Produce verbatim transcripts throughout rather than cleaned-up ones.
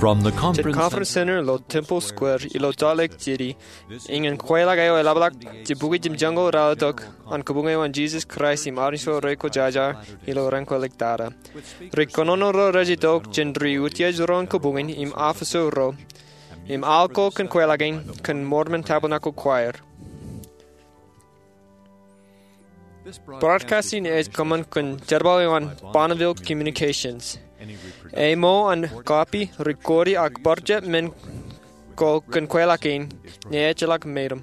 From the Conference Center ilo Temple Square ilo Salt Lake City, iien kweilọk eo eḷapḷọk Jibukwi Jemjeñoul Ralitōk an Kabukwi eo an Jesus Christ im Anij Ro Rekwōjarjar ilo Raan ko Ḷōktak. Ri kōnono ro rej itok jān ri utiej ro an kabukwi im officer ro im aolep kōn kweilọk in kōn Mormon Tabernacle Choir. Broadcast in ej kōṃṃan kōn jerbal eo an Bonneville Communications. Ej ṃool an copy, record ak bar jab men ko kōn kweilọk in ñe ejjeḷọk meram.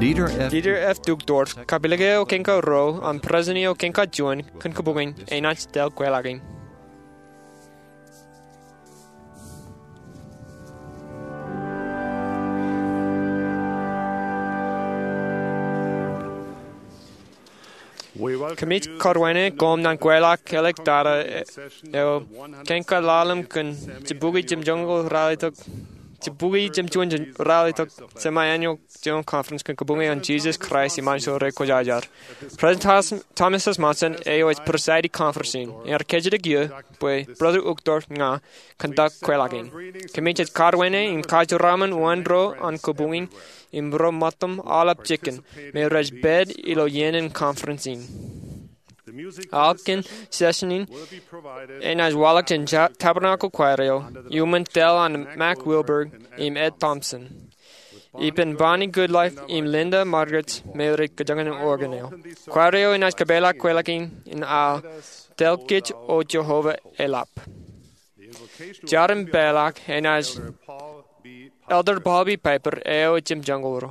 Dieter F. Dieter F. Uchtdorf, kapilōk eo kōn kōj ro, an president eo kōn kōj juon, kōn kabukwi in, enaaj tōl kweilọk in. Kōmij kōrwāne koṃ ñan kweilọk ḷōktak eo kōn kōj ḷalem kōn Jibukwi Jemjeñoul Ralitōk, Jibukwi Jemjeñoul Ralitōk Semi-Annual General Conference kōn Kabukwi eo an Jesus Christ im Anij Ro Rekwōjarjar. President Thos-, Thomas S. Monson eo ej preside conference in. Ear kōjatdikdik bwe Brother Uchtdorf ña conduct kweilọk in. Kōmij kōrwāne im kajeraṃṃan wōn ro an kabukwi in im ro ṃōttam aolep jikin me rej pād ilo iien in conference in. Aolep kōn session in enaaj waḷọk jān ta-, Tabernacle Choir eo iuṃwin tōl an Mac Wilberg im Ed Thompson. Ippān Bonnie Goodlife im Linda Margetts me rej kōjañjañ organ eo. Choir eo enaaj kōpeḷḷọk kweilọk in, in aō Tōl Kōj O Jehovah Eḷap. Jar im peḷḷọk enaaj Elder Paul B. Piper eo ej jemjeñoul ro.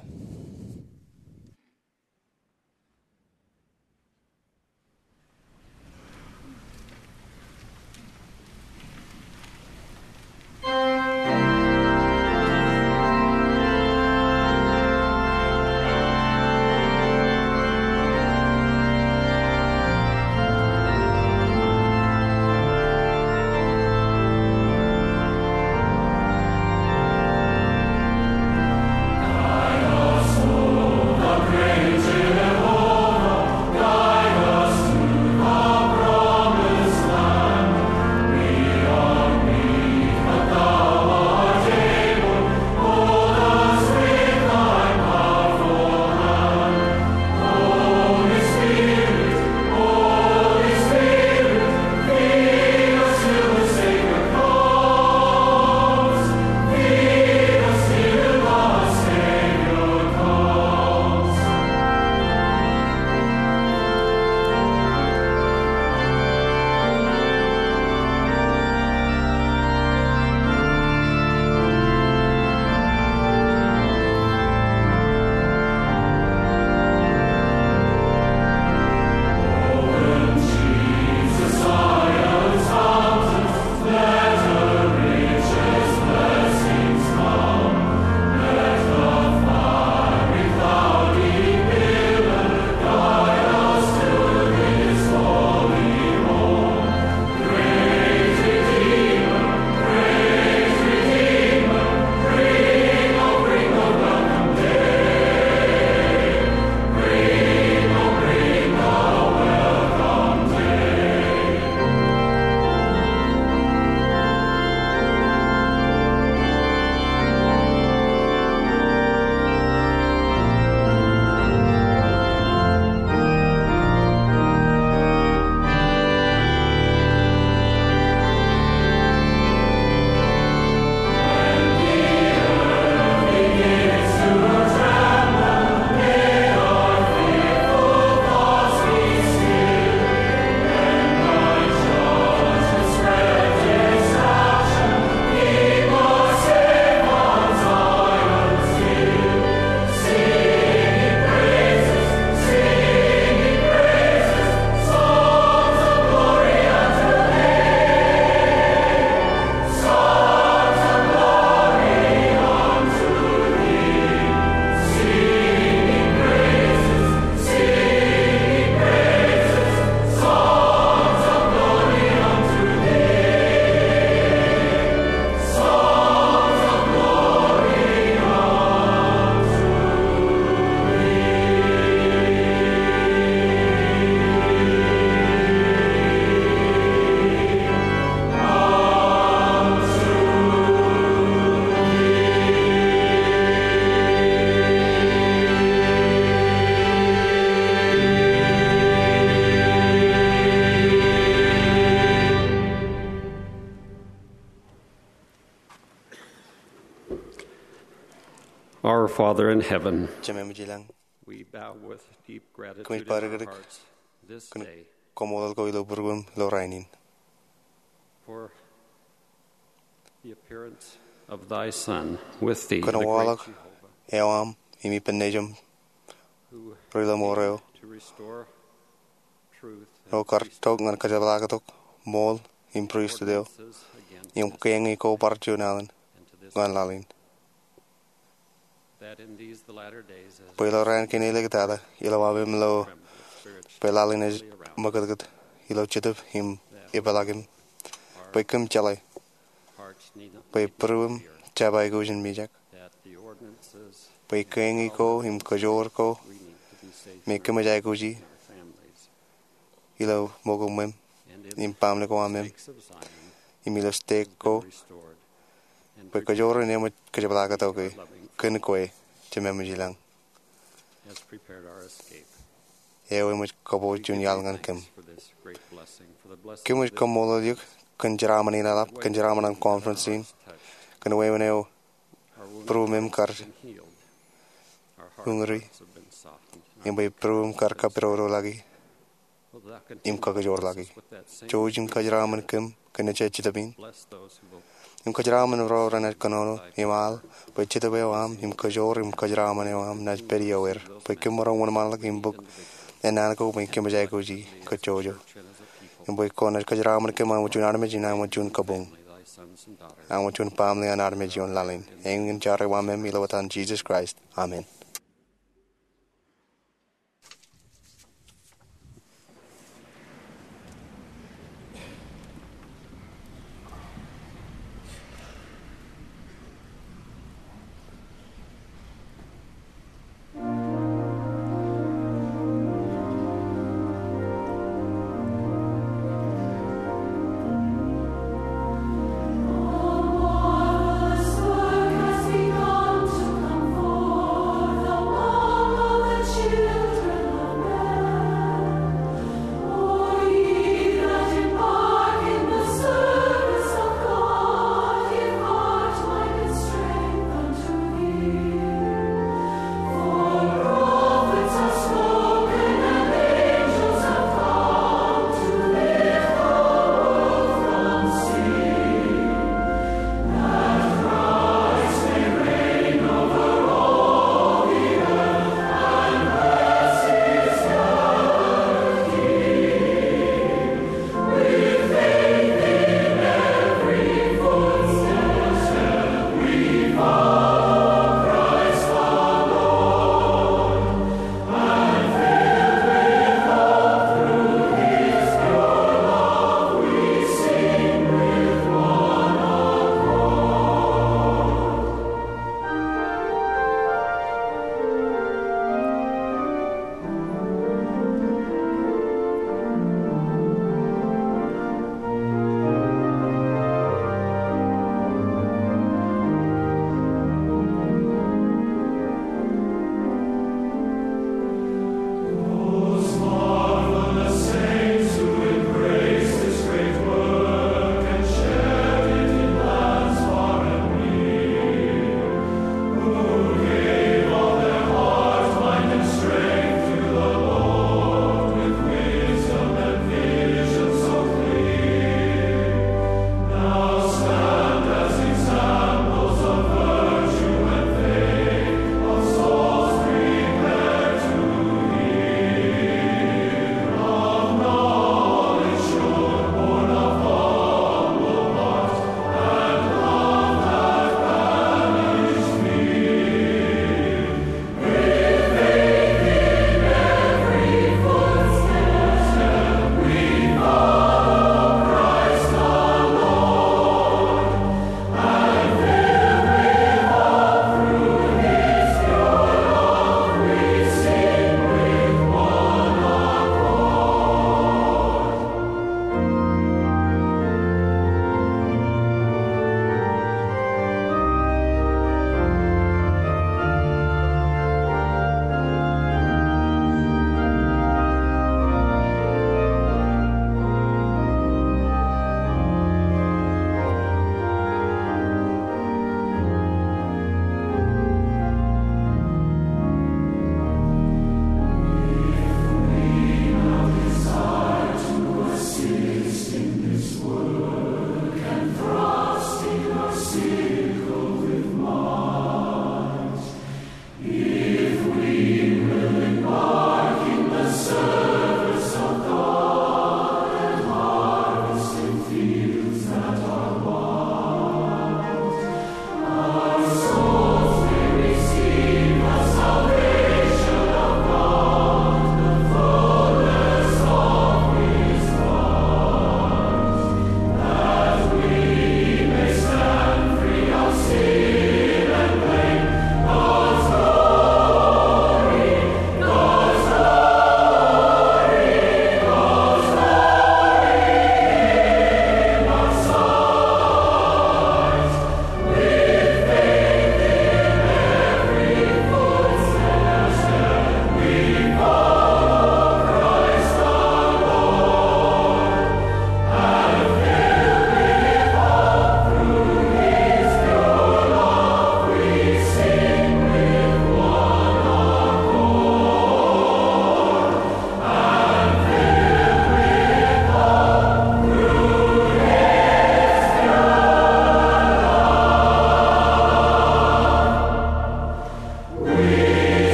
Our Father in heaven, Jemem ilañ, we bow with deep gratitude in our hearts this day kōn koṃṃool ko ilo būruem ilo rainin. For the appearance of thy Son with thee, kōn the great waḷọk Jehovah, eo aṃ im ippān Nejiṃ, who ri ḷōṃaro, came to restore truth and eo kar tok ñan kōjepḷaaktok ṃool im pristut eo, ordinances against, im kein ko bar juon alen, and to this ñan laḷ in. That in these, the latter days, as bwe ilo raan kein āliktata, ilowaan ilo bwe laḷ in ej ṃōkūtkūt ilo jetōb im epeḷaakim, bwe kōm jeḷā bwe būruem jab aikuj in mijak, bwe kein ko im kōjoor ko me kōm ej aikuji ilo ṃōko ṃweo im baaṃle ko aṃ im ilo stek ko, bwe kōjoor in eṃōj kōjepḷaaktok kōn kwe, Jemem ilañ, eo eṃōj kōpooj juon iaḷ ñan kōm. Kōm ej kaṃṃoolol eok kōn jeraaṃṃan in eḷap, kōn jeraaṃṃan an conference in, kōn wāween eo būruem kar uñūri, im bwe būruem kar kapidodoḷọk im kōkōjoorḷọk. Jouj im kōjeraaṃṃan kōm kōn ejja jetōb in, im kōjeraaṃṃan ro renaaj kōnono im al bwe jetōb eo aṃ im kōjoor im kōjeraaṃṃan eo aṃ naaj pād iọkwe er, bwe kōm maroñ wōnṃaanḷọk im bōk ennaan ko bwe kōm ej aikuji kōj jouj, im bwe kwōnaaj kōjeraaṃṃan kōm aṃ juon armej im aṃ juon kabuñ, aṃ juon baaṃle an armej ioon laḷ in. Eñin ej aō ba eo aṃ ilo etan Jisōs Kraist, amen.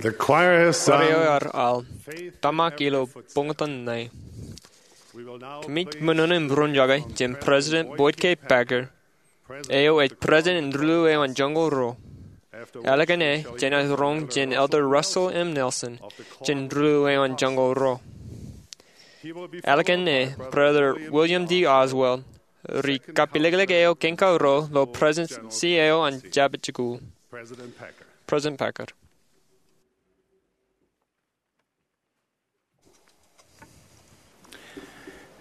The choir has sung. Bar eo ear al, Tōmak ilo Buñtōn Ṇe. Kōmij ṃōṇōṇō im roñjake jān President Boyd K. Packer, eo ej President in Rūḷu eo an Joñoul Ruo. Ālikin e, jenaaj roñ jān Elder Russell M. Nelson jān Rūḷu eo an Joñoul Ruo. Ālikin e, Brother William D. Oswald, ri kapilōklōk eo kein karuo ilo Presidency eo an Jabōt Jikuuḷ. President Packer.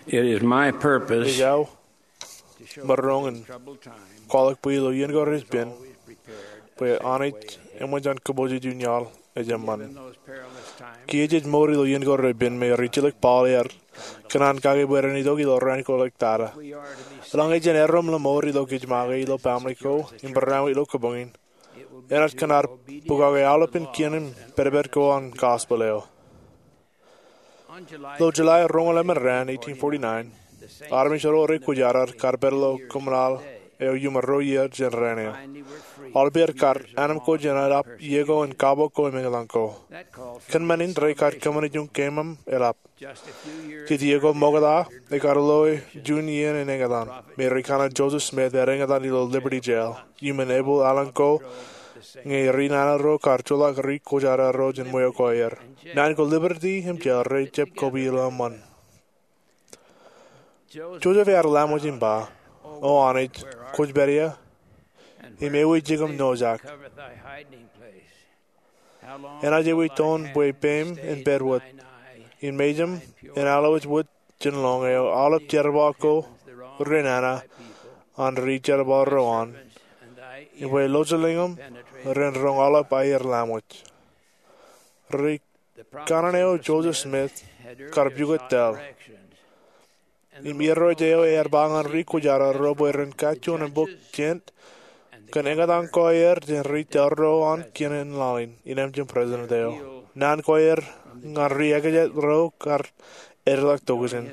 It is my purpose. Ej aō maroñ in kwaḷọk bwe ilo iien ko repen, bwe Anij eṃṃan jān kōpooj eo juon iaḷ ej eṃṃan. Kiiō jej mour ilo iien ko repen me rijjelōk Paul ear kōṇaan kake bwe ren itok ilo raan ko ḷọk tata. Eḷaññe jen erom ḷōṃaur ilo kōj make, ilo baaṃle ko, im barāinwōt ilo kabuñ in, enaaj kōṇaan bukake aolepān kien im pedped ko an gospel eo. Ilo July roñoul emān raan, eighteen forty-nine, armej ro rekwōjarjar kar pād ilo kōṃṃan aḷ eo iuṃwin ruo iiō jān raan eo. Aolepān kar anemkwōj jān eḷap iiō ko in kabok ko im eñtaan ko. Kōn men in rekar kōṃṃane juon keemem eḷap. Jej iiō ko ṃokta, ekar loe juon iien in eñtaan, me ri kanaan Joseph Smith ear eñtaan ilo Liberty Jail iuṃwin epūḷ aelōñ ko, ñe ri nana ro kar joḷọk rekwōjarjar ro jān ṃweo ko aer. Naan ko Liberty im jail rej jab koba ilo eṃṃan. Joseph ear laṃōj im ba, O Anij, kwōj pād ia? Im ewi jikin nojak? Enaaj ewi toon bwe peim en pād wōt, im mejaṃ en alwōj wōt jān lọñiō aolep jerbal ko renana an ri jerbal ro an, im bwe lọjilñaṃ ren roñ aolep aer laṃōj? Ri kanaan eo Joseph Smith kar pukot taḷ. Im irooj eo ear ba ñan ri kwōjarjar ro bwe ren kajjojo im bōk jet kōn eñtaan ko aer jān ri taḷ ro an kien in laḷ in, innem jān president eo. Naan ko aer ñan ri ekajet ro kar edeḷọk tokjān.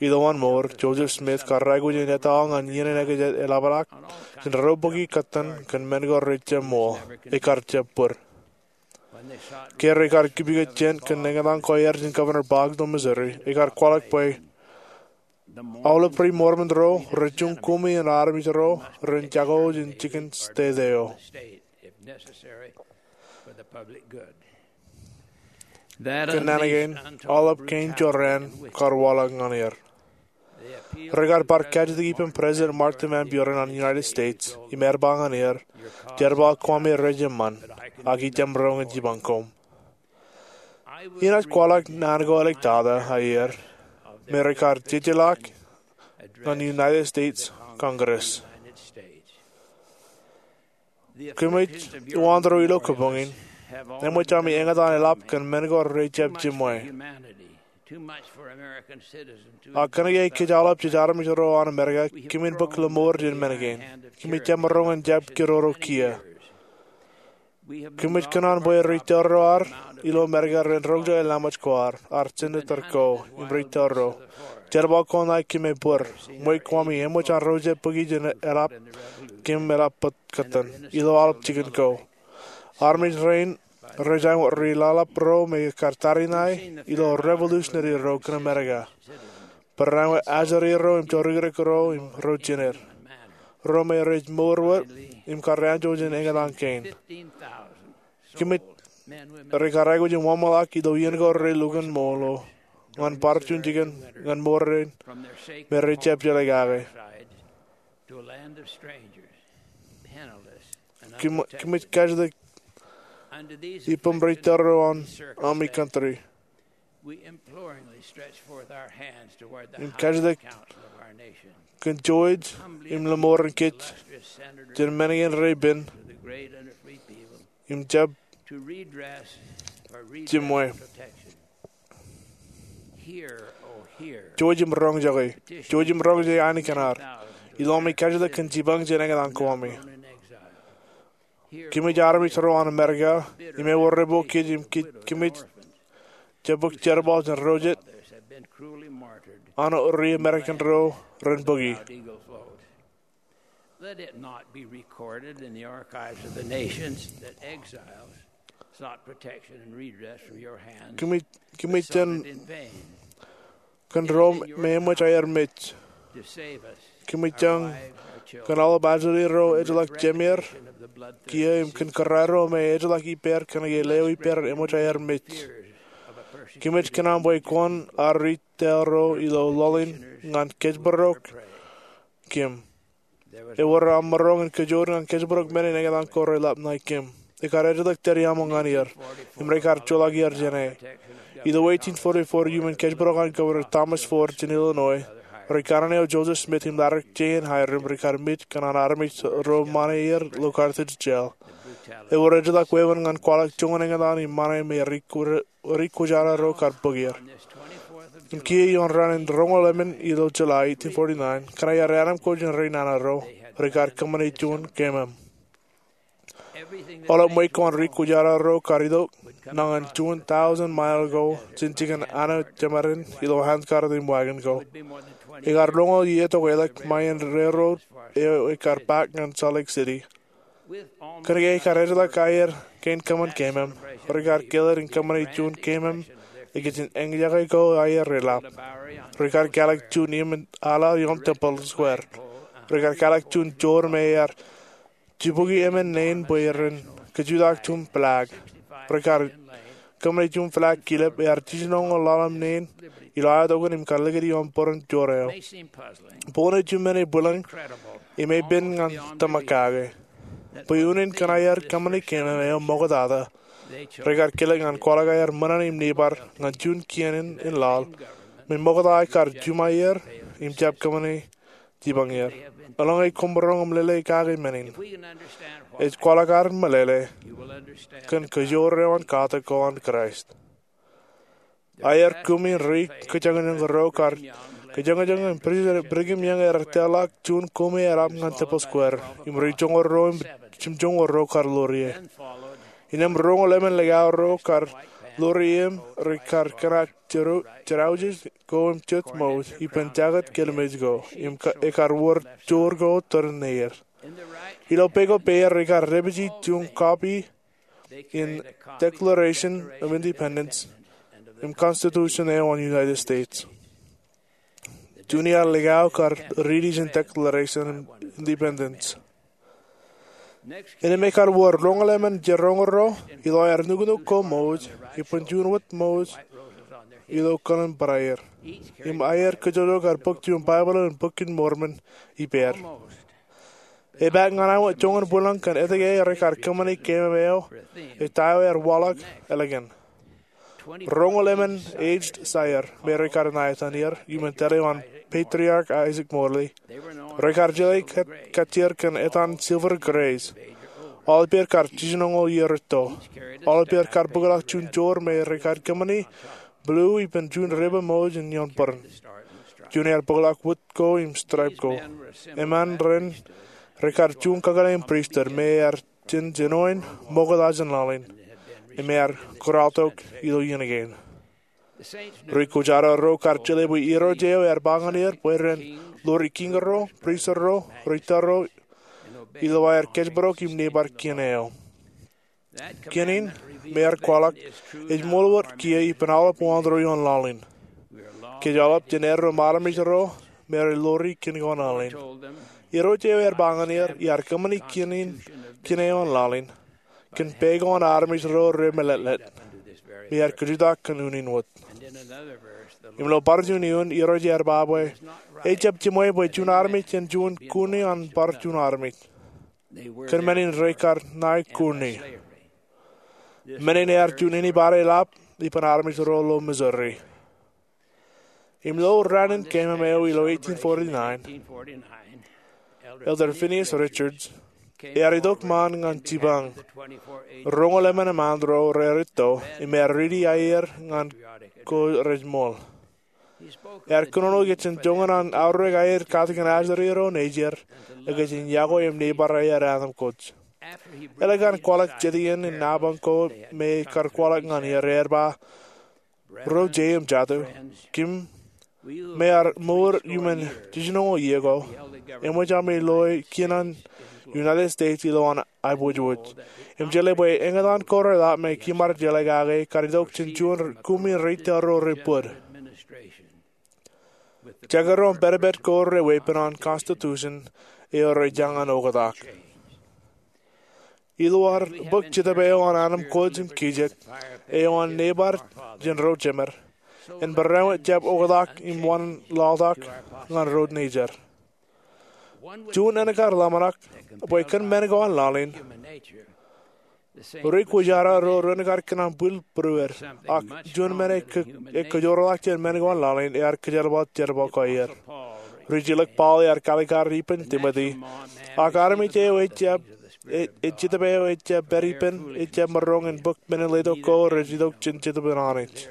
Ilo an mour, Joseph Smith kar aikuj in etto ñan iien in ekajet eḷapḷọk jān ro bōki kōttan kōn men ko rej jab ṃool, ekar jab bōd. Ke rekar kipikot jet kōn eñtaan ko aer jān Governor Boggs ilo Missouri, ekar kwaḷọk bwe aolep ri Mormon ro rej juon kumi in armej ro ren jako jān jikin state eo. Kōn naan kein, aolep kein jorrāān kar waḷọk ñan er. Rekar bar kajjitōk ippān President Martha Van Buren an United States, im ear ba ñan er, Jerbal koṃṃi rej eṃṃan, ak ij jab roñ in jipañ koṃ. Inaaj kwaḷọk naan ko āliktata aer, me rekar jejeḷọk ñan United States Congress. Kōmij uwaanto ilo kabuñ in, eṃōj ami eñtaan eḷap kōn men ko rej jab jiṃwe. Ak kōnke kōj aolep jej armej ro an Amerika, kōmin bōk ḷōṃaur jān men kein. Kōmij jab maroñ in jab kōroro kiiō. Kōmij kōṇaan bwe ri taḷ ro ad ilo Amerika ren roñjake laṃōj ko ad, ad senator ko, im ri taḷ ro. Jerbal ko ṇae kōm bōd, ṃwe koṃṃi eṃōj an ro jab bōki jān eḷap kōm eḷap bōd kōttan ilo aolep jikin ko. Armej rein rej āinwōt ri laḷap ro me kar tariṇae ilo revolutionary ro kōn Amerika. Barāinwōt ajri ro im jorrāān ro im ro jined. Ro me rej mour wōt im kar anjọ jān eñtaan kein. Kōmij, rekar aikuj in ṃōṃaḷọk ilo iien ko relukkuun ṃool eo ñan bar juon jikin ñan mour rein me rej jab jeḷā kake. Kōm, kōmij kajjitōk ippaṃ ri taḷ ro an ami country. Im kajjitōk kōn jouj im ḷōṃaur in kōj jān men kein repen im jab jiṃwe. Jouj im roñjake. Jouj im roñjake ainikien ad. Ilo ami kajjitōk kōn jipañ jān eñtaan ko ami. Kōmij armej ro an Amerika, im ewōr epok kōj im kōmij jab bōk jerbal jān ro jet an ri Amerikan ro ren bōki. Let it not be recorded in the archives of the nations that exiles Kōmij, kōmij jen kōn ro me eṃōj aer mej. Kōmij jen kōn aolep ajri ro ejjeḷọk jemeer kiiō im kōn kōrā ro me ejjeḷọk ippāer kōnke leo ippāer eṃōj aer mej. Kōmij kōṇaan bwe kwōn arij tōl ro ilo laḷ in ñan kōjparok kōm. Ewōr aṃ maroñ in kōjoor ñan kōjparok men in eñtaan ko reḷap ṇae kōm. Ekar ejjeḷọk tōre aṃo ñan er im rekar joḷọk er jāne. Ilo eighteen forty-four iuṃwin kōjparok an Governor Thomas Ford jān Illinois, ri-kanaan eo Joseph Smith im Larry J. Hyrum rekar mej kōn an armej ro ṃane er ilo Carthage jail. Ewōr ejjeḷọk wāween ñan kwaḷọk joñan eñtaan im ṃane me ri kwōjarro ro kar bōk er. Im kiiō ioon raan in roñoul emān ilo July eighteen forty-nine, kōn aer anaṃ ko jān ri nana ro, rekar kōṃṃane juon kemem. Aolep ṃweiuk ko an ri kwōjarro ro kar itok nañin juon thousand mile ko jān jikin Anna Jemedin ilo handcart im wagon ko. Ekar roñoul iiō tok ālikin ṃae in railroad eo ekar paak ñan Salt Lake City. Kōnke ekar ejjeḷọk aer kein kōṃṃan kemem, rekar keled in kōṃṃane juon kemem ikijjien eñjake ko aer reḷap. Rekar kalōk juon iien ala ioon Temple Square. Rekar kalōk juon joor me ear jibukwi emān nein bwe ren kajutōk juon flag. Rekar kōṃṃane juon flag kilep ear jijinoñoul ḷalem nein ilo aetokan im kar likūti ioon bōran joor eo. Boñōn juon men ebwilōñ im epen ñan tōmak kake bwe unin kōn aer kōṃṃane kemem eo ṃoktata, rekar kelōk ñan kwaḷọk aer ṃōṇōṇō im neighbor ñan juon kien in laḷ me ṃokta kar juṃaer im jab kōṃṃane jipañ er. Eḷaññe koṃ maroñ im lele kake men in, ej kwaḷọk ad meḷeḷe kōn kajoor eo an katak ko an Kraist. Aer kumi ri kōjañjañ ro kar kōjañjañ im President Brigham Young ear tōl ḷọk juon kumi eḷap ñan Temple Square im ri joñoul ruo im jimjoñoul ruo kar ḷoor ie. Innām roñoul emān likao ro kar ḷoor ie im rekar kōṇak jerọwiwi ko im jet mouj ippān jaket kelmej ko im ekar wōr joor ko tōre neer. Ilo pā ko peier rekar dāpiji juon copy in Declaration of Independence im Constitution eo an United States. Juon iaar likao kar riiti jān Declaration of Independence. Innām ekar wōr roñoul emān jeroñ ro ilo aer nuknuk ko mouj ippān juon wōt mouj ilo kōṇaan barāinwōt. Im aer kajjojo kar bōk juon Baibōḷ in Bok in Mormon ippāer. Epaak ñan awa joñan bwilōñ kōn etke rekar kōṃṃane kemem eo, ej ta eo ear waḷọk ālikin. Roñoul emān aged sire me rekar ṇa etan er iuṃwin tōre eo an Patriarch Isaac Morley. Rekar jeḷā kajjitōk kōn etan Silver Grays. Aolepād kar jijinoñoul iiō rūtto. Aolepād kar bōkḷọk juon joor me rekar kōṃṃane blue ippān juon dāpij mouj in ioon bōran. Juon ear bōkḷọk wōt ko im stripe ko. Emān ren rekar juon kakōḷḷe in pristut me ear jen jinoin ṃokta jān laḷ in im ear kōrọọltok ilo iien kein. Ri kwōjarro ro kar jeḷā bwe Irooj eo ear ba ñan er bwe ren ḷoori kiiñ ro, pristut ro, ri tōl ro ilo aer kōjparok im neighbor kien eo. Kien in me ear kwaḷọk ej ṃool wōt kiiō ippān aolep waanro ioon laḷ in. Kōj aolep jen erro ṃaan armej ro me rej ḷoori kien ko an laḷ in. Irooj eo ear ba ñan er iar kōṃṃane kien in, kien eo an laḷ in kōn pā ko an armej ro remeletlet. Im ear kajjitōk kōn unin wōt. Im ilo bar juon eoon Irooj ear ba bwe ejjab jiṃwe bwe juon armej en juon kuni an bar juon armej. Kōn men in rekar ṇae kuni. Men in ear juon inepata eḷap ippān armej ro ilo Missouri. Im ilo raan in kemem eo ilo eighteen forty-nine, Elder Phineas Richards ear itok ṃaan ñan jipañ roñoul emān eṃaan ro raar rūtto im ear riiti aer ñan ko rej ṃool. Ear kōnono ikijjien joñan an aorōk aer katakin ajri ro nejier ikijjien iọkwe im neighbor aer anaṃ kōj. Eḷak an kwaḷọk jet iien in napañ ko me ekar kwaḷọk ñan er, ear ba, Ro jeiū im jatū, kōm me ear mour iuṃwin jijinoñoul iiō ko, eṃōj ami loe kien an United States ilo an aiboojoj. Im jeḷā bwe eñtaan ko reḷap me kimaad jeḷā kake kar itok jān juon kumi reitok ro rej bōd. Jekdọọn pedped ko reweeppān an constitution eo rej jañin oktak. Ilo ad bōk Jetōb eo an anemkwōj im kijek eo an neighbor jān ro jemed, en bareinwōt jab oktak im wōn laḷtak ñan ro nejid. Juon āne kar ḷōmṇak bwe kōn men ko an laḷ in, ri kwōjarro ro ren kar kōṇaan bwilbwilwōd, ak juon men eo ekōjorḷọk jān men ko an laḷ in ear kōjerbal jerbal ko aer. Ri-jilōk Paul ear kaalikkar ippān Timote, ak armej eo ejjab, e, e, Jetōb eo ejjab pād ippān, ejjab maroñ in bōk men in letok ko rej itok jān Jetōb in Anij.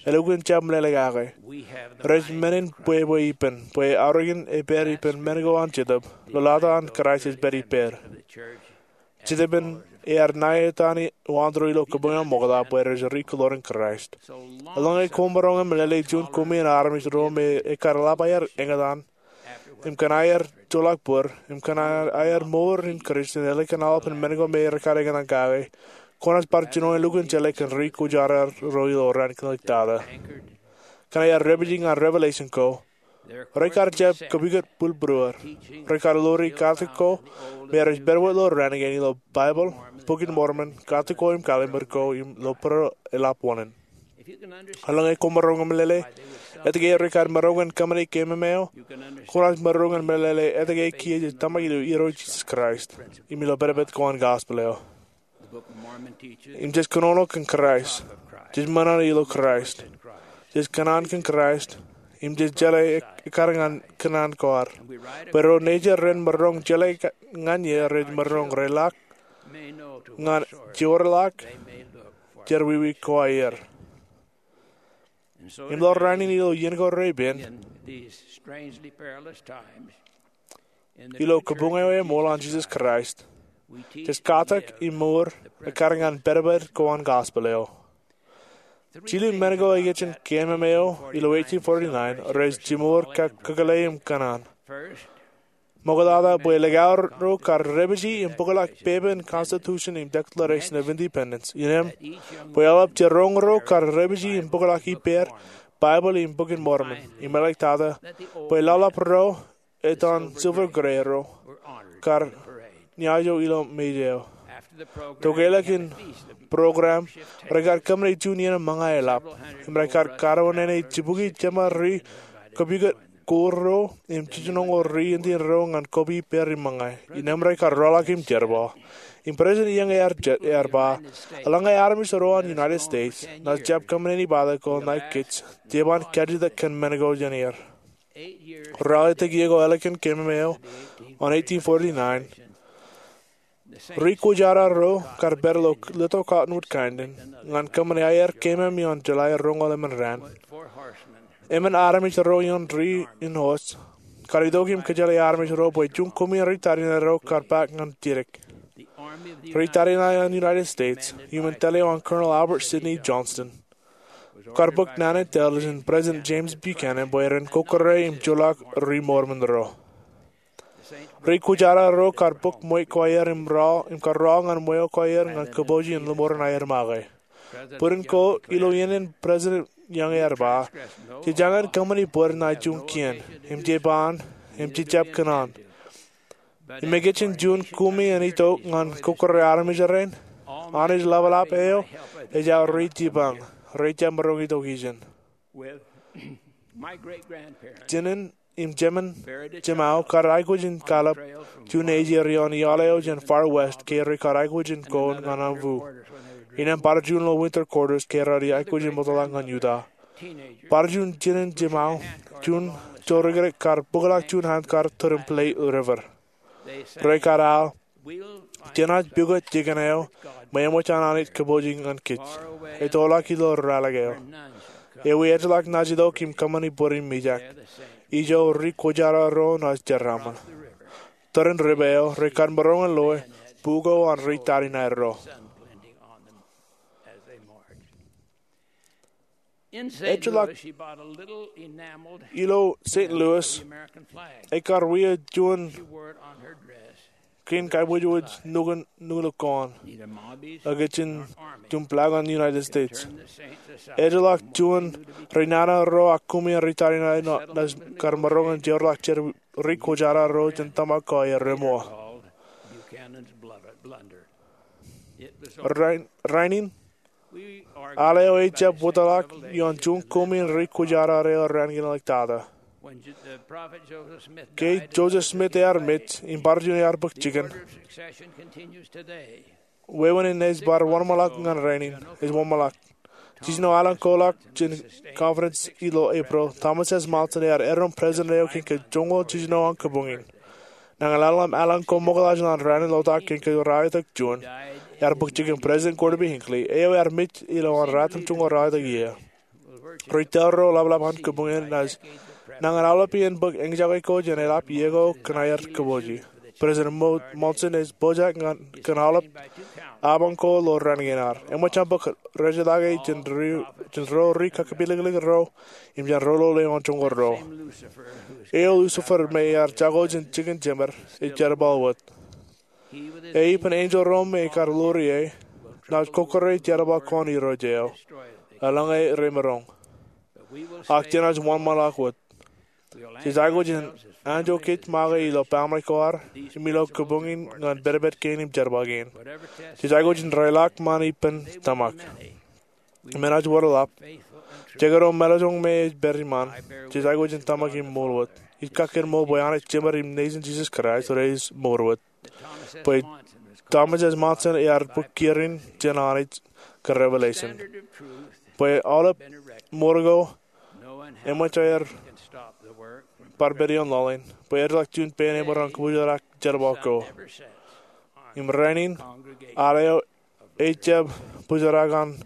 Elukkuun jab meḷeḷe kake. Rej men in bwebwe ippān, bwe aorōkin epād ippān men ko an Jetōb, ḷōḷata an Kraist ej pād ippād. Jetōb in ear ṇa etan waanto ilo kabuñ eo ṃokta bwe rej ri-kōḷoor in Kraist. Eḷaññe koṃ maroñ in meḷeḷe juon kumi in armej ro me ekar ḷap aer eñtaan, im kōn aer joḷọk bōd, im kōn aer mour in Kūrjin, eḷaññe kōn aolepān men ko me rekar eñtaan kake, kwōnaaj bar jino elukkuun jeḷā kōn ri kwōjarro ro ilo raan kinlōktata. Kōn aer dāpiji ñan revelation ko, rekar jab kōpukot bwilbwilwōd. Rekar ḷoori katak ko me rej pād wōt ilo raan kein ilo Baibōḷ, Bok in Mormon, katak ko im kalimeer ko im ilo bōro eḷap wōṇāān. Eḷaññe koṃ maroñ in meḷeḷe etke rekar maroñ in kōṃṃane keememeo, kwōnaaj maroñ in meḷeḷe etke kiiō jej tōmak ilo Irooj Jisōs Kraist im ilo pedped ko an gospel eo. Im jej kōnono kōn Kraist, jej ṃōṇōṇō ilo Kraist, jej kōṇaan kōn Kraist, im jej jeḷā ekkar ñan kōṇaan ko ad, bwe ro nejid ren maroñ jeḷā ñan eō rej maroñ reḷak ñan jeorḷọk jerọwiwi ko aer. Im ḷọk raan in ilo iien ko repen, ilo kabuñ eo eṃool an Jisōs Kraist, jej katak im mour ekkar ñan pedped ko an gospel eo. Jilu men ko ikijjien keememeo ilo eighteen forty-nine rej jimour kōkōḷḷe im kōṇaan. Ṃoktata bwe likao ro kar dāpiji im bōkḷọk pepe in Constitution im Declaration of Independence, innem bwe aolep jiroñ ro kar dāpiji im bōkḷọk ippāer Baibōḷ im Bok in Mormon, im eḷaññe tata bwe laḷap ro etan silver gray ro kar ñājo ilo mej eo. Tokālik in program, rekar kōṃṃane juon iien ṃōñā eḷap im rekar kōrā nene jibukwi jeṃa ri kōpukot ko ro im jijinoñoul ri Indian ro ñan koba ippāer im ṃōñā. Innem rekar rọọlḷọk im jerbal. Im President Young ear ba, eḷaññe armej ro an United States naaj jab kōṃṃane ippatak ko ṇae kōj, jeban kajjitōk kōn men ko jān er. Ralitōk iiō ko ālikin keememeo an eighteen forty-nine, ri kwōjarro ro kar pād ilo Little Cottonwood Canyon ñan kōṃṃane aer keememej ioon July roñoul emān raan. Emān armej ro ioon ri in hos kar itok im kōjeḷā armej ro bwe juon kumi ri tariṇae ro kar paak ñan jidik. Ri tariṇae an United States, iuṃwin tōl eo an Colonel Albert Sidney Johnston, kar bōk naan in tōl jān President James Buchanan bwe ren kọkkure im joḷọk ri Mormon ro. Ri kwōjarro ro kar bōk ṃweo ko aer im rọọl, im kar rọọl ñan ṃweo ko aer ñan kōpooje in lōṃoor in aer make. Bōd in ko ilo iien in President Young ear ba, jej jañin kōṃṃani bōd ṇae juon kien, im jeban, im jejjab kōṇaan. Im ikijjien juon kumi en itok ñan kọkkure armej rein, Anij ḷapḷap eo ejjab ri jipañ, rej jab maroñ itok ijin. Jinen im jemān jemāo kar aikuj in kaḷap juon nejid ioon iaḷ eo jān Far West ke rekar aikuj in koon ñan aṃ wu. Innem bar juon ilo winter quarters ke rej aikuj in ṃokta ñan Utah. Bar juon jinen jemāo, juon jorikrek kar bōkḷọk juon hand car tūrin Platte River. Rekar al, jenaaj pukot jikin eo, ṃweo ṃōj an Anij kōpooje ñan kōj. Ettoḷọk ilo ralitōk eo. Ewi ejjeḷọk naaj itok im kōṃṃani bōd im ijak. Ijo ri kwōjarro ro naaj jeraaṃṃan. Tōre in river eo, rekar maroñ in loe buko an ri tariṇae ro. Ejjeḷọk ilo Saint Louis, ekar wia juon kein kaibwijwij nukun nukun ko an, ej kajjitōk juon flag an United States. Ejjeḷọk juon ri nana ro ak kumi ri tariṇae naaj kar maroñ in jeorḷọk jān ri kwōjarjar ro jān tōmak ko aer reṃool. Rainin, al eo ejjab wōtlọk ioon juon kumi in ri kwōjarjar eo raan kein ḷọk tata. Ke Joseph Smith ear mej im bar juon ear bōk jikin, wāween in ej bar wōnṃaanḷọk ñan rainin, ej wōnṃaanḷọk. Jiljino aolep ko ḷọk jān conference ilo April, Thomas S. Monson ear erom president eo kōn ke joñoul jiljino an kabuñ in. Nañinmej aolep ko ṃokta jān an rainin ḷotak kōn ke raar itok juon, ear bōk jikin President Gordon B. Hinckley, eo ear mej ilo an ratimjuonñoul ralitōk iiō. Ri tōl ro ḷapḷap an kabuñ in naaj nañin aolepān bōk eñjake ko jān eḷap iiō ko kōn aer kōpooje. President Monson ej pojak ñan kōn aolep apañ ko ilo raan kein ad. Eṃōj aṃ bōk rejeḷā ke jān ro ri kakipilōklik ro im jān ro lo lewōj joñoul ro. Eo Lucifer me ear jako jān jikin jemed ej jerbal wōt. E ippān enjeḷ ro me kar lori e, naaj kokkure jerbal ko an Irooj eo, eḷaññe remaroñ. Ak jenaaj wōnṃaanḷọk wōt. Jej aikuj in anjọ kōj make ilo baaṃle ko ad im ilo kabuñ in ñan pedped kein im jerbal kein. Jej aikuj in reilọk ṃaan ippān tōmak. Im enaaj wōr ḷap, jekdọọn mālōtlōt me ej pād iṃaan, jej aikuj in tōmak im ṃool wōt. Ij kakkōṃṃan bwe Anij Jemed im Nejin Jisōs Kraist rej mour wōt. Bwe Thomas S. Monson ear bōk kierin jān Anij kōn revelation. Bwe aolep mour ko eṃōj aer bar pād ioon lọleen. Bwe ejjeḷọk juon pein emaroñ kōbuuj jerak jerbal ko. Im rainin, al eo ejjab bōjrak an,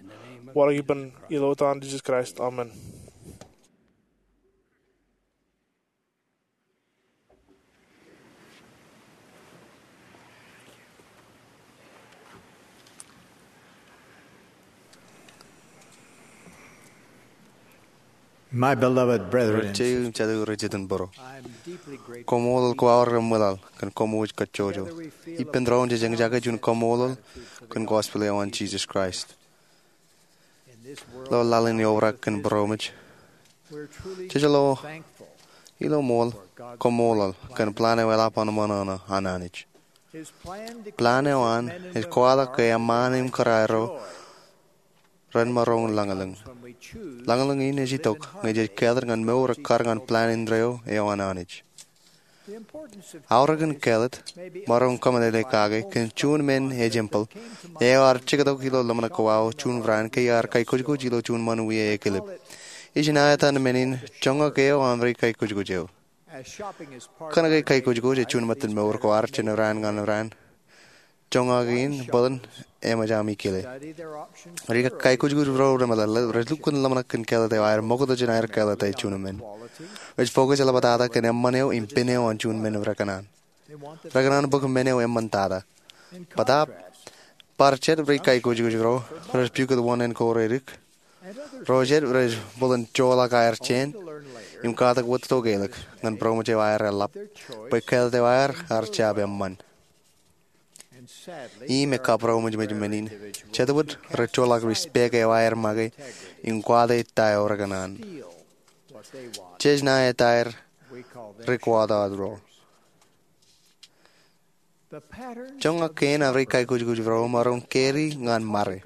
waḷọk ippān, ilo etan Jisōs Kraist, amen. My beloved brethren, rijjeo im jatū rej jitōnbōro, koṃṃool koṃ aorōk eṃwilaḷ kōn koṃ wōj kajjojo. Ippān doon jej eñjake juon koṃṃool kōn gospel eo an Jisōs Kraist. Ilo laḷ in eobrak kōn būroṃōj, jej lo ilo ṃool koṃṃool kōn plan eo eḷap an ṃōṇōṇō an Anij. Plan eo an ej kwaḷọk ke eṃṃaan im kōrā ro ren maroñ lañlōñ. Lañlōñ in ej itok ñe jej kāālōt ñan mour ekkar ñan plan indeeo eo an Anij. Aorōkin kāālōt, maroñ kōmeḷeḷe kake kōn juon men ejempel eo ear jektok ilo ḷōmṇak ko aō juon raan ke ear kaikujkuj ilo juon ṃōn wie ekilep. Ijin aetan men in joñak eo an ri kaikujkuj eo. Kōnke kaikujkuj ej juon ṃōttan mour ko ad jān raan ñan raan, joñak in bōlen eṃōj ami kile. Ri kaikujkuj ro remeḷeḷe rej lukkuun ḷōmṇak kōn kāālōt eo aer ṃokta jān aer kāālōt juon men. Rej focus eḷaptata kōn eṃṃan eo im pen eo an juon men rekōṇaan. Rekōṇaan bwe men eo eṃṃantata. Bōtaab, bar jet ri kaikujkuj ro rej pukot wōṇāān ko redik, ro jet rej bōlen joḷọk aer jāān im katak wōt to ke ḷọk ñan būroṃōj eo aer eḷap bwe kāālōt eo aer ear jab eṃṃan. Im ekabūroṃōjmōj men in, jet wōt rej joḷọk respect eo aer make im kwaḷọk ta eo rekōṇaan. Jej ṇae etaer ri kwaḷọk ro. Joñak kein an ri kaikujkuj ro maroñ carry ñan ṃare.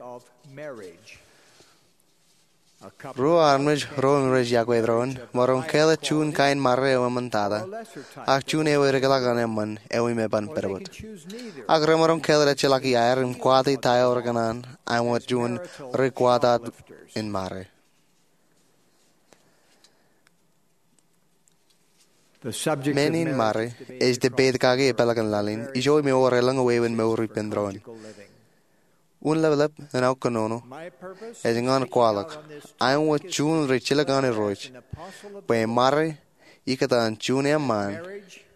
Ruo armej ro im rej yokwe doon maroñ kāālōt juon kain ṃare eo eṃṃantata, ak juon eo edeḷọk an eṃṃan eo im eban pedped. Ak remaroñ kāālōt ejjeḷọk iaer im kwaḷọk ta eo rekōṇaan, ak ṃōk juon ri kwaḷọk in ṃare. Men in ṃare ej debate kake epeḷḷọk in laḷ in, ijo im ewōr elōñ wāween mour ippān doon. Un leplep in aō kōnono ej ñan kwaḷọk, ak ṃōk juon rijjilōk an Irooj, bwe ṃare ikōtaan juon eṃṃaan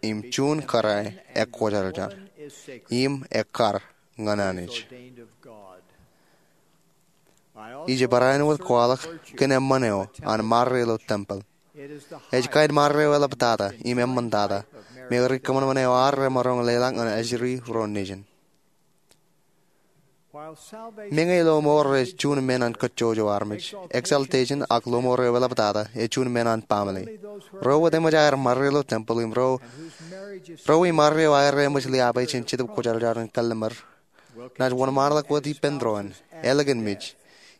im juon kōrā ekwōjarjar im ekkar ñan Anij. Ij barāinwōt kwaḷọk kōn eṃṃan eo an ṃare ilo tempeḷ. Ej kain ṃare eo eḷaptata im eṃṃantata. me ri kōṃanṃan eo ad remaroñ leḷọk ñan ajri ro nejin. Meñe lọmọọr ej juon men an kōjjojo armej, exaltation ak lọmọọr eo eḷaptata ej juon men an baaṃle. Ro wōt eṃōj aer marre ilo tempeḷ im ro, ro iṃaad eo aer eṃōj liaabwe jān Jetōb Kwōjarjar in kalliṃur, naaj wōnṃaanḷọk wōt ippān doon, ālikin mej,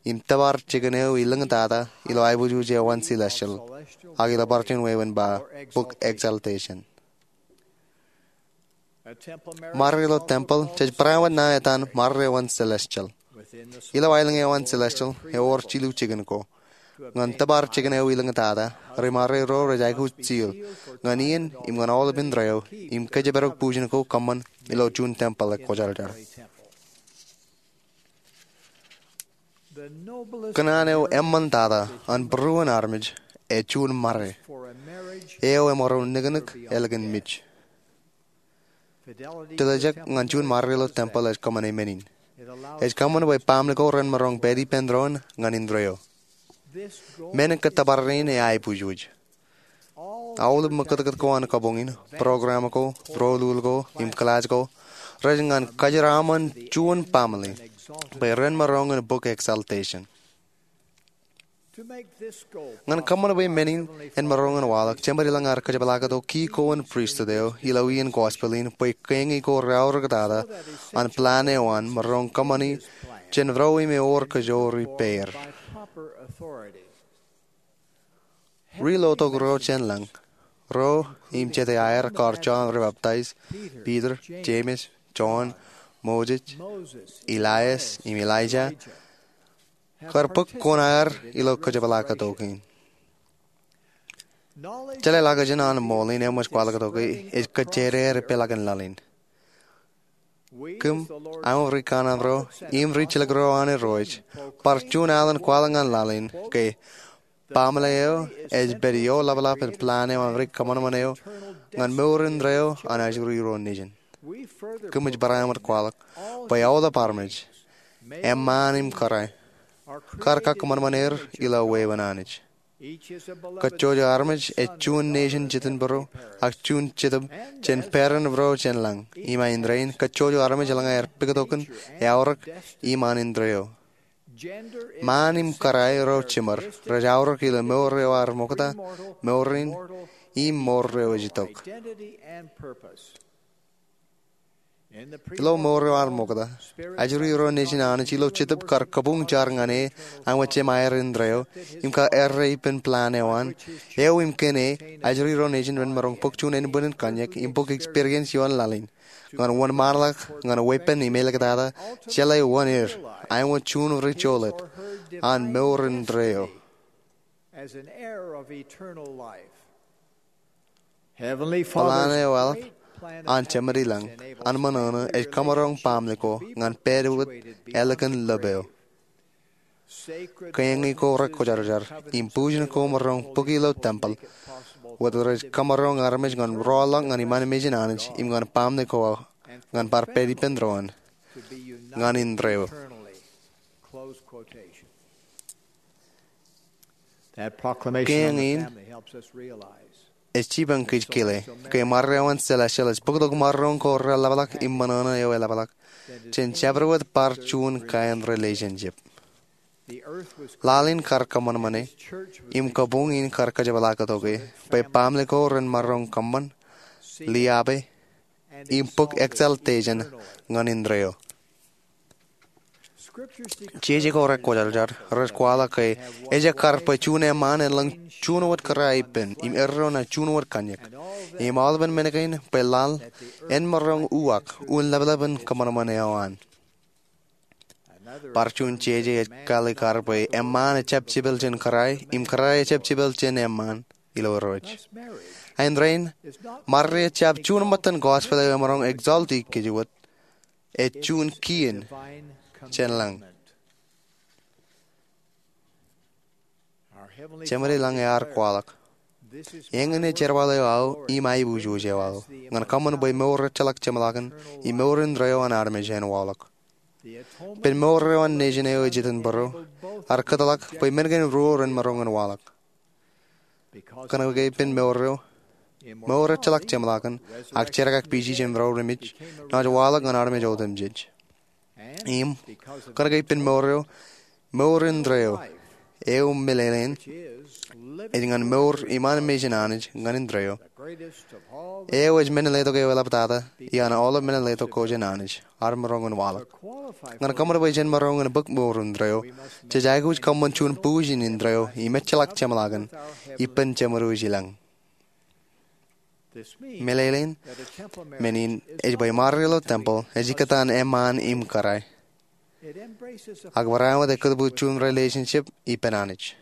im tōpar jikin eo ilōñtata ilo aiboojoj eo an celestial, ak ilo bar juon wāween ba bok exaltation. Marre ilo tempeḷ jej barāinwōt ṇa etan marre eo an celestial. Ilo aelōñ eo an celestial ewōr jilu jikin ko. Ñan tōpar jikin eo ilōñtata, rimarro ro rej aikuj seal ñan iien im ñan aolepān indeeo im kōjparok bujen ko kōṃṃan ilo juon tempeḷ ekwōjarjar. Kōṇaan eo eṃṃantata an būruon armej ej juon marre eo emaroñ niknik ālikin mej. Tiljek ñan juon marre ilo tempeḷ ej kōṃṃane men in. Ej kōṃṃan bwe baaṃle ko ren maroñ pād ippān doon ñan indeeo. Men in kōttōpar in ej aiboojoj. Aolep ṃōkūtkūt ko an kabuñ in, program ko, rolul ko, im kilaaj ko, rej ñan kōjeraaṃṃan juon baaṃle bwe ren maroñ in bok exaltation. Ñan kōṃṃan bwe men in en maroñ in waḷọk, Jemād ilañ ear kōjepḷaaktok ki ko an pristut eo ilo iien gospel in bwe kein ko reaorōktata an plan eo an maroñ kōṃṃani jān ro im ewōr kōjoor ippāer. Ri lotok ro jān lañ, ro im jete aer kar Jon ri baptaij, Piter, Jemes, Jon, Moses, Elias im Elija, kar bōk kuṇaer ilo kōjepḷaaktok in. Jeḷāḷọkjeṇ an ṃool in eṃōj kwaḷọktoke ej kōjjiedeer ippeḷaakin laḷ in. Kōm, aṃ ri kanaan ro im ri jilkinro an Irooj, bar juon alen kwaḷọk ñan laḷ in ke baaṃle eo ej pād ioḷapḷap in plan eo an ri kōṃanṃan eo ñan mour indeeo an ajri ro nejin. Kōmij barāinwōt kwaḷọk bwe aolep armej, eṃṃaan im kōrā, kar kakōṃanṃan er ilo wāween Anij. Kōjjojo armej ej juon nejin jitin būruo ak juon jetōb jān pād in būruo jān lañ. Im āindein kōjjojo armej eḷaññe aer puktokin, eaorōk, im an indeeo. Ṃaan im kōrā ro jiṃor rej aorōk ilo mour eo ar ṃokta, mour in, im mour eo ej itok. Ilo mour eo ar ṃokta, ajri ro nejin Anij ilo Jetōb kar kabuñ jar ñan e āinwōt jemāer indeeo im kar errā ippān plan eo an eo im kōn e ajri ro nejin ren maroñ bōk juon ānbwinnin kōnñak im bōk experience ioon laḷ in ñan wōnṃaanḷọk ñan weeppān im āliktata jeḷā wōn er āinwōt juon rijolōt an mour indeeo. Plan eo eḷap an Jemād ilañ an ṃōṇōṇō ej kōmaroñ baaṃle ko ñan pād wōt ālikin lōb eo. Kein ko rekwōjarjar im bujen ko maroñ bōki ilo tempeḷ wōt rej kōmaroñ armej ñan rọọlḷọk ñan iṃaan mejān Anij im ñan baaṃle ko ñan bar pād ippān doon ñan indeeo. Kein in ej jipañ kōj kile ke marre eo an celestial ej bōktok maroñ ko reḷapḷọk im ṃōṇōṇō eo eḷapḷọk jān jabdewōt wōt bar juon kain relationship. Laḷ in kar kōṃanṃane im kabuñ in kar kōjepḷaaktoke bwe baaṃle ko ren maroñ kōṃṃan, liabe, im bōk exaltation ñan indeeo. Jeje ko rekwōjarjar rej kwaḷọk ke ejekar bwe juon eṃṃaan en lōñ juon wōt kōrā ippān im erro ṇa juon wōt kōnñak. Im aolepān men kein bwe laḷ en maroñ uwaak un ḷapḷap in kōṃanṃan eo an. Bar juon jeje ej kalikkar bwe eṃṃaan ejjab jepel jān kōrā im kōrā ejjab jepel jān eṃṃaan ilo Irooj. Āindein, marre ejjab juon ṃōttan gospel eo emaroñ exalt kōj wōt, ej juon kien jān lañ. Jemād ilañ ear kwaḷọk, eñin ej jerbal eo aō im aiboojoj eo aō ñan kōṃṃan bwe mour ejjeḷọk jeṃḷọkin im mour indeeo an armej en waḷọk. Ippān mour eo an nejin eo ej itok būruo, ear kōtḷọk bwe men kein ruo ren maroñ in waḷọk. Kōnke ippān mour eo, Mour ejjeḷọk jeṃḷọkin, ak jerkakpijin jemām ro remej, naaj waḷọk ñan armej otemjej. Im kōnke ippān mour eo, mour indeeo eo, eo meḷeḷein, ej ñan mour iṃaan mejān Anij ñan indeeo, eo ej men in letok eo eḷaptata iaan aolep men in letok ko jān Anij, ad maroñ in waḷọk. Ñan kōṃṃan bwe jen maroñ in bōk mour indeeo, jej aikuj kōṃṃan juon pujin indeeo im ejjeḷọk jeṃḷọkin ippān Jemedwōj ilañ. Meḷeḷein men in ej bwe ṃare ilo tempel ej ikōtaan eṃṃaan im kōrā, ak bareinwōt ekōtbūtjuon relationship ippān Anij.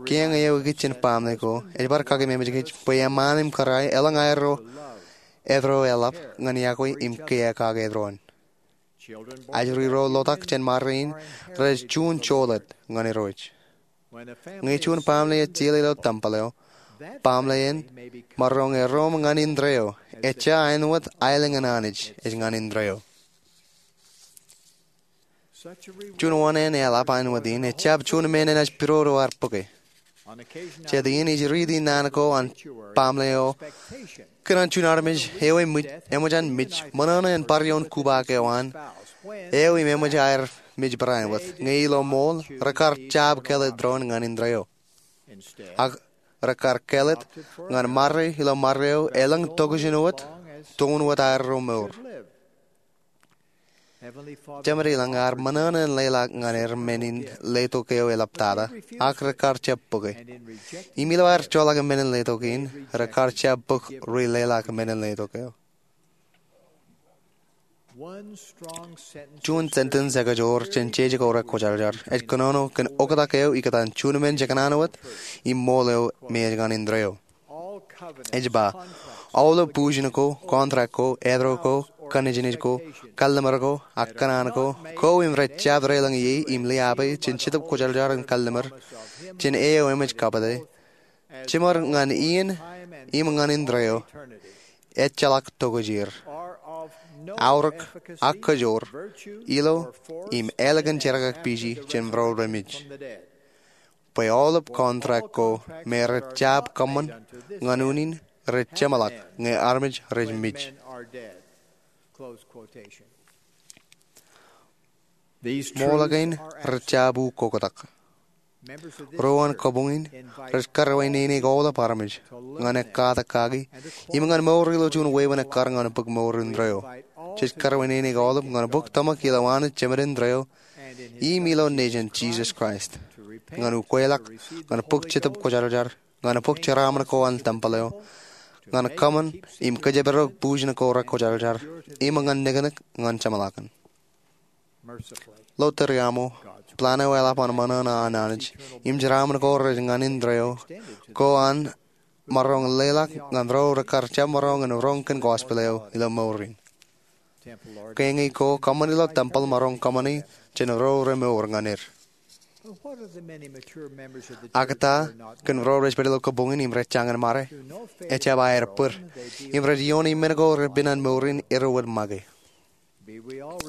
Kiiō eo ikijjien baaṃle ko ej bar kakememej kōj bwe eṃṃaan im kōrā elōñ aerro edro eḷap ñan iọkwe im kiiō kake eddoin. Ajri ro lotak jān ṃare in rej juon jolōt ñan Irooj. Ñe juon baaṃle ej jeḷā ilo tempel eo, baaṃle in maroñ erom ñan indeeo, ejja āinwōt aelōñ in Anij ej ñan indeeo. Juon wōṇāān eḷap āinwōt in ejjab juon men enaaj pidodo ad bōke. Jet in ij riiti naan ko an baaṃle eo kōn an juon armej eo eṃōj an mej ṃōṇōṇō in bar ioon kubaak eo an eo im eṃōj aer mej bareinwōt, ñe ilo ṃool rekar jab kāālōt doon ñan indeeo, ak rekar kāālōt ñan ṃare ilo ṃare eo elōñ tokjān wōt, toon wōt aerro mour. Jemād ilañ ear ṃōṇōṇō in leḷọk ñan er men in letok eo eḷaptata, ak rekar jab bōke. Im ilo aer joḷọk men in letok in, rekar jab bōk ri leḷọk men in letok eo. Juon sentence ekajoor jān jeje ko rekwōjarjar ej kōnono kōn oktak eo ikōtaan juon men jekōṇaan wōt im ṃool eo me ej ñan indeeo. Ej ba, aolep pujin ko, contract ko, eddo ko, kanejnej ko, kalliṃur ko, ak kōṇaan ko, ko im rej jab deḷọñ ie im liabe jān Jetōb Kwōjarjar in kalliṃur jān eo eṃōj kapeḷḷọk, jiṃor ñan iien im ñan indeeo, ejjeḷọk tokjāer, aorōk, ak kajoor ilo im ālikin jerkakpijin jemām ro remej. Bwe aolep contract ko me rej jab kōṃṃan ñan unin rej jeṃḷọk ñe armej rej mej. Ṃool kein rej jab ukoktak. Ro an kabuñ in rej karwaineneik aolep armej ñan ekkatak kaki im ñan mour ilo juon wāween ekkar ñan bōk mour indeeo. Jej karwaineneik aolep ñan bōk tōmak ilo Anij Jemān indeeo im ilo nejin Jisōs Kraist, ñan ukweḷọk, ñan bōk Jetōb Kwōjarjar, ñan bōk jeraaṃṃan ko an tempel eo, ñan kōṃṃan im kōjparok pujin ko rekwōjarjar, im ñan niknik ñan jeṃḷọkin. Ilo tōre aṃo, plan eo eḷap an ṃōṇōṇō an Anij im jeraaṃṃan ko rej ñan indeeo ko an maroñ leḷọk ñan ro rekar jab maroñ in roñ kōn gospel eo ilo mour in. Kein ko kōṃṃan ilo tempel maroñ kōṃṃani jān ro remour ñan er. Ak ta kōn ro rej pād ilo kabuñ in im rej jañin ṃare? Ejjab aer bōd, im rej iooni men ko repen an mour in erro wōt make.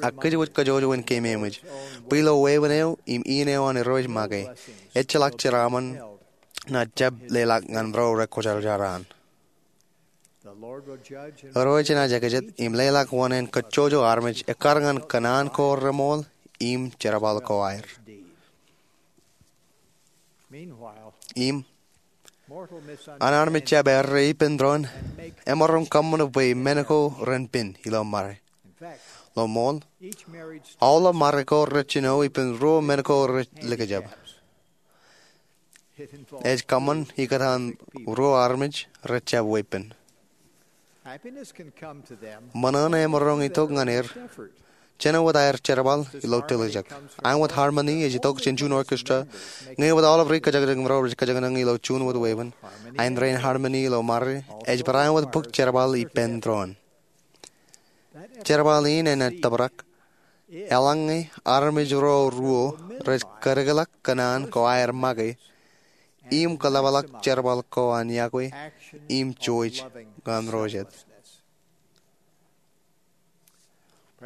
Ak kōjwōj kajjojo in keememej bwe ilo wāween eo im iien eo an Irooj make, ejjeḷọk jeraaṃṃan naaj jab leḷọk ñan ro rekwōjarjar an. Irooj enaaj ekajet im leḷọk wōṇāān kajjojo armej ekkar ñan kōṇaan ko remour im jerbal ko aer. Im an armej jab errā ippān doon emaroñ kōṃṃan bwe men ko ren pen ilo ṃare. Ilo ṃool, aolep ṃare ko rej jino ippān ruo men ko rej likjab. Ej kōṃṃan ikōtaan ruo armej rej jab weeppān. Ṃōṇōṇō emaroñ itok ñan er jān wōt aer jerbal ilo tiljek. Āinwōt harmony ej itok jān juon orchestra, ñe wōt aolep ri kōjañjañ im ro rej kōjañjañ ilo juon wōt wāween, āindein harmony ilo ṃare ej bareinwōt bōk jerbal ippān doon. Jerbal in enaaj tōprak eḷaññe armej ro ruo rej kōdikḷọk kōṇaan ko aer make im kōḷapḷọk jerbal ko an iọkwe im jouj ñan ro jet.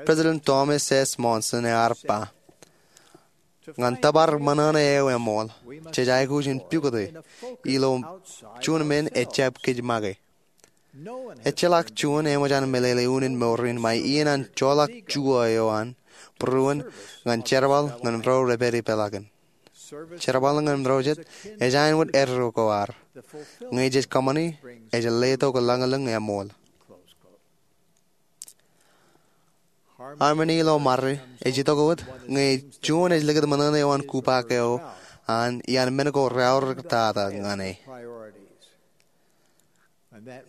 President Thomas S. Monson ear ba, Ñan tōpar ṃōṇōṇō eo eṃool, jej aikuj in pukot e ilo juon men ejjab kōj make. Ejjeḷọk juon eṃōj an meḷeḷe unin mour in ṃae iien an joḷọk juon eo an būruon ñan jerbal ñan ro rej pād ipeḷaakin. Jerbal ñan ro jet ej āinwōt eddo ko ad. Ñe jej kōṃṃani, ej letok lañlōñ eṃool. Harmoni ilo ṃare ej itok wōt ñe juon ej likūt ṃōṇōṇō eo an kupaak eo an iaan men ko reaorōk tata ñan e.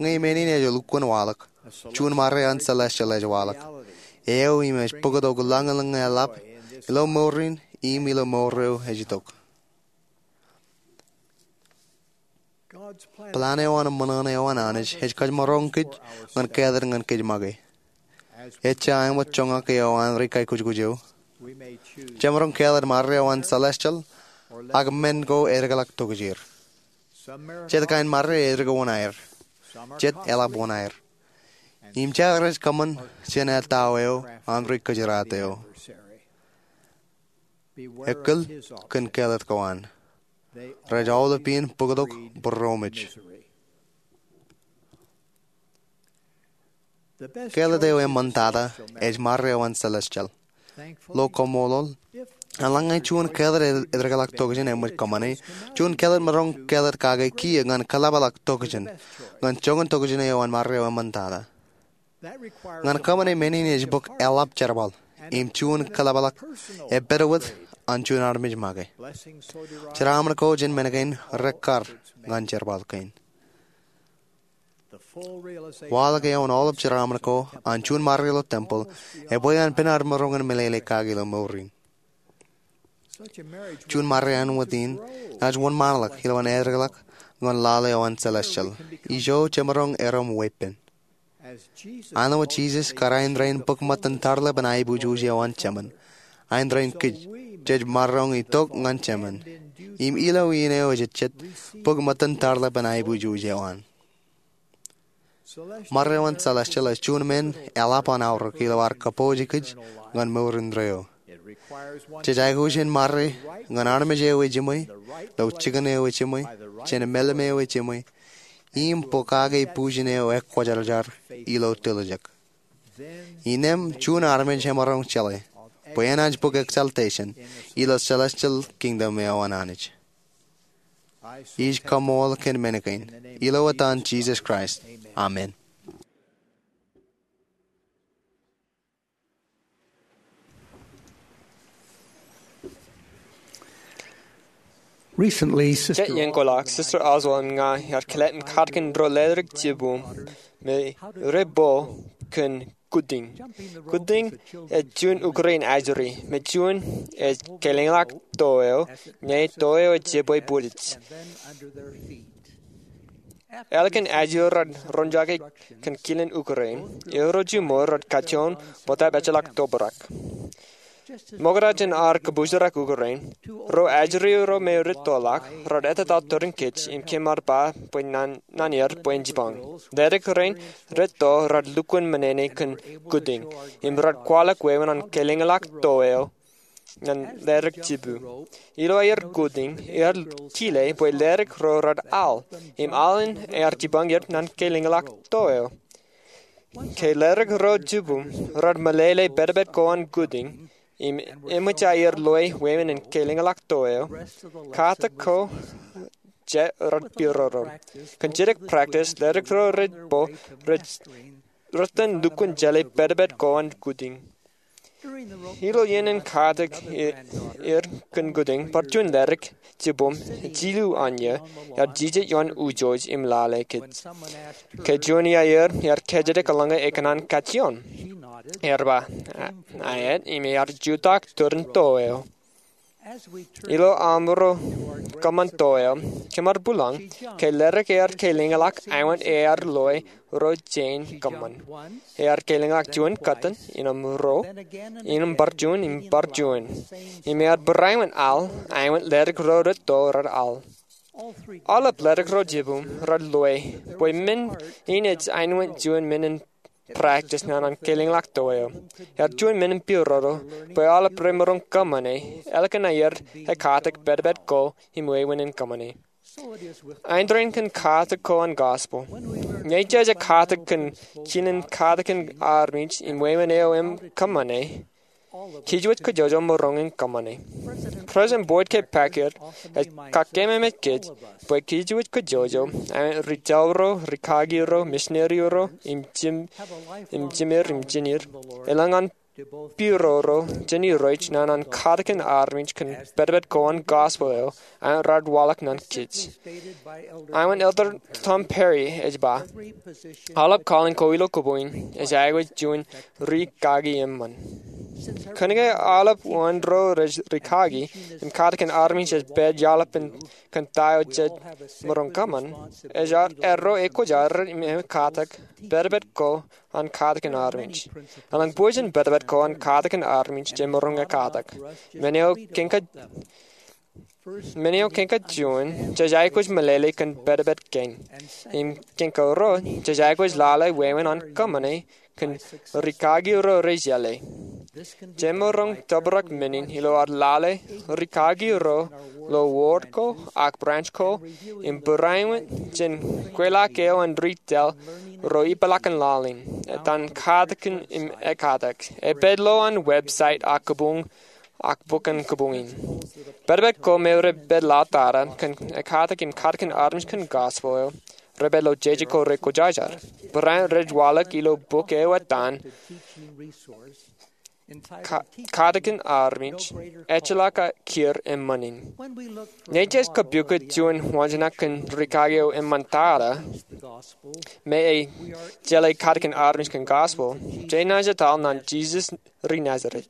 Ñe men in ej lukkuun waḷọk, juon ṃare an celestial ej waḷọk, eo im ej pukot lañlōñ eḷap ilo mour in im ilo mour eo ej itok. Plan eo an ṃōṇōṇō eo an Anij ej kōjmaroñ kōj ñan kāālōt ñan kōj make. Ejja āinwōt joñak eo an ri kaikuj eo, jemaroñ kāālōt ṃare eo an celestial ak men ko edekḷọk tokjāer. Jet kain ṃare eddik wōṇāer, jet eḷap wōṇāer. Im jea rej kōṃṃan jān ettā eo an ri kōjeraat eo. Ekkōl kōn kāālōt ko an. Rej aolep in pukot būroṃōj. Kāālōt eo eṃṃan tata ej ṃare eo an celestial. Ilo kaṃṃoolol, eḷaññe juon kāālōt edekḷọk tokjān eṃōj kōṃṃane, juon kāālōt maroñ kāālōt kake kiiō ñan kōḷapḷọk tokjān ñan joñan tokjān eo an ṃare eo eṃṃan tata. Ñan kōṃṃane men in ej bōk eḷap jerbal im juon kōḷapḷọk epād wōt an juon armej make. Jeraaṃṃan ko jān men kein rekkar ñan jerbal kein. Waḷọk eoon aolep jeraaṃṃan ko an juon ṃare ilo tempeḷ ebwe an pen ad maroñ in meḷeḷe kake ilo mour in. Juon ṃare āinwōt in enaaj wōnṃaanḷọk ilowaan edekḷọk ñan lale eo an celestial. Ijo jemaroñ erom weeppān. Āinwōt Jisōs kōrā in rainin bōk ṃōttan tarlepen aiboojoj eo an Jemān, āindein kōj jej maroñ itok ñan Jemān im ilo iien eo ejejjet bōk ṃōttan tarlepen aiboojoj eo an. Ṃare eo an celestial ej juon men eḷap an aorōk ilo ad kōpooj kōj ñan mour indeeo. Jej aikuj in ṃare ñan armej eo ejiṃwe, ilo jikin eo ejiṃwe, jān emālōm eo ejiṃwe, im pokake bujen eo ekwōjarjar ilo tiljek. Innām juon armej emaroñ jeḷā bwe enaaj bōk exaltation ilo celestial kingdom eo an Anij. Ij kaṃṃool kōn men kein ilo etan Jisōs Kraist, amen. Recently, Sister Jet iien koḷak, Sister Oswald im ña iar kile in katakin ro ledik jibboñ me rej bōk kōn kudding. Kudding ej juon ukōrā in ajri me juon ej kelōñḷọk to eo ñe to eo ej jebwe bwilej. Ālikin ajri rej roñjake kōn kilen ukōrā in, erro jiṃor rej kajjioñ bōtab ejjeḷọk tobrak. Ṃokta jān ad kōbuurak ukōrā in, ro ajri ro me rej toḷọk rej ettōr tōre kōj im kōmar ba bwe naan er bwe en jipañ. Ledik rein rej to rej lukkuun menene kōn kudding im rej kwaḷọk wāween an kelōñḷọk to eo ñan ledik jibboñ. Ilo aer kudding, ear kile bwe ledik ro rej al, im al in ear jipañ er ñan kelōñḷọk to eo. Ke ledik ro jibboñ rej meḷeḷe pedped ko an kudding im eṃōj aer loe wāween an kelōñḷọk to eo, katak ko jej rej piroro. Kōn jidik practice, ledik ro rej bōk rej rej itōn lukkuun jeḷā pedped ko an kudding. Ilo iien in katak er kōn kudding, bar juon ledik jibboñ jilu an iiō ear jijet ioon ujoj im lale kōj. Ke juon iaer ear kōjatdikḷọk ñe ekōṇaan kajjioñ, ear ba, aet, im ear jutak tōre in to eo. Ilo aṃro kōṃṃan to eo, kōmar būḷañ ke ledik ear kelōñḷọk āinwōt ear loe ro jein kōṃṃan. Ear kelōñḷọk juon kōttan, innām ruo, innām bar juon im bar juon. Im ear barāinwōt al āinwōt ledik ro rej to rej al. Aolep ledik ro jibboñ rej loe bwe men in ej āinwōt juon men in practice naan an kōlōñḷọk to eo. Ear juon men in pirodo bwe aolep remaroñ kōṃṃane ālikin aer ekatakin pedped ko im wāween in kōṃṃane. Āindein kōn katakin ko an gospel, ñe jej ekatakin kōn jinen katakin armej im wāween eo im kōṃṃane, kōjwōj kōjwōj maroñ in kōṃṃane. President Boyd K. Packer ej kakememej kōj bwe kōjwōj kōjwōj āinwōt ri-jeḷā ro, rikaki ro, misineri ro, im jim im jimeer im jinir, elōñ an pirodo jān Irooj naan an katakin armej kōn pedped ko an gospel eo āinwōt raar waḷọk ñan kōj. Āinwōt Elder Tom Perry ej ba, aolep calling ko ilo kōpoñ in ej aikuj juon rikaki eṃṃan. Kōnke aolep wōn ro rej rikaki im katakin armej ej pād iaḷap in kōn ta eo jej maroñ kōṃṃan, ej ad erro ekwōjarjar im ekatakin pedped ko an katakin armej. Elōñ bujen pedped ko an katakin armej jej maroñ ekatakin. Men eo kein kōj Men eo kein kōj juon, jej aikuj meḷeḷe kōn pedped kein. Im kein kōjro, jej aikuj lale wāween an kōṃṃane kōn rikaki ro rej jeḷā. Jemaroñ tōprak men in ilo ad lale rikaki ro ilo wōd ko ak branch ko im būruō jān kweilọk eo an ri-tōl ro ipeḷaakin laḷ in etan katakin im ekatakin. Epād ilo an website ak kōpoñ ak bok in kōpoñ in. Pedped ko me rej pād laḷ tata kōn ekatakin im katakin armej kōn gospel eo rej pād ilo jeje ko rekwōjarjar. Barāinwōt rej waḷọk ilo bok eo etan Ka- Katakin Armej, Ejjeḷọk Kiiō Eṃṃan In. Ñe jej kōpukot juon waanjoñak kōn rikaki eo eṃṃan tata, me ej jeḷā katakin armej kōn gospel, jenaaj etal ñan Jisōs ri Nazeret.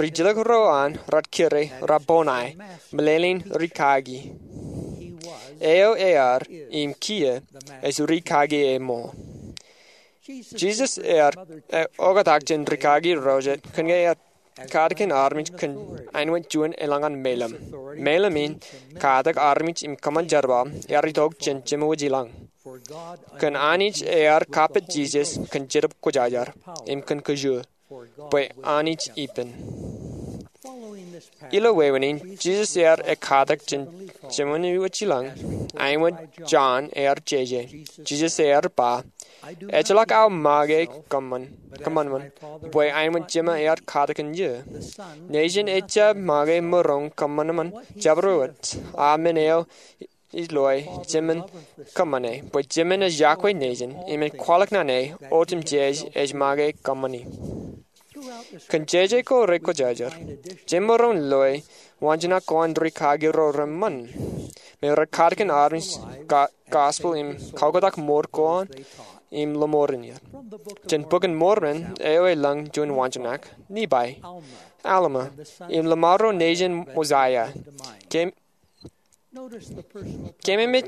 Ri-jilkinḷọk ro an raar kire Rabboni, meḷeḷein rikaki. Eo ear, im kiiō, ej rikaki eṃṃan. Jisōs ear, e, oktak jān rikaki ro jet, kōnke ear katakin armej kōn āinwōt juon elōñ an meilōm. Meilōm in katakin armej im kōṃṃan jerbal, ear itok jān Jemawōj ilañ. Kōn Anij ear kappok Jisōs kōn Jetōb Kwōjarjar, im kōn kōjro, bwe Anij ippān. Ilo wāween in, Jisōs ear ekatakin jān Jemawōj ilañ, āinwōt Jon ear jeje. Jisōs ear ba, Ejjeḷọk aō make kōṃṃan, kōṃanṃan, bwe āinwōt Jema ear katakin eō. Nejin ejjab make maroñ kōṃanṃan jabdewōt, a men eo ej loe Jemen kōṃṃane, bwe Jemen ej yokwe Nejin, im en kwaḷọk ñan e, otemjej ej make kōṃṃani. Kōn jeje ko rekwōjarjar, jemaroñ loe waanjoñak ko an rikaki ro reṃṃan, me rej katakin armej ga- gospel im kaoktak mour ko an im lọmọọren er. Jān Bok in Mormon, eo elōñ juon waanjoñak, Nephi, Alma, im lọmọọr ro nejin Mosiah, ke- Keememej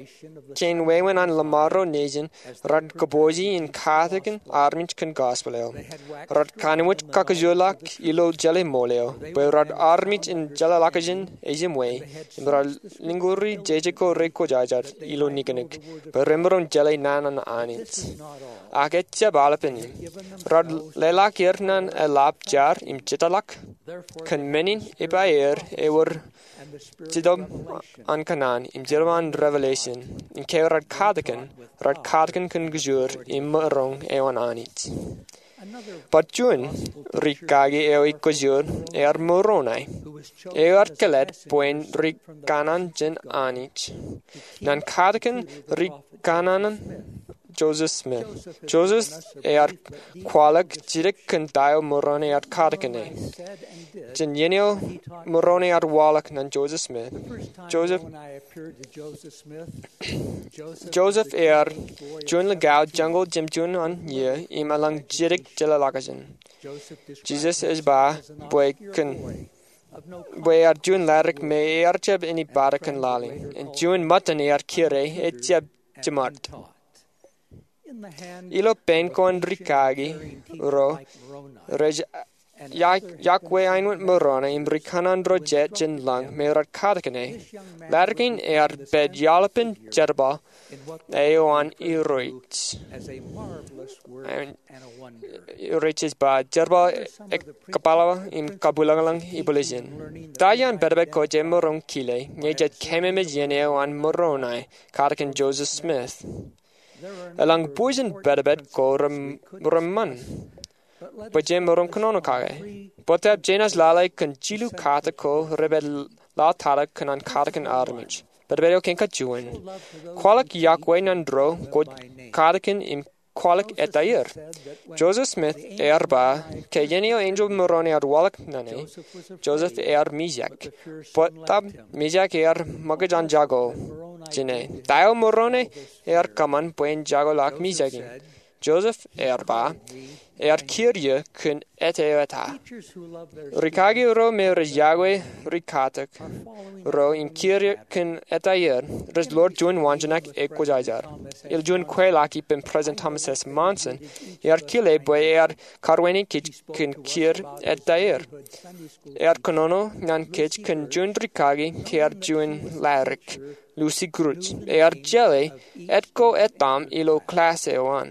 kein wāween an lọmọọr ro nejin raar kōpooje in katakin armej kōn gospel eo. Raar kōnooj kakkōjparok ilo jeḷā ṃool eo, bwe raar armej in jeḷā ḷọkjeṇ ejimwe, im raar lukkuun jeje ko rekwōjarjar ilo niknik, bwe remaroñ jeḷā naan an Anij. Ak ejjab aolepān in. Raar leḷọk er ñan eḷap jar im jitōḷọk. Kōn men in ej ba er ewōr Jetōb an kōṇaan im Jetōb an revelation, im ke raar katakin, raar katakin kōn kōjro im maroñ eo an Anij. Bar juon rikaki eo ej kōjro ear Moroni, eo ear kōlōt bwe en ri kōṇaan jān Anij. Ñan katakin ri kōṇaan Joseph Smith. Joseph ear kwaḷọk jidik kōn ta eo Moroni ear katakin e. Jān iien eo Moroni ear waḷọk ñan Joseph Smith. Joseph, Joseph ear juon likao joñoul jimjuon an iiō im elōñ jidik jeḷā ḷọkjeṇ. Jisōs ej ba bwe kōn bwe ear juon ḷadik me ear jab āni bōktok kōn laḷ in. Im juon ṃōttan ear kire ejjab jiṃad. Ilo pein ko an rikaki ro rej iọkwe aenwōt Moroni im ri kanaan ro jet jān lañ me rej katakin e. Ḷaddik in ear pād iaḷpen jerbal eo an Irooj. Irooj ej ba jerbal ekkapaḷḷọk im kabwilōñlōñ ibwiljin. Ta iaan pedped ko jemaroñ kile ñe jej kaimemej iien eo an Moroni katakin Joseph Smith? Elōñ bujen pedped ko reṃṃan, bwe jemaroñ kōnono kake. Bōtab jenaaj lale kōn jilu katak ko rej pād laḷ tata kōn an katakin armej. Pedped eo kein kajuon: Kwaḷọk iọkwe ñan ro kwōj katakin im kwaḷọk ettā er. Joseph Smith ear ba ke iien eo enjeḷ Moroni ear waḷọk ñan e, Joseph ear mijak. Bōtab mijak ear ṃōkaj an jako jān e. Ta eo Moroni ear kōṃṃan bwe en jako ḷọk mijak in? Joseph ear ba, ear kiiō kōn ettā eo eta. Rikaki ro me rej iọkwe ri katak ro im kiiō kōn ettā er rej ḷoor juon waanjoñak ekwōjarjar. Ilo juon kweilọk ippān President Thomas S. Monson, ear kile bwe ear karuwainene kōj kōn kiiō ettā er. Ear kōnono ñan kōj kōn juon rikaki ke ear juon ḷadik, Lucy Gruch, ear jeḷā etko etaṃ ilo class eo an.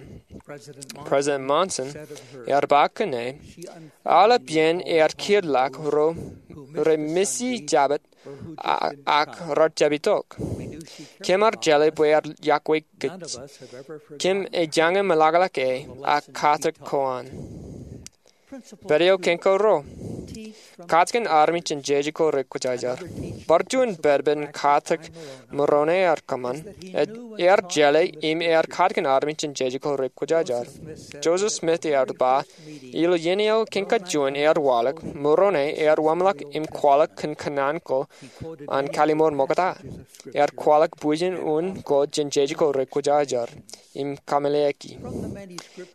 President Monson ear ba kōn e, aolep iien ear kiiō ḷọk ro rej missii jabōt ak rej jab itok. Kōm ar jeḷā bwe ear iọkwe kōj. Kōm ej jañin meḷọkḷọk e ak katak ko an. Pād eo kein karuo: Katakin armej jān jeje ko rekwōjarjar. Bar juon pedped in katak Moroni ear kōṃṃan. Ear jeḷā im ear katakin armej jān jeje ko rekwōjarjar. Joseph Smith ear ba, ilo iien eo kein kajuon ear waḷọk, Moroni ear wōnṃaanḷọk im kwaḷọk kōn kōnnaan ko an kallim̧ur ṃokta. Ear kwaḷọk bujen un ko jān jeje ko rekwōjarjar im kameḷeḷeiki.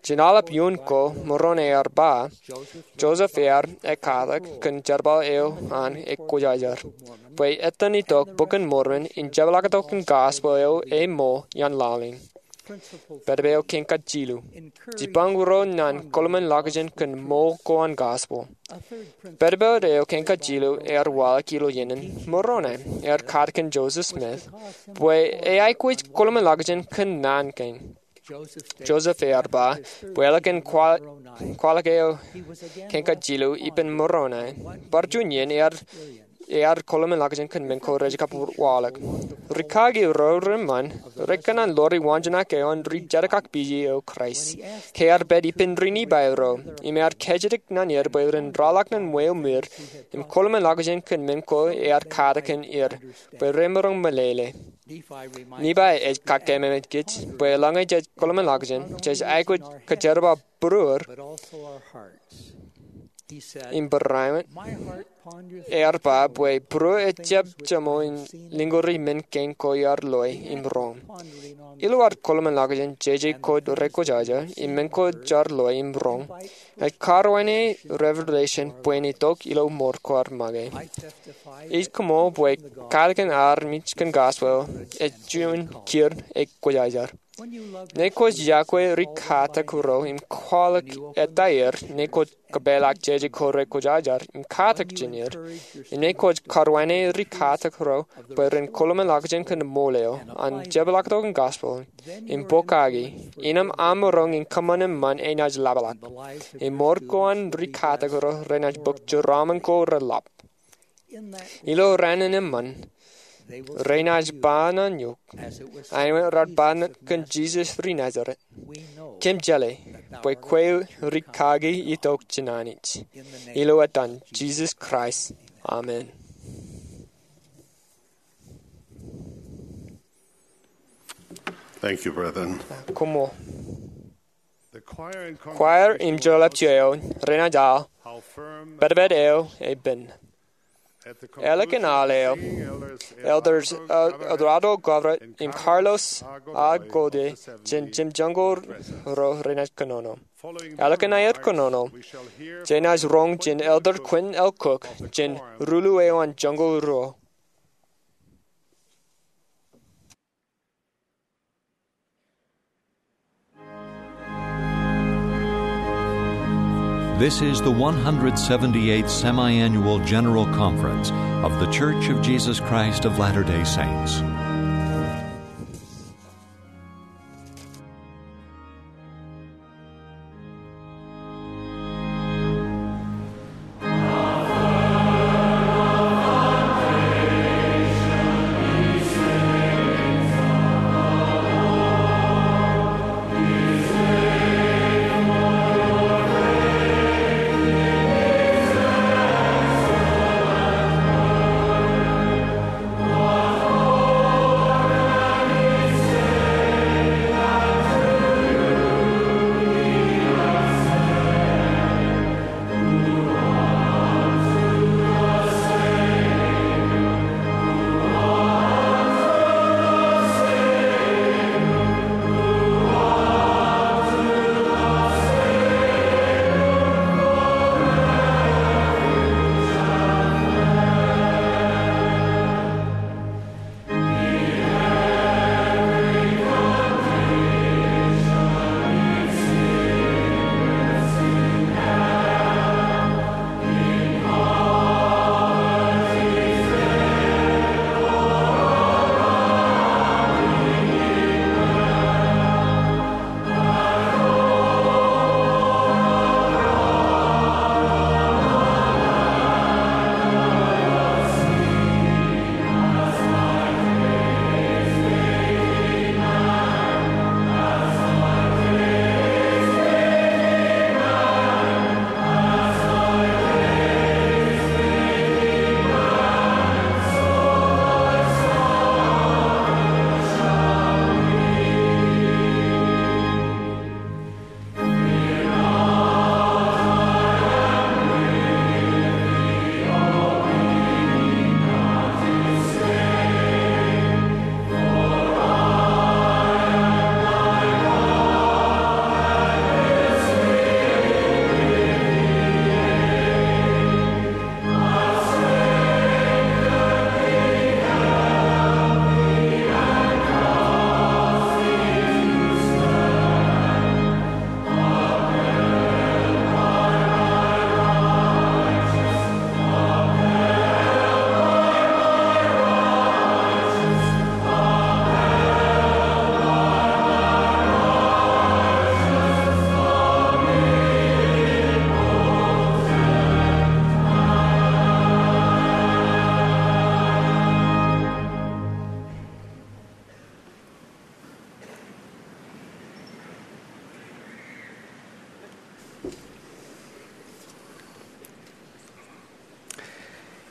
Jān aolep iuun ko Moroni ear ba, Joseph ear ekkatak kōn jerbal eo an ekwōjarjar, bwe etan itok Bok in Mormon im jepḷaaktok in gospel eo eṃool iaan laḷ in. Pedped eo kein kajilu: Jipañ ro ñan kōḷmānḷọkjeṇ kōn ṃool ko an gospel. Pedped eo kein kajilu ear waḷọk ilo iien in Moroni. Ear katakin Joseph Smith bwe e aikuj kōḷmānḷọkjeṇ kōn naan kein. Joseph ear ba bwe ālikin kwaḷọk eo kein kajilu ippān Moroni, bar juon iien ear kōḷmānḷọkjeṇ kōn men ko rej kab waḷọk. Rikaki ro reṃṃan rekōṇaan ḷoori waanjoñak eo an ri-jetōb kak pija eo Kraist ke ear pād ippān ri-Nifai ro im ear kōjatdikdik ñan er bwe ren ralitōk ñan ṃweo ṃwiir im kōḷmānḷọkjeṇ kōn men ko ear katakin er bwe remaroñ ṃōlele. Nifai ej kakaememej kōj bwe eḷaññe jej kōḷmānḷọkjeṇ, jej aikuj kōjerbal būruō im barāinwōt. Ear ba bwe būruō ejjab jeṃḷọk in lingōri men kein ko iar loe im roñ. Ilo ad kōḷmānḷọkjeṇ jeje ko rekwōjarjar im men ko jaar loe im roñ, ej karuwainene revelation bwe en itok ilo ṃool ko ad make. Ij koṃṃool bwe katakin armej kōn gospel eo ej juon kiiō ekwōjarjar. Ñe kwōj iọkwe ri-katak ro im kwaḷọk ettā er, ñe kwōj kōpeḷḷọk jeje ko rekwōjarjar im katakin er, im ñe kwōj karuwainene ri-katak ro bwe ren kōḷmānḷọkjeṇ kōn ṃool eo an jepḷaaktok in gospel im pokake, innām aṃ maroñ in kōṃṃan eṃṃan enaaj ḷapḷọk. Im ṃool ko an ri-katak ro renaaj bōk jeraaṃṃan ko reḷap. Ilo raan in eṃṃan, renaaj ba ñan eok, aenwōt rej ba kōn Jisōs ri Nazeret, kōm jeḷā bwe kwe ri-kaki itok jān Anij. Ilo etan Jisōs Kraist, amen. Thank you, brethren. Koṃṃool. Choir im jolọpjọ eo renaaj aḷ Pedped Eo Epen. Ālikin aḷ eo, Elders Eduardo Govret im Carlos Agote jān Jimjiṃ Joñoul Ruo renaaj kōnono. Ālikin aer kōnono, jenaaj roñ jān Elder Quentin L. Cook jān Ruḷu eo an Joñoul Ruo. This is the one hundred seventy-eighth Semiannual General Conference of The Church of Jesus Christ of Latter-day Saints.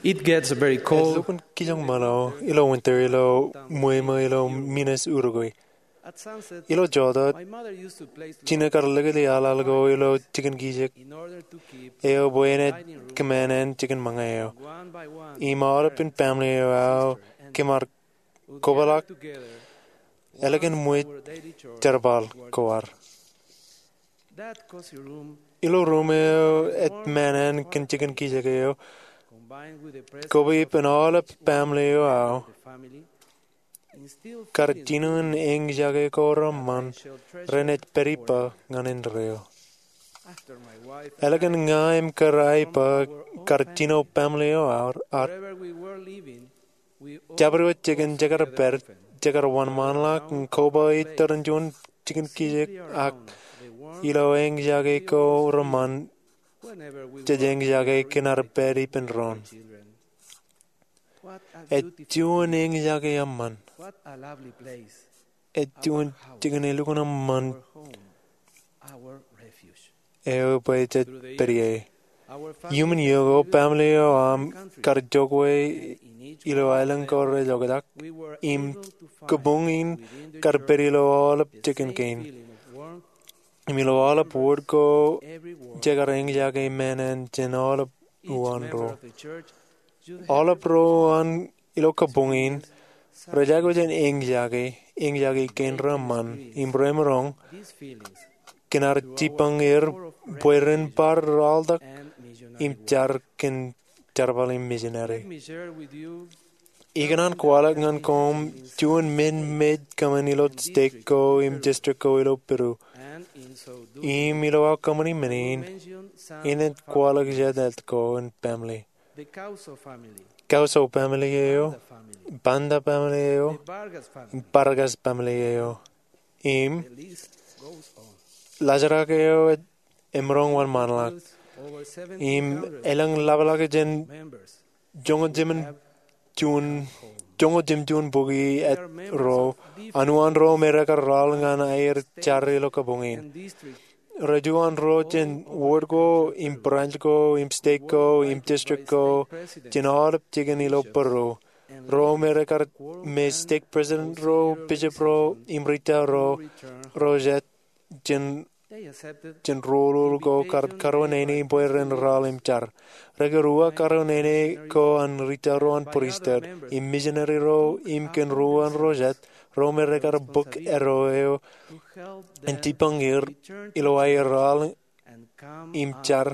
It gets very cold. Elukkuun kijoñ ṃōḷo ilo winter ilo ṃweo ṃō ilo Minnesota. Ilo jota, jino kar likūti aḷaḷ ko ilo jikin kijek eo bwe en kōṃṃane jikin ṃōñā eo. Im aolepān family eo aō kōm ar kobrak ālikin ṃweo jerbal ko ad. Ilo ruum eo ej ṃōṇōṇō kōn jikin kijek eo, koba ippān aolep family eo aō, kar jino in eñjake ko reṃṃan renaaj pād ippa ñan indeeo. Ālikin ña im kōrā ippa kar jino family eo ad, jabdewōt jikin jekar pād, jekar wōnṃaanḷọk im koba iturūṃ juon jikin kijek ak ilo eñjake ko reṃṃan jej eñjake kōn ad pād ippān doon. Ej juon eñjake eṃṃan. Ej juon jikin elukkuun eṃṃan eo bwe jej pād ie. Iuṃwin iiō ko, family eo aṃ kar jokwe ilo aelōñ ko rej oktak, im kabuñ in kar pād ilo aolep jikin kein. Im ilo aolep wōt ko jekar eñjake ṃōṇōṇō jān aolep uwaan ro. Aolep ro uwaan ilo kabuñ in rej aikuj in eñjake, eñjake kein reṃṃan, im remaroñ kōn ad jibboñ er bwe ren bar ralitōk im jar kōn jerbal im missionary. Ikōṇaan kwaḷọk ñan koṃ juon men mej kōṃṃan ilo stek ko im district ko ilo Peru. Im ilo aō kōṃṃani men in, inaaj kwaḷọk jet ko in family. Kauso family eo, Panda family eo, Vargas family eo. Im laajrak eo ej emaroñ wōnṃaanḷọk. Im elōñ lapḷọk jān joñoul jimjuon juon, joñoul jimjuon bukwi ro, anuwaan ro me rekar raoḷ ñan aer jar ilo kabuñ in. Rej uwaan ro jān ward ko im branch ko im stek ko im district ko jān aolep jikin ilo Peru. Ro me rekar, me stek president ro, bishop ro im rūtto ro, ro jet jān, jān roñoul ko kar karuwainene bwe ren raoḷ im jar. Rekar uwaak karuwainene ko an rūtto ro an pristut im misineri ro im kōn ruo an ro jet, ro me rekar bōk eddo eo en jipañ er ilo aer raoḷ im jar,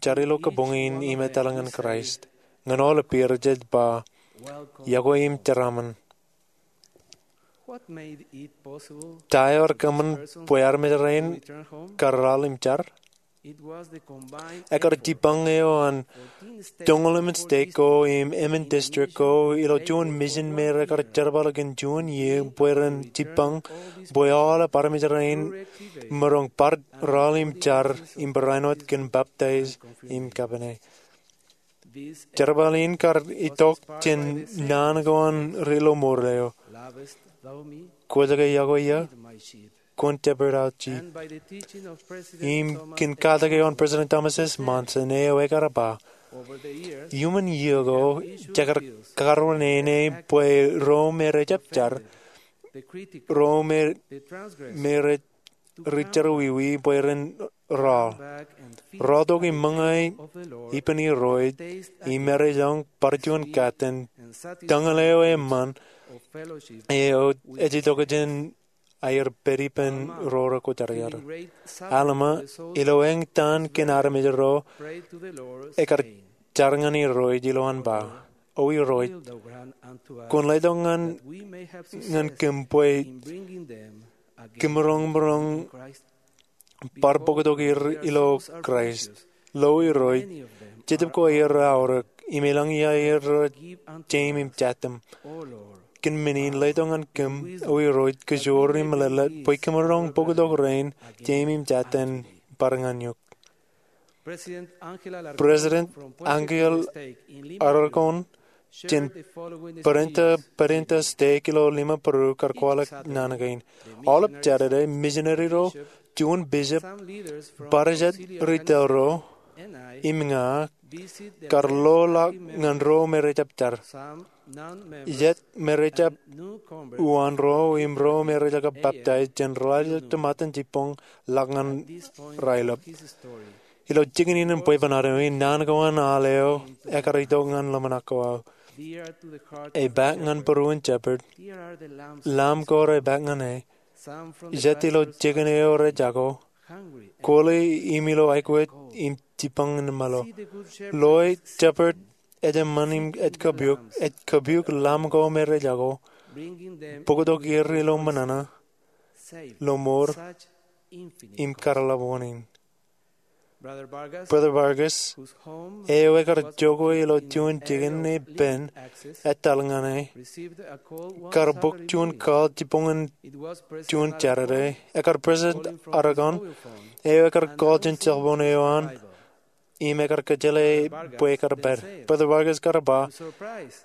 jar ilo kabuñ in im etal ñan Kraist. Ñan aolep er jej ba, iọkwe im jeraaṃṃan. Ta eo ear kōṃṃan bwe armej rein kar raoḷ im jar? Ekar jipañ eo an joñoul emān stek ko im emān district ko ilo juon misin me rekar jerbal kōn juon iiō bwe ren jipañ bwe aolep armej rein maroñ bar raoḷ im jar im barāinwōt kōn baptize im kapene. Jerbal in kar itok jān naan ko an ri lọmọọr eo, Kwōj ke iọkwe ia? Kwōn shepherd aō sheep. Im kōn katak eo an President Thomas S. Monson eo ekar ba, iuṃwin iiō ko jekar karuwainene bwe ro me rejjab jar, ro me, me rej ri jerọwiwi bwe ren raoḷ, raotok im ṃōñā ippān Irooj im erejoñ bar juon katten tañin eo eṃṃan eo ej itok jān aer pād ippān ro rekwōjarjar. Alma, ilo eñtaan kōn armej ro, ekar jar ñan Irooj ilowaan ba, O Irooj, kwōn letok ñan, ñan kōm bwe kōm maroñ, maroñ bar bōktok er ilo Kraist. Lo Irooj, Jetōb ko aer aorōk, im elōñ ia aer jeiṃ im jattōm. Kōn men in letok ñan kōm, O Irooj, kōjoor im mālōtlōt bwe kōm maroñ bōktok rein jeiṃ im jattōm bar ñan eok. President Angel Alarcón jān Parienta, Parienta Stake ilo lima Peru kar kwaḷọk naan kein. Aolep Jādede, misineri ro, juon bishop, bar jet rūtto ro, im ña kar lo ḷọk ñan ro me rejjab jar, jet me rejjab uwaan ro im ro me rejjab baptize jān ralitōk to ṃōttan jibboñ ḷọk ñan raelep. Ilo jikin in bwebwenato in, naan ko an al eo ekar itok ñan ḷōmṇak ko aō. Epaak ñan būruon shepherd, lamb ko repaak ñan e. Jet ilo jikin eo rej jako, kwōle im ilo aikuj im jibboñ in ṃōḷo. Lo e, shepherd ej eṃṃan im ej kapiok, ej kapiok lamb ko me rej jako, bōktok er ilo ṃōṇōṇō, lọmọọr, im kar ḷap wōn in. Brother Vargas, eo ekar jokwe ilo juon jikin epen etal ñan e, kar bōk juon call jibboñin juon Jādede. Ekar President Alarcón, eo ekar call jān cell phone eo an, im ekar kōjjeḷā bwe ekar pād. Brother Vargas kar ba,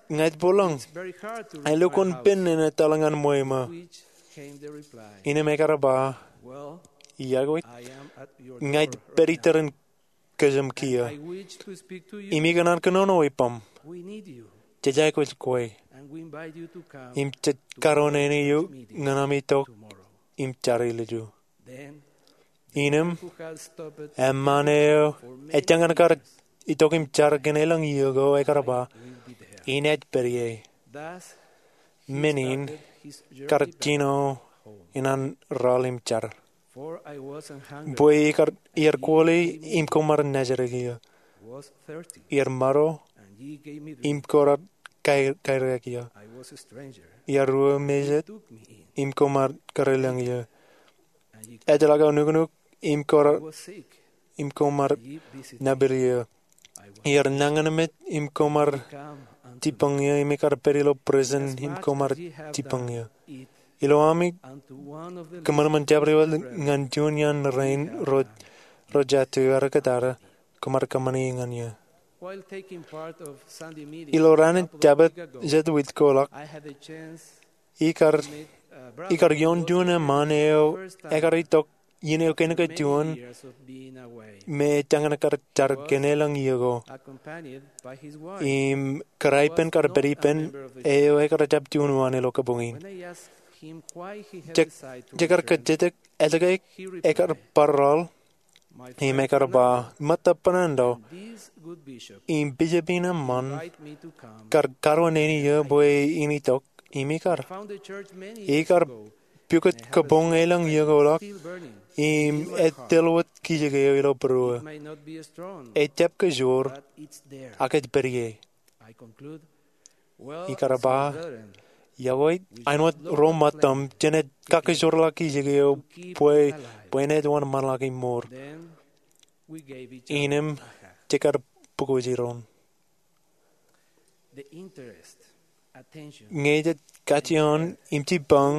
ña ij bōkḷọk. Elukkuun pen in etal ñan ṃweo ṃō. Innām ekar ba, iọkwe, ña ij pād ippān kōjām kiiō. Im ikōṇaan kōnono ippaṃ. Jej aikuj kwe. Im jej karuwainene eok ñan ami itok im jar ilju. Innām, eṃṃaan eo ej jañin kar itok im jar kōn elōñ iiō ko ekar ba, inaaj pād ie. Men in kar jino in an raoḷ im jar. Bwe iar kwōle im koṃ ar nejrā kiiō. Iar maro im koṃ ar kairiak eō. Iar ruo mejet, im koṃ ar kareelōñ eō. Ejjeḷọk aō nuknuk, im koṃ ar, im koṃ ar nōbar eō. Iar nañinmej, im koṃ ar jibboñ eō. Im ikar pād ilo prison, im koṃ ar jibboñ eō. Ilo ami kōṃanṃan jabdewōt ñan juon iaan rein ro, ro jatū, ear ekkōtata, koṃ ar kōṃṃani ñan eō. Ilo raan in Jabōt jet wiik ko ḷọk, ikar, ikar ioon juon eṃṃaan eo ekar itok iien eo kein kajjioñ me ej jañin kar jar kōn elōñ iiō ko. Im kōrā ippān kar pād ippān eo ekar jab juon uwaan ilo kabuñ in. Jej, jekar kajjitōk etke ekar bar aḷ, im ekar ba, ṃōtta bōnando, im bishop in eṃṃan kar karuo neen eō bwe in itok, im ikar. Ikar pukot kabuñ elōñ iiō ko ḷọk, im ej tōl wōt kijek eo ilo būruō. Ejjab kajoor, ak ej pād ie. Ikar ba, iọkwe, āinwōt ro ṃōttaṃ, jenaaj kakajoorḷọk kijek eo bwe, bwe enaaj wōnṃaanḷọk im mour. Innām jekar pukot jiroñ. Ñe jej kajjioñ im jibboñ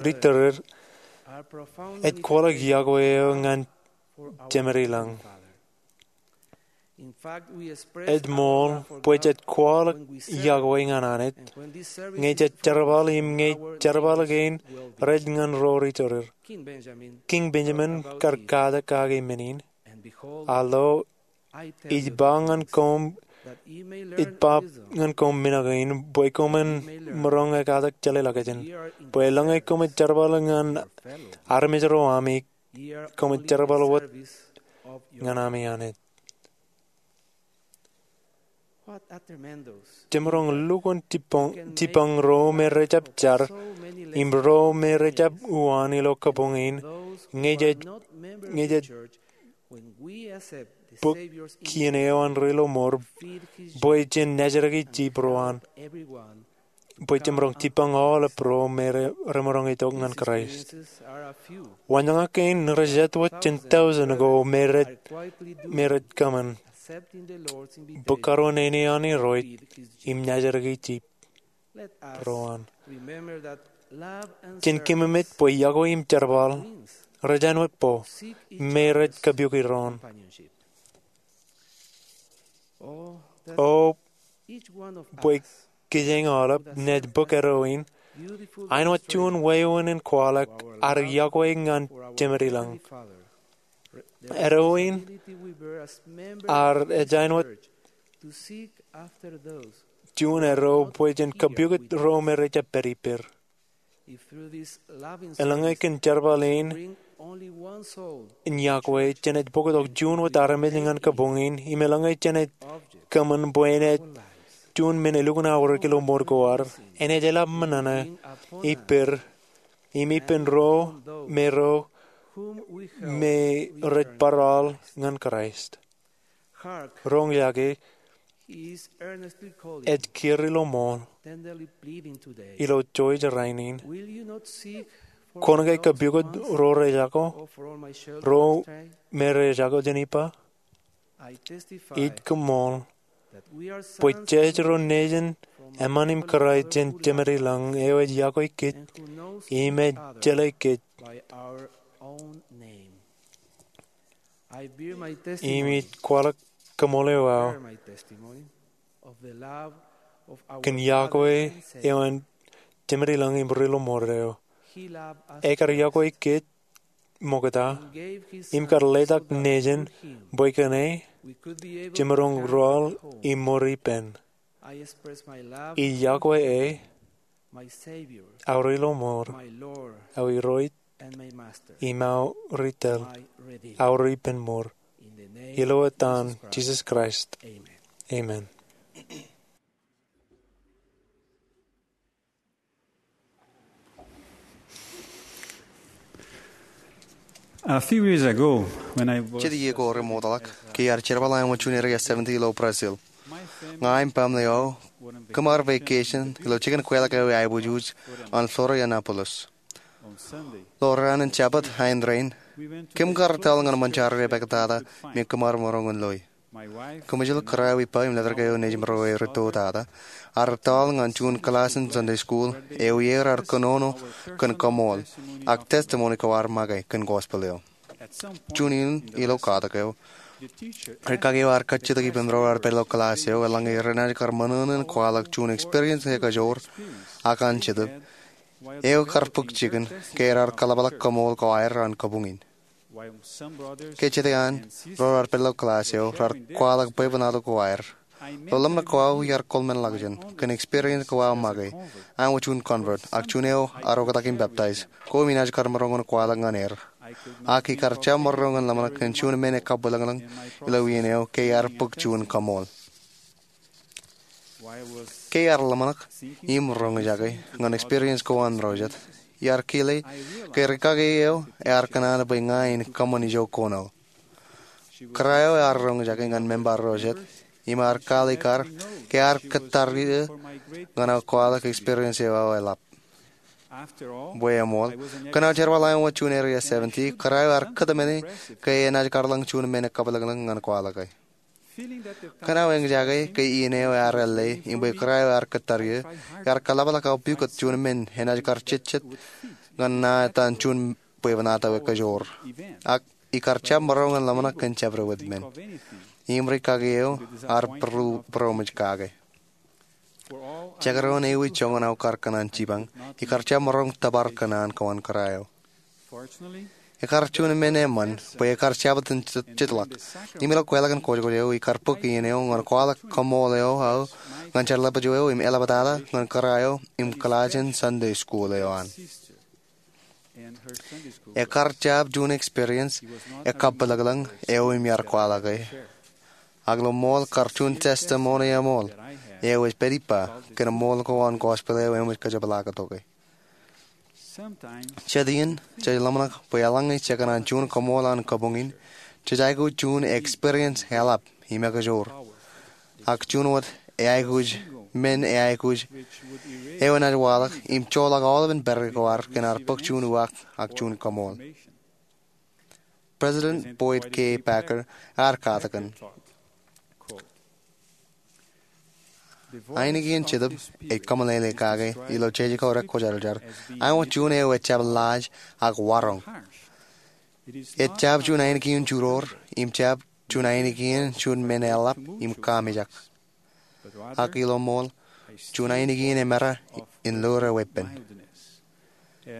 ri-tōl ro, ej kwaḷọk iọkwe eo ñan Jemedilōñ. Ej ṃool bwe jej kwaḷọk iọkwe ñan Anij ñe jej jerbal im ñe jerbal kein rej ñan ro ri-tōl ro. Kiiñ Benjamin kar katak kake men in, a lo, ij ba ñan koṃ, ij ba ñan koṃ men kein bwe koṃwin maroñ ekatak jeḷāḷọkjeṇ, bwe eḷaññe koṃij jerbal ñan armej ro ami, koṃij jerbal wōt ñan ami Anij. Jemaroñ lukkuun jibboñ, jibboñ ro me rejjab jar, im ro me rejjab uwaan ilo kabuñ in, ñe jej, ñe jej bōk kien eo an Ri Lọmọọr, bwe jen nōjraki jip ro an, bwe jemaroñ jibboñ aolep ro me re, remaroñ itok ñan Kraist. Wanjañak kein rej jet wōt jān taujin ko me rej, me rej kōṃṃan bōk karuo neen eo an Irooj im nōjraki jip ro an. Jen keememej bwe iọkwe im jerbal rej āinwōt bō me rej kabuik iroon. O, bwe kijeñ aolep naaj bōk eddo in āinwōt juon wāween in kwaḷọk ad iọkwe ñan Jemedilōñ. Eddo in ad ej āinwōt juon eddo bwe jen kabuik ro me rejjab pād ippād. Eḷaññe kōn jerbal in iọkwe jenaaj bōktok juon wōt armej ñan kabuñ in, im eḷaññe jenaaj kōṃṃan bwe enaaj juon men elukkuun aorōk ilo mour ko ad, enaaj eḷap men ṇe ippād, im ippān ro me ro me rej bar aḷ ñan Kraist. Roñjake, ej kiiō Ri Lọmọọr ilo Georgia rainin. Kwōn ke kabuik ro rejako, ro me rejako jān ippa? Ij koṃṃool bwe jej ro nejin eṃṃan im kōrā jān Jemedilōñ eo ej iọkwe kōj im ej jeḷā kōj. Im ij kwaḷọk kaṃṃoolol eo aō kōn iọkwe eo an Jemedilōñ im Ri Lọmọọr eo. Ekar iọkwe kōj ṃokta im kar letak nejin bwe kōn e jemaroñ ruwaḷ im mour ippān. Ij iọkwe e, aō Ri Lọmọọr, aō Irooj, im aō Ritōl, aō Ri ippān mour. Ilo etan Jisōs Kraist, amen. A few years ago, when I was Jet iiō ko remootḷọk, ke iar jerbal āinwōt juon area seventy ilo Brazil. Ña im baaṃle eo kōm ar vacation ilo jikin kweilọk eo eaiboojoj ñan Florianópolis. Ilo raan in Jabōt āindein, kōm kar tōl ñan ṃōn jar epaktata me kōm ar maroñ in loi. Kōmjel, kōrā eo ippa im letok eo nejimro eo rūtto tata, ar tōl ñan juon kilaaj in Sunday school eo iar kōnono kōn kaṃool ak testimony ko ar make kōn gospel eo. Juon in ilo katak eo, rūkaki eo ar kajjitōk ippān ro raar pād ilo kilaaj eo eḷaññe renaaj kar ṃōṇōṇō in kwaḷọk juon experience ekajoor ak an Jetōb eo kar bōk jikin ke raar kaḷapḷọk kaṃool ko aer an kabuñ in. Ke jete an ro raar pād ilo kilaaj eo raar kwaḷọk bwebwenato ko aer, ilo ḷōmṇak ko aō iar kōḷmānḷọkjeṇ kōn experience ko aō make. Aṃ wōt juon convert ak juon eo ar oktak im peptaij, koṃ naaj kar maroñ in kwaḷọk ñan er. Ak ikar jab maroñ in ḷōmṇak kōn juon men ekabwilōñlōñ ilo iien eo ke iar bōk juon kaṃool. Ke iar ḷōmṇak im roñjake ñan experience ko an ro jet, iar kile ke rūkaki eo ear kōṇaan bwe ña in kōṃṃan ijo koṇaō. Kōrā eo ear roñjake ñan member ro jet im ear kwaḷọk kar ke ear kōttar eō ñan aō kwaḷọk experience eo aō eḷap. Bwe eṃool, kōn aō jerbal aṃ wōt juon Area seventy, kōrā eo ear kōtmāne ke enaaj kar ḷōñ juon men ekabwilōñlōñ ñan kwaḷọke. Kōn aō eñjake ke iien eo ear ālle im bwe kōrā eo ear kōttar eō, iar kaḷapḷọk aō pukot juon men enaaj kar jejjet ñan ṇa etan juon bwebwenato ekajoor. Ak ikar jab maroñ in ḷōmṇak kōn jabdewōt men. Im rūkaki eo ar būroṃōj kake. Jekdọọn ewi joñan aō kar kōṇaan jipañ, ikar jab maroñ tōpar kōṇaan ko an kōrā eo. Ekar juon men eṃṃan bwe ekar jab itōn jet-, jetḷọk. Im ilo kweilọk in kōjkōj eo ikar bōk iien eo ñan kwaḷọk kaṃool eo aō ñan jeḷapjo eo im eḷaptata ñan kōrā eo im kilaaj in Sunday school eo an. Ekar jab juon experience ekabwilōñlōñ eo im iar kwaḷọke. Ak ilo ṃool kar juon testimony eṃool eo ej pād ippa kōn ṃool ko an gospel eo eṃōj kōjepḷaaktok e. Jet iien jej ḷōmṇak bwe eḷaññe jekōṇaan juon kaṃool an kabuñ in, jej aikuj juon experience eḷap im ekajoor. Ak juon wōt eaikuj men eaikuj eo enaaj waḷọk im joḷọk aolepān pād ko ad kōn ad bōk juon uwaak ak juon kaṃool. President Boyd K. Packer ear katakin, ainikien Jetōb ej kōmeḷeḷe kake ilo jeje ko rekwōjarjar, aṃ wōt juon eo ejjab laaj ak waroñ. Ejjab juon ainikien juroor im jab juon ainikien juon men eḷap im kaamijak. Ak ilo ṃool, juon ainikien emera in lure weeppān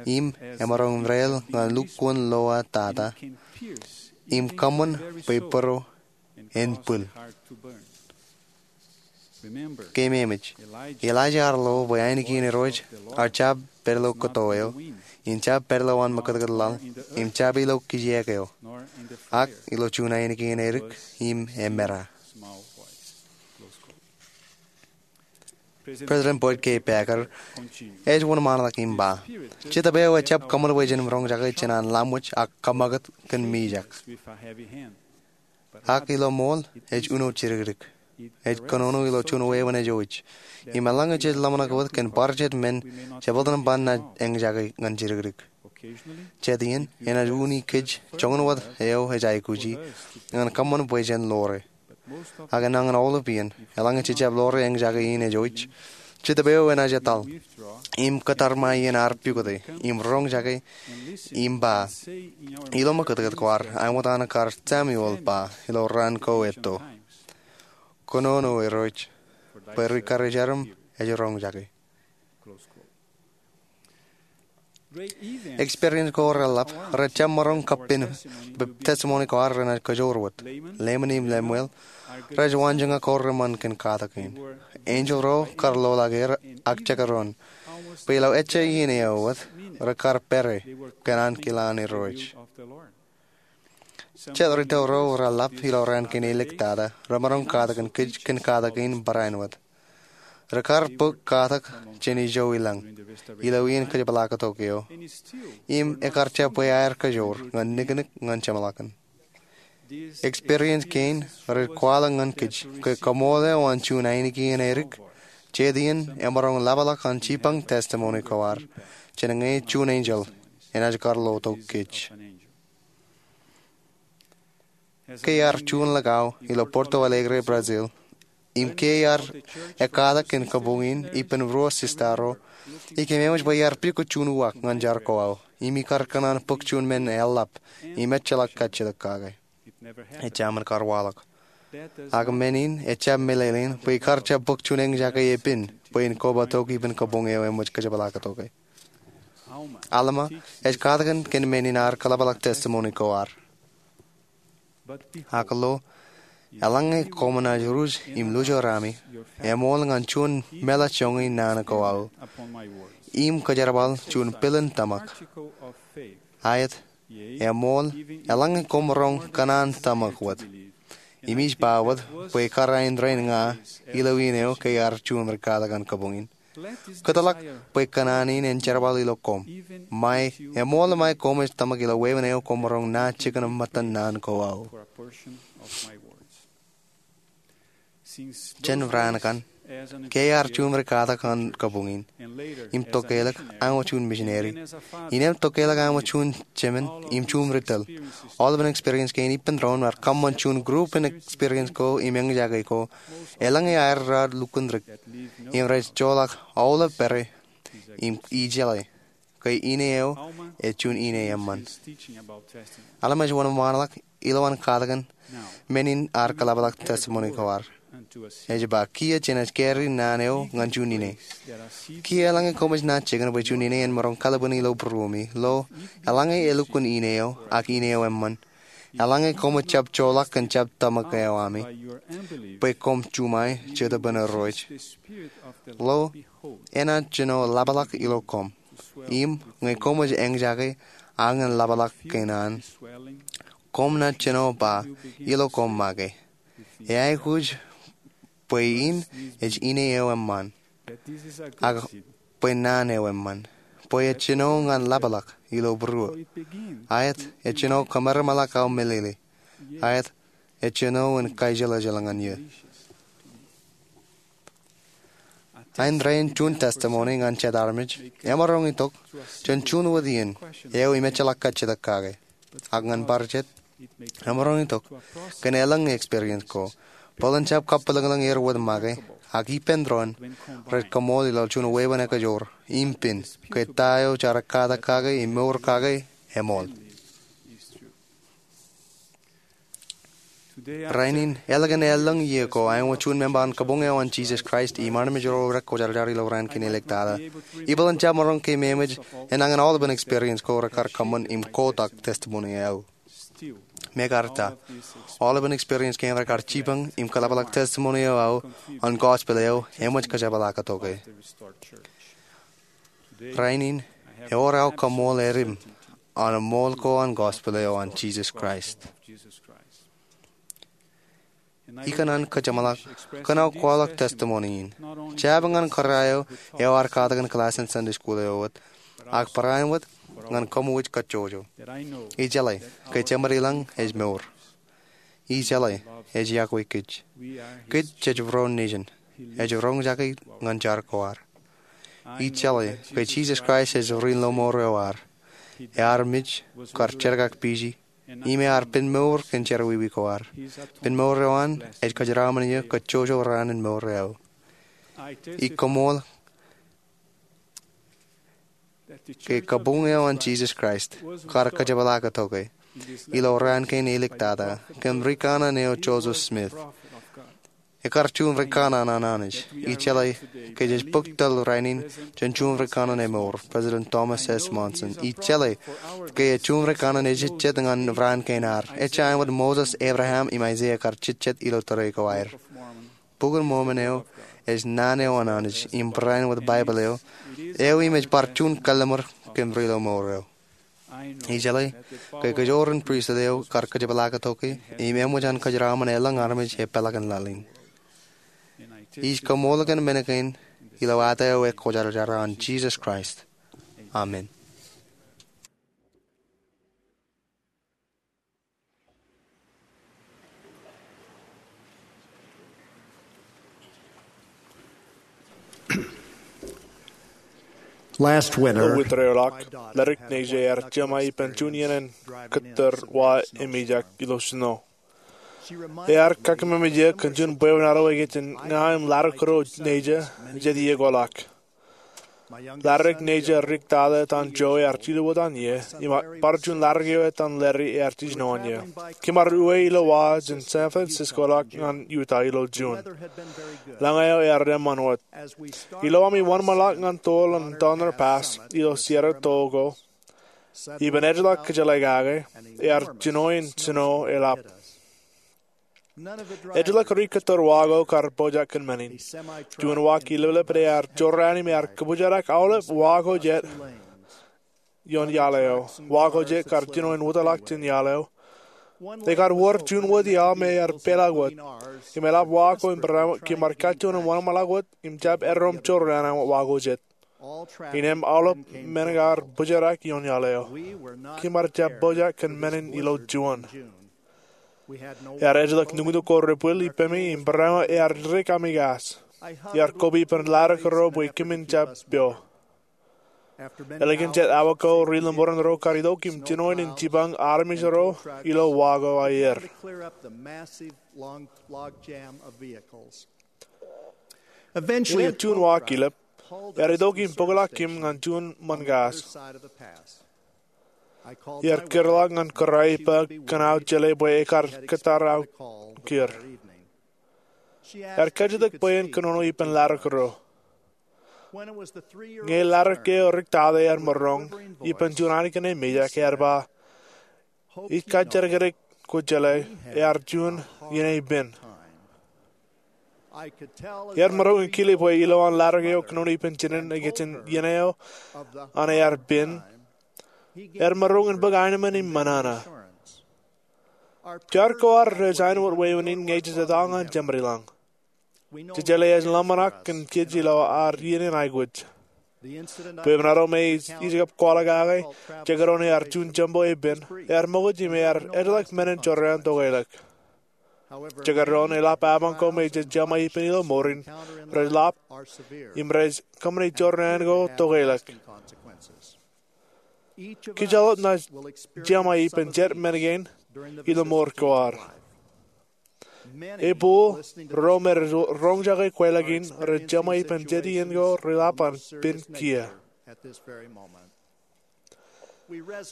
im emaroñ in reel ñan lukkuun lowa tata im kōṃṃan bwe būro en bwil. Keememej, Elijah ear lo bwe ainikien Irooj ear jab pād ilo kōto eo, im jab pād ilo an mekūtkūt laḷ, im jab ilo kijeek eo, ak ilo juon ainikien edik im emera. President Boyd K. Packer ej wōnṃaanḷọk im ba, Jetōb eo ejjab kōṃṃan bwe jen roñjake jān an laṃōj ak kōṃṃakūt kōn mijak. Ak ilo ṃool, ej uno jidikdik. Ej kōnono ilo juon wāween ej oj. Im eḷaññe jej ḷōmṇak wōt kōn bar jet men, jebōltan ban naaj eñjake ñan jidikdik. Jet iien, enaaj uñi kōj joñan wōt eo ej aikuji ñan kōṃṃan bwe jen lore. Ak enañin aolep iien, eḷaññe jejjab lore eñjake in ej oj, Jetōb eo enaaj etal im kōttar ṃae iien ear pukote im roñjake im ba, ilo mekūtkūt ko ad, aṃ wōt an kar Samuel ba ilo raan ko etto, Kōnono Irooj, bwe ri karijerim ej roñjake. Experience ko reḷap rejjab maroñ kappin bwe testimony ko ad renaaj kajoor wōt. Laman im Lemuel rej waanjoñak ko reṃṃan kōn katakin. Enjeḷ ro kar loḷọk er ak jekdọọn bwe ilo ejja iien eo wōt rekar pere kōn ankilaan Irooj. Jet rūtto ro reḷap ilo raan kein eliktata remaroñ katakin kōj kōn katakin barāinwōt. Rekar bōk katak jān ijo ilañ ilo iien kōjepḷaaktok eo, im ekar jab bwe aer kajoor ñan niknik ñan jeṃḷọkin. Experience kein rej kwaḷọk ñan kōj ke kaṃool eo an juon ainikien edik, jet iien emaroñ ḷapḷọk an jipañ testimony ko ad jān ñe juon enjeḷ enaaj kar lotok kōj. Ke iar juon likao ilo Porto Alegre, Brazil, im ke iar ekkatak kōn kabuñ in ippān ruo sista ro, ikōmemeej bwe iar pukot juon uwaak ñan jar ko aō im ikar kōṇaan bōk juon men eḷap im ejjeḷọk kajjitōk kake. Ejāmin kar waḷọk. Ak men in ejab meḷeḷein bwe ikar jab bōk juon eñjake epen bwe in kobatok ippān kabuñ eo eṃōj kōjepḷaaktok e. Alma ej katakin kōn men in ear kōḷapḷọk testimony ko ad. Ak lo, eḷaññe koṃ naaj ruj im lujo rami, eṃool ñan juon meḷeḷe joñan naan ko aō im kōjerbal juon pilin tōmak. Aet, eṃool, eḷaññe koṃ roñ kōṇaan tōmak wōt. Im ij ba wōt bwe kar aendein ña ilo iien eo ke iar juon ri katakin kabuñ in. Kōtḷọk bwe kōṇaan in en jerbal ilo koṃ. Ṃae, eṃool ṃae koṃij tōmak ilo wāween eo koṃ roñ naaj jikin ṃōttan naan ko aō. Jān raan kaṇ, ke iar juon ri katakin kabuñ in im tokālik aṃ juon misineri, im tokālik aṃ juon jemān im juon ri tōl, aolepān experience kein ippān doon rej kōṃṃan juon group in experience ko im eñjake ko eḷaññe aer raar lukkuun dik im rej joḷọk aolep pere im ijeḷā ke ine eo ej juon ine eṃṃan. Alma ej wōnṃaanḷọk ilowaan katakin men in ear kōḷapḷọk testimony ko ad. Ej ba, kiiō jenaaj carry naan eo ñan juon ine. Kiiō eḷaññe koṃij naaj jikin bwe juon ine en maroñ kalbwin ilo būruemi, lo, eḷaññe elukkuun ine eo ak ine eo eṃṃan, eḷaññe koṃij jab joḷọk kōn jab tōmak eo ami bwe koṃ juṃae Jetōb in Irooj, lo, enaaj jino ḷapḷọk ilo koṃ. Im ñe koṃij eñjake aō ñan ḷapḷọk kōn an, koṃ naaj jino ba ilo koṃ make, eaikuj bwe in ej ine eo eṃṃan, ak bwe naan eo eṃṃan, bwe ejjino ñan ḷapḷọk ilo būruō. Aet, ejjino kōmeremeḷọk aō meḷeḷe. Aet, ejjino in kaijeḷājeḷ ñan eō. Aendein juon testimony ñan jet armej emaroñ itok jān juon wōt iien eo im ejjeḷọk kajjitōk kake. Ak ñan bar jet, emaroñ itok kōn elōñ experience ko. Bōlen jab kabwilōñlōñ er wōt make, ak ippān doon rej kaṃool ilo juon wāween ekajoor im pen ke ta eo jaar ekkatak kake im mour kake eṃool. Rainin, ālikin elōñ iiō ko, aikuj juon member an kabuñ eo an Jesus Christ im armej ro rekwōjarjar ilo raan kein āliktata. Ibōlen jab maroñ ke memeej enañin aolepān experience ko rekar kōṃṃan im kotak testimony eo aō. Mekarta, aolepān experience kein rekar jipañ im kōḷapḷọk testimony eo aō an gospel eo eṃōj kōjepḷaaktok e. Rainin, ewōr aō kaṃool edim an ṃool ko an gospel eo an Jesus Christ. Ikōṇaan kōjeṃḷọk kōn aō kwaḷọk testimony in, jab ñan kōrā eo ear katakin class in Sunday school eo wōt, ak barāinwōt ñan koṃij kajjojo. Ijeḷā ke Jemed ilañ ej mour. Ijeḷā ej iakwe kōj. Kōj jej ro nejin. Ej roñjake ñan jar ko ad. Ijeḷā ke Jesus Christ ej ri lọmọọr eo ad. Ear mej kar jerkakpeje im ear pen mour kōn jerọwiwi ko ad. Pen mour eo an ej kōjeraaṃṃan eō kajjojo raan in mour eo aō. Ij kaṃool ke kabuñ eo an Jesus Christ kar kōjepḷaaktok e ilo raan kein āliktata kōn rikaṇan eo Joseph Smith. Ekar juon rikaṇan an Anij. Ijeḷā ke jej bōk tōl rainin jān juon rikaṇan emour, President Thomas S. Monson. Ijeḷā ke ej juon rikaṇan ejejjet ñan raan kein ad. Ejjañin wōt Moses, Abraham, im Isaiah kar jejjet ilo tōre ko aer. Bok in Mormon eo ej naan eo an Anij im barāinwōt Baibōḷ eo, eo im ej bar juon kalliṃur kōn ri lọmọọr eo. Ijeḷā ke kōjro in pristut eo kar kōjepḷaaktok e im eṃōj an kōjeraaṃṃan elōñ armej epeḷaakin laḷ in. Ij kaṃool kōn men kein ilo etaer eo ekwōjarjar an Jesus Christ. Amen. Last winter, Ilo winter eo ḷọk, ledik Neja ear jema ippān juon iien in kōttar wa emejak ilo snow. Ear kakkōmemeje kōn juon bwebwenato ej kajjitōk ña im laddik kōto Neja jet iiō ko ḷọk. Laddik Neja Rick Tata etan Joe ear jilu etan ie, im bar juon laddik eo etan Larry ear jiljino an ie. Kōm ar uwe ilo wa jān San Francisco ḷọk ñan Utah ilo June. Lañ eo ear eṃṃan wōt. Ilo ami wōnṃaanḷọk ñan toḷ an Donner Pass ilo Sierra Tōko, ippān ejjeḷọk kōjeḷā kake, ear jino in snow eḷap. Ejjeḷọk ri kōttar wa ko kar pojak kōn men in. Juon wa kileplep ear jorrāān im ear kōpoojarak aolep wa ko jet ioon iaḷ eo. Wa ko jet kar jino in wōtlọk jān iaḷ eo. Ekar wōr juon wōt iaḷ me ear peḷọk wōt. Im eḷap wa ko im barāinwōt kōm ar kajjioñ wōnṃaanḷọk wōt im jab eddoṃ jorrāān eo wa ko jet. Innām aolep men kar poojarak ioon iaḷ eo. Kōm ar jab pojak kōn men in ilo juon. Ear ejjeḷọk nuñtuk ko ri pwil ippemi im barāinwōt ear dik ami kas. Ear koba ippān laddik ro bwe kōmin jab pio. Ālikin jet awa ko, ri lemmoran ro kar itok im jino in jipañ armej ro ilo wa ko aer. Eventually, innām juon wa kilep, ear itok im bōkḷọk kōm ñan juon ṃōn kas. Ear kūrḷọk ñan kōrā ippa kōn aō jeḷā bwe ekar kōttar aō kūr. Ear kajjitōk bwe en kōnono ippān laddik ro. Ñe laddik eo Rick Tata ear maroñ ippān juon annikin emejak, ear ba, "Ij kajjitōk kōjeḷā ear juon iien pen." Ear maroñ in kile bwe ilowaan laddik eo kōnono ippān jinen ikijjien iien eo an ear pen, ear maroñ in bōk aenōṃṃan im ṃōṇōṇō. Jar ko ad rej āinwōt wāween in ñe jej etto ñan Jemedlañ. Jej jeḷā ej ḷōmṇak kōn kōj ilo ad iien in aikuj. Bwebwenato me ij kab kwaḷọk kake, jekdọọn ear juon jembo epen, ear ṃokta im ear ejjeḷọk men in jorrāān tokeḷọk. Jekdọọn eḷap apañ ko me jej jema ippān ilo mour in, rej ḷap, im rej kōṃṃane jorrāān ko tokeḷọk. Kōj aolep ṇa jema ippān jet men kein ilo mour ko ad. Ebōk ro me rej roñjake kweilọk in rej jema ippān jet iien ko reḷap an pen kiiō.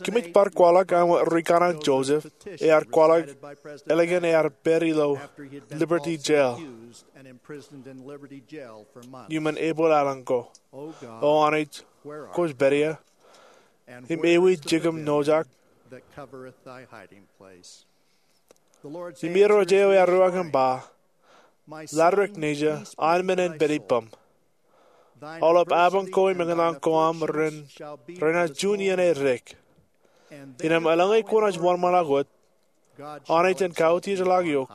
Kōmij bar kwaḷọk aṃ ri-kaṇe Joseph, ear kwaḷọk ālikin ear pād ilo Liberty Jail iuṃwin Epil aelōñ ko. O Anij, kwōj pād ia, im ewi jikiṃ nojak? Im Irooj eo ear ruwak im ba, Laddik Neja, an men en pād ippaṃ. Aolep apañ ko im eñtaan ko aṃ ren, renaaj juon iien edik. Innām eḷaññe kwōnaaj wōnṃaanḷọk wōt, Anij en kautiejḷọk eok.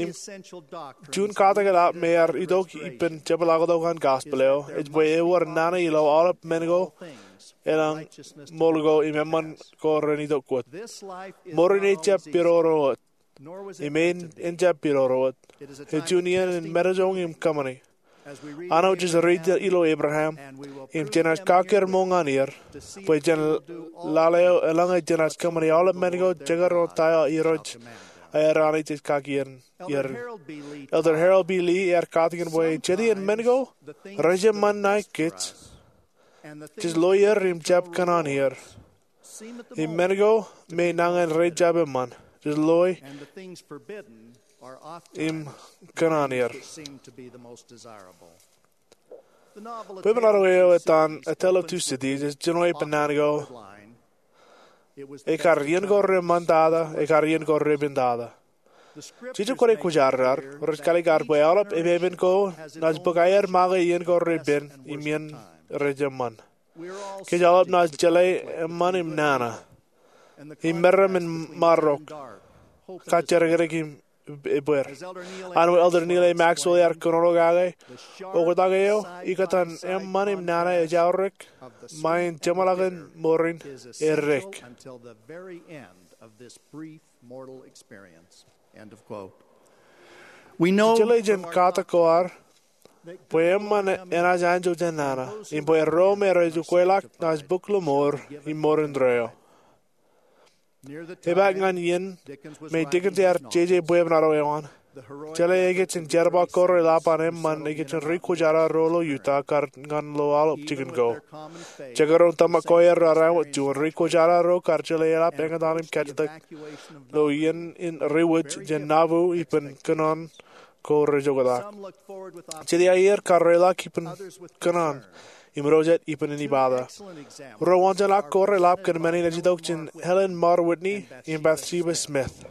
Im juon katak eḷap me ear itok ippān jepḷaaktok an gospel eo ej bwe ewōr nana ilo aolep men ko, elōñ ṃool ko im eṃṃan ko ren itok wōt. Mour in ejjab pidodo wōt. Im en, en jab pidodo wōt. Ej juon iien in metojoñ im kōṃṃani. Āinwōt jej read ilo Abraham, im jenaaj kakkar ṃool ñan er, bwe jān lale eo eḷaññe jenaaj kōṃṃani aolep men ko jekdọọn ta eo Irooj, aer Anij ej kaki er. Elder Harold B. Lee ear katakin bwe jet iien men ko, rej eṃṃan ṇae kōj. Jej loe er im jab kōṇaan er. Im men ko me nañin rej jab eṃṃan, jej loe im kōṇaan er. Bwebwenato eo etan A Tale of Two Cities ej jino ippān naan ko, Ekar iien ko reṃṃantata, ekar iien ko repāntata. Jeje kwōnaaj kwōjarjar, rej kalikar bwe aolep epepen ko naaj bōk aer make iien ko repen im iien rej eṃṃan. Kōj aolep naaj jeḷā eṃṃan im nana. Im meram in marok. Kajjitōk im ebbeer. Āinwōt Elder Neal A. Maxwell ear kōnono kake, oktak eo ikōtaan eṃṃan im nana ej aorōk ṃae in jeṃḷọkin mour in edik. Jeḷā jān katak ko ad, bwe eṃṃan enaaj anjọ jān nana, im bwe ro me rej ukweḷọk naaj bōk lọmọọr im mour indeeo. Epaak ñan iien me Dickens ear jeje bwebwenato eo an, jeḷā ekōjin jerbal ko reḷap an eṃṃan ekōjin ri kwōjarro ro ilo Utah kar ñan lo aolep jikin ko. Jekdọọn tōmak ko aer raar āinwōt juon ri kwōjarro ro kar jeḷā eḷap eñtaan im kajjitōk lo iien in riwōj jān Nauvoo ippān kōnono ko rej oktak. Jet iiō kar reḷọk ippān kōnono im ro jet ippān inibata. Ro wōnjeṇ ak ko reḷap kōn men in ej itok jān Helen Mar Whitney im Bathsheba Smith.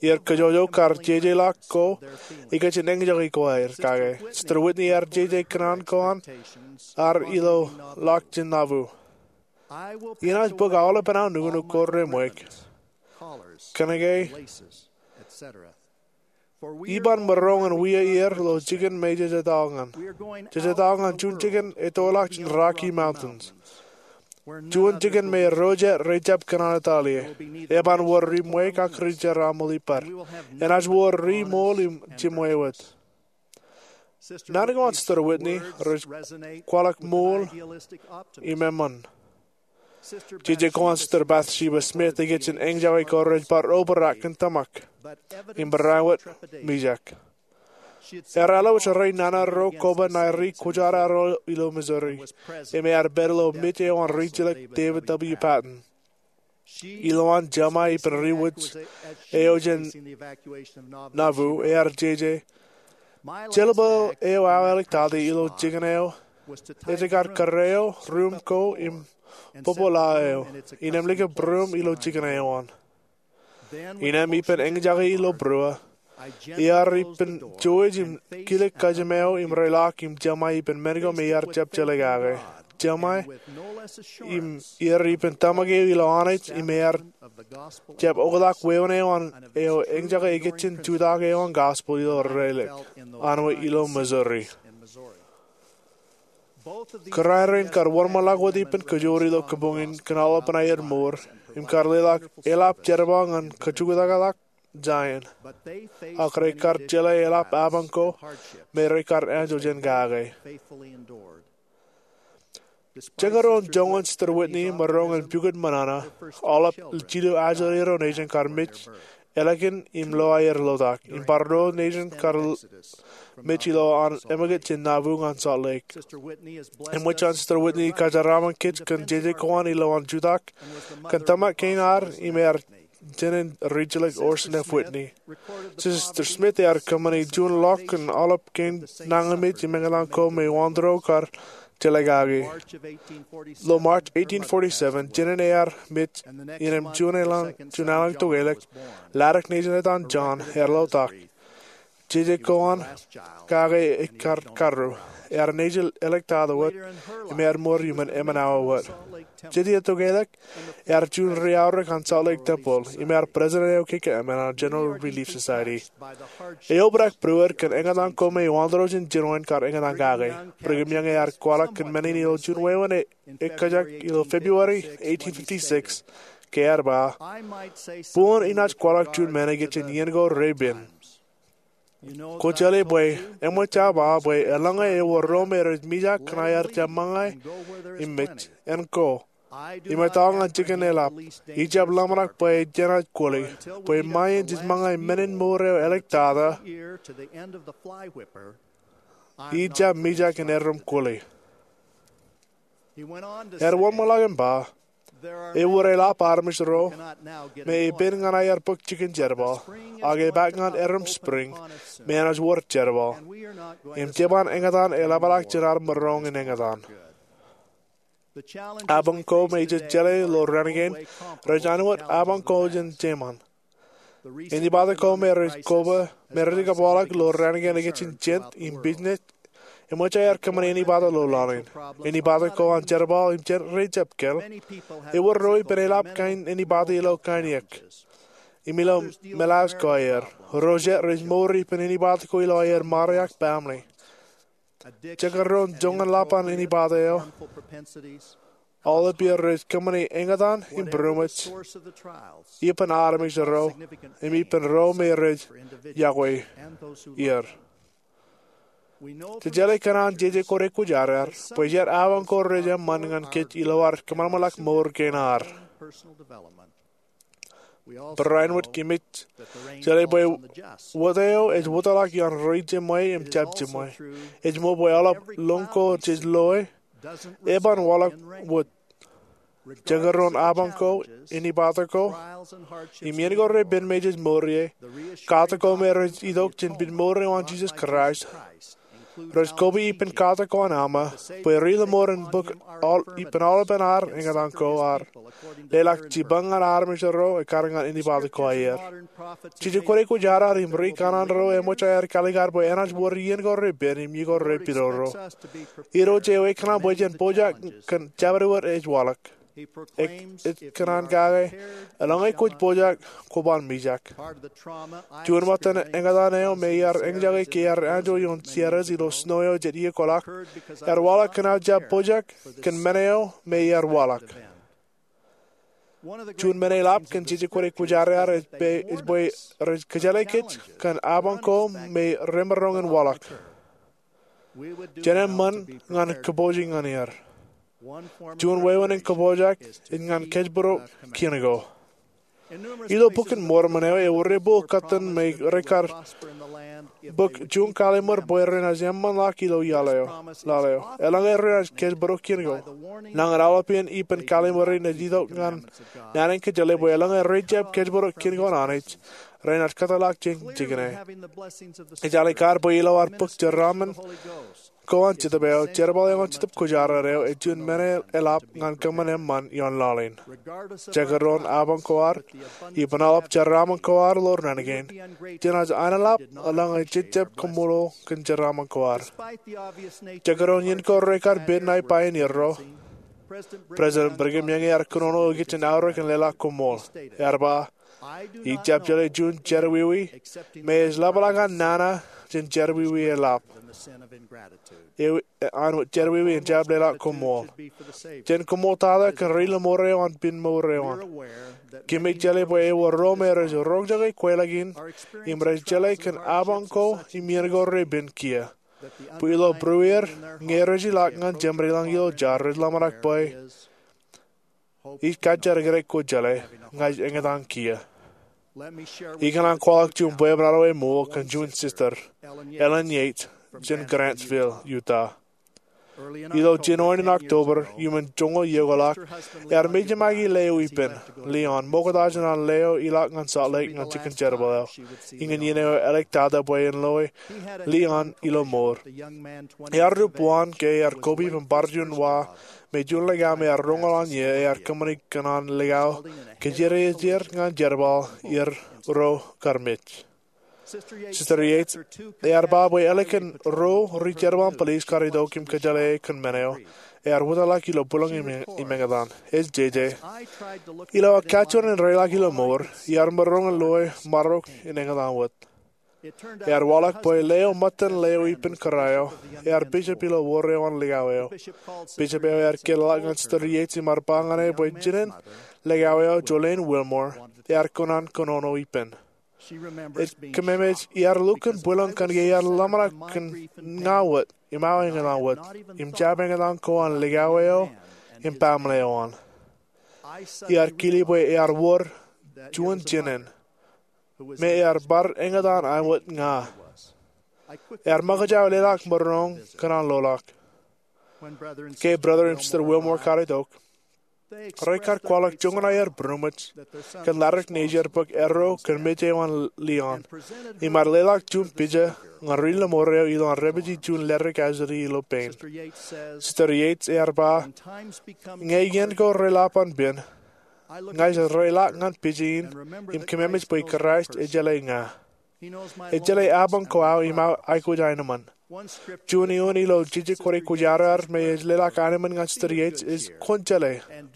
Iar kajjojo kar jejeḷọk ko ekōjin eñjake ko aer kake. Sister Whitney ear jeje kōnono ko an, ear ilo ḷọk jān Nauvoo. Inaaj bōk aolepān aō nuknuk ko reṃweik, kōnke iban maroñ in wia er ilo jikin me jej etto ñan. Jej etto ñan juon jikin ettoḷọk jān Rocky Mountains, juon jikin me ro jet rej jab kōnono etal ie. Eban wōr ri ṃweik ak ri jeraaṃṃan ippaṃ. Enaaj wōr ri ṃool im jemwāwōt. Naan ko an Sister Whitney rej kwaḷọk ṃool im eṃṃan. Jeje ko an Sister Bathsheba Smith ekōjin eñjake ko rej bar obrak kōn tōmak im barāinwōt mijak. Ear alwōj rein nana ro koba ṇae ri kwōjarro ro ilo Missouri, im ear pād ilo mej eo an rijjilōk David W. Patten. Ilowaan jeṃae ippān riwōj eo jān Nauvoo, ear jeje, jeḷā bwe eo aō āliktata ilo jikin eo ej kar kōrā eo ruuṃ ko im bōbōḷā eo, innām likūt ruuṃ ilo jikin eo an. Innām ippān eñjake ilo būruō, iar ippān jouj im kilōk kōjām eo im reḷọk im jeṃae ippān men ko me iar jab jeḷā kake. Jeṃae im iar ippān tōmak eo ilo Anij im ear jab oktak wāween eo an eo eñjake ekōjin jutak eo an gospel ilo Rālik, anwōj ilo Missouri. Kōrā rein kar wōnṃaanḷọk wōt ippān kajoor ilo kabuñ in kōn aolepān aer mour im kar leḷọk eḷap jerbal ñan kajuktakḷọk Zion. Ak rekar jeḷā eḷap apañ ko me rekar anjọ jān kake. Jekdọọn joñan Sister Whitney maroñ in pukot ṃōṇōṇō, aolep jilu ajri ro nejin kar mej ālikin im lo aer lotak, im bar ro nejin kar mej ilo an āmikiōt jān Nauvoo ñan Salt Lake. Eṃōj an Sister Whitney kōjeraaṃṃan kōj kōn jeje ko an ilowaan jutak kōn tōmak kein ad im ear jān rijjilōk Orson F. Whitney. Sister Smith ear kōṃṃani juon ḷọk kōn aolep kein nañinmej im eñtaan ko me wāween ro kar jeḷā kake. Ilo March eighteen forty-seven, jān ear mej, innām juon elōñ, juon elōñ tokelōk, Laddick nejin etan John ear lotak. Jeje ko an kake ekar karru. Ear nejin āliktata wōt im ear mour iuṃwin emān awa wōt. Jet iiō tokelōk, ear juon ri-aorōk an Salt Lake Temple im ear president eo kekeemān an General Relief Society. Eobrak būruod kōn eñtaan ko me wāween ro jān jinoin kar eñtaan kake. Brigham Young ear kwaḷọk kōn men in ilo juon wāween ekkajak ilo February eighteen fifty-six, ke ear ba, buñūn inaaj kwaḷọk juon men ekōjin iien ko repen. Kwōjeḷā bwe eṃōj aō ba bwe eḷaññe ewōr ro me rej mijak ñan aer jab ṃōñā im mej, en ko, im etto ñan jikin eḷap, ij jab ḷōmṇak bwe jenaaj kwōle, bwe ṃae in jej ṃōñā men in mour eo āliktata, ij jab mijak in erom kwōle. Ear wōnṃaanḷọk im ba, ewōr eḷap armej ro me epen ñan aer bōk jikin jerbal, ak epaak ñan erom spring me enaaj wōr jerbal, im jeban eñtaan eḷapḷọk jān ad maroñ in eñtaan. Apañ ko me ij jeḷā ilo raan kein rej āinwōt apañ ko jān jeṃaan. Anibata ko me rej koba, me rej kōpeḷḷọk ilo raan kein ekōjin jent im business, eṃōj aer kōṃṃani anibata ilo laḷ in. Anibata ko an jerbal im jent rej jab kōl. Ewōr ro ippān eḷap kain anibata ilo kain iiōk im ilo meḷaaj ko aer. Ro jet rej mour ippān anibata ko ilo aer ṃare ak baaṃle. Jekdọọn joñan ḷap an anibata eo, aolep er rej kōṃṃani eñtaan im būroṃōj ippān armej ro im ippān ro me rej yokwe er. Jej jeḷā kōn an jeje kwōj aikuj arear bwe jet abañ ko rej eṃṃan ñan kōj ilo ad kōṃanṃanḷọk mour kein ad. Barāinwōt kōmij jeḷā bwe wōt eo ej wōtlọk ioon ri-jeṃwe im jab jeṃwe. Ej ṃool bwe aolep lōñ ko jej loe eban waḷọk wōt. Jekdọọn abañ ko, inepata ko, im iien ko repen me jej mour ie, katak ko me rej itok jān pād mour eo an Jisōs Kraist, rej koba ippān katak ko an Alma bwe ri-lōṃor in bōk ippān aolepān ad eñtaan ko ad, leḷọk jipañ ñan armej ro ekkar ñan inepata ko aer. Jeje kwōj aikuj arear im ri-kanaan ro eṃōj aer kaalikkar bwe enaaj wōr iien ko repen im iien ko repidodo. Irooj eo ekōṇaan bwe jen pojak kōn jabdewōt ej waḷọk. Ej kōṇaan kake, eḷaññe kwōj pojak, kwōban mijak. Juon ṃōttan eñtaan eo me iar eñjake ke iar anjọ ioon Seattle ilo snow eo jet iiō kwaḷọk, ear waḷọk kōn aō jab pojak kōn men eo me iar waḷọk. Juon men eḷap kōn jeje kwōj aikuj arear ej bwe rej kōjjeḷā kōj kōn abañ ko me remaroñ in waḷọk. Jen eṃṃan ñan kōpooje ñan er. Juon wāween in kōpooj ej ñan kōjparok kien ko. Ilo Bok in Mormon eo ewōr epū kōttan me rekar bōk juon kallim̧ur bwe renaaj eṃṃanḷọk ilo laḷ eo. Eḷaññe renaaj kōjparok kien ko, nañin aolepān ippān kallim̧ur in ej itok ñan naan in kōjjeḷā bwe eḷaññe rej jab kōjparok kien ko an Anij, renaaj kōtḷọk jān jikin e. Ij al kar bwe ilo ad bōk jeraaṃṃan ko an Jetōb eo, jerbal eo an Jetōb Kwōjarjar eo ej juon men eḷap ñan kōṃṃan eṃṃan ioon laḷ in. Jekdọọn abañ ko ad, ippān aolep jeraaṃṃan ko ad ilo naan kein, jenaaj aenḷap eḷaññe jej jab kaṃṃoolol kōn jeraaṃṃan ko ad. Jekdọọn iien ko rekar pād ṇae pioneer ro, President Brigham Young ear kōnono ikijjien aorōk in leḷọk koṃṃool. Ear ba, ij jab jeḷā juon jerọwiwi me ej ḷapḷọk an nana jān jerọwiwi eḷap, an jerọwiwi en jab leḷọk koṃṃool. Jen koṃṃooltata kōn ri-lōṃor eo an pād mour eo an. Kōmij jeḷā bwe ewōr ro me rej roñjake kweilọk in im rej jeḷā kōn abañ ko im iien ko repen kiiō, bwe ilo būrueir ñe rej ilọk ñan jeṃaanḷọk ilo jar rej ḷōmṇak bwe ij kajjitōk kōjeañ, ña ij eñtaan kiiō. Ikōṇaan kwaḷọk juon bwebwenato eṃool kōn juon sister, Ellen Yates, jān Grantsville, Utah. Ilo jinoin in October iuṃwin joñoul iiō kwaḷọk, ear mejaṃake leo ippān, Leon, ṃokta jān an leo ilọk ñan Salt Lake ñan jikin jerbal eo. Iñin iien eo eḷak tata bwe en loe Leon ilo mour. Ear rup waan ke ear koba ippān bar juon wa me juon likao me ear roñoul an ie ear kōṃṃani kōn an likao kōjierejeir ñan jerbal er ro kar mej. Sister Yates ear ba bwe ālikin ruo ri-jerbal in police kar itok im kōjeḷā e kōn men eo, ear wōtlọk ilo bwilōñ im eñtaan. Ej jeje, ilo aō kajjioñ in reilọk ilo mour, iar maroñ in loe marok in eñtaan wōt. Ear waḷọk bwe leo ṃōttan leo ippān kōrā eo, ear bishop ilo wōr eo an likao eo. Bishop eo ear kōtḷọk ñan Sister Yates im ear ba ñan e bwe jinen likao eo, Jolene Wilmore, ear kōṇaan kōnono ippān. Ej kōmemej iar lukkuun bwilōñ kōnke iar ḷōmṇak kōn ña wōt im aō eñtaan wōt, im jab eñtaan ko an likao eo im baaṃle eo an. Iar kile bwe ear wōr juon jinen me ear bar eñtaan aṃ wōt ña. Ear ṃōkaj leḷọk maroñ kōn an loḷọk. Ke Brother im Sister Wilmore kar itok, rekar kwaḷọk joñan aer būroṃōj kōn ladik nejier bōk erro kōn mej eo an Leon, im ear leḷọk juon pija ñan ri-lōṃor eo ilo an dāpiji juon ledik ajri ilo pein. Sister Yates ear ba, ñe iien ko reḷap an pen, ña ij reilọk ñan pija in im kōmemej bwe Kraist ej jeḷā ña. Ej jeḷā abañ ko aō im aō aikuj aenōṃṃan. Juon eoon ilo jeje kwōj aikuj arear me ej leḷọk aenōṃṃan ñan Sister Yates ej, kwōn jeḷā,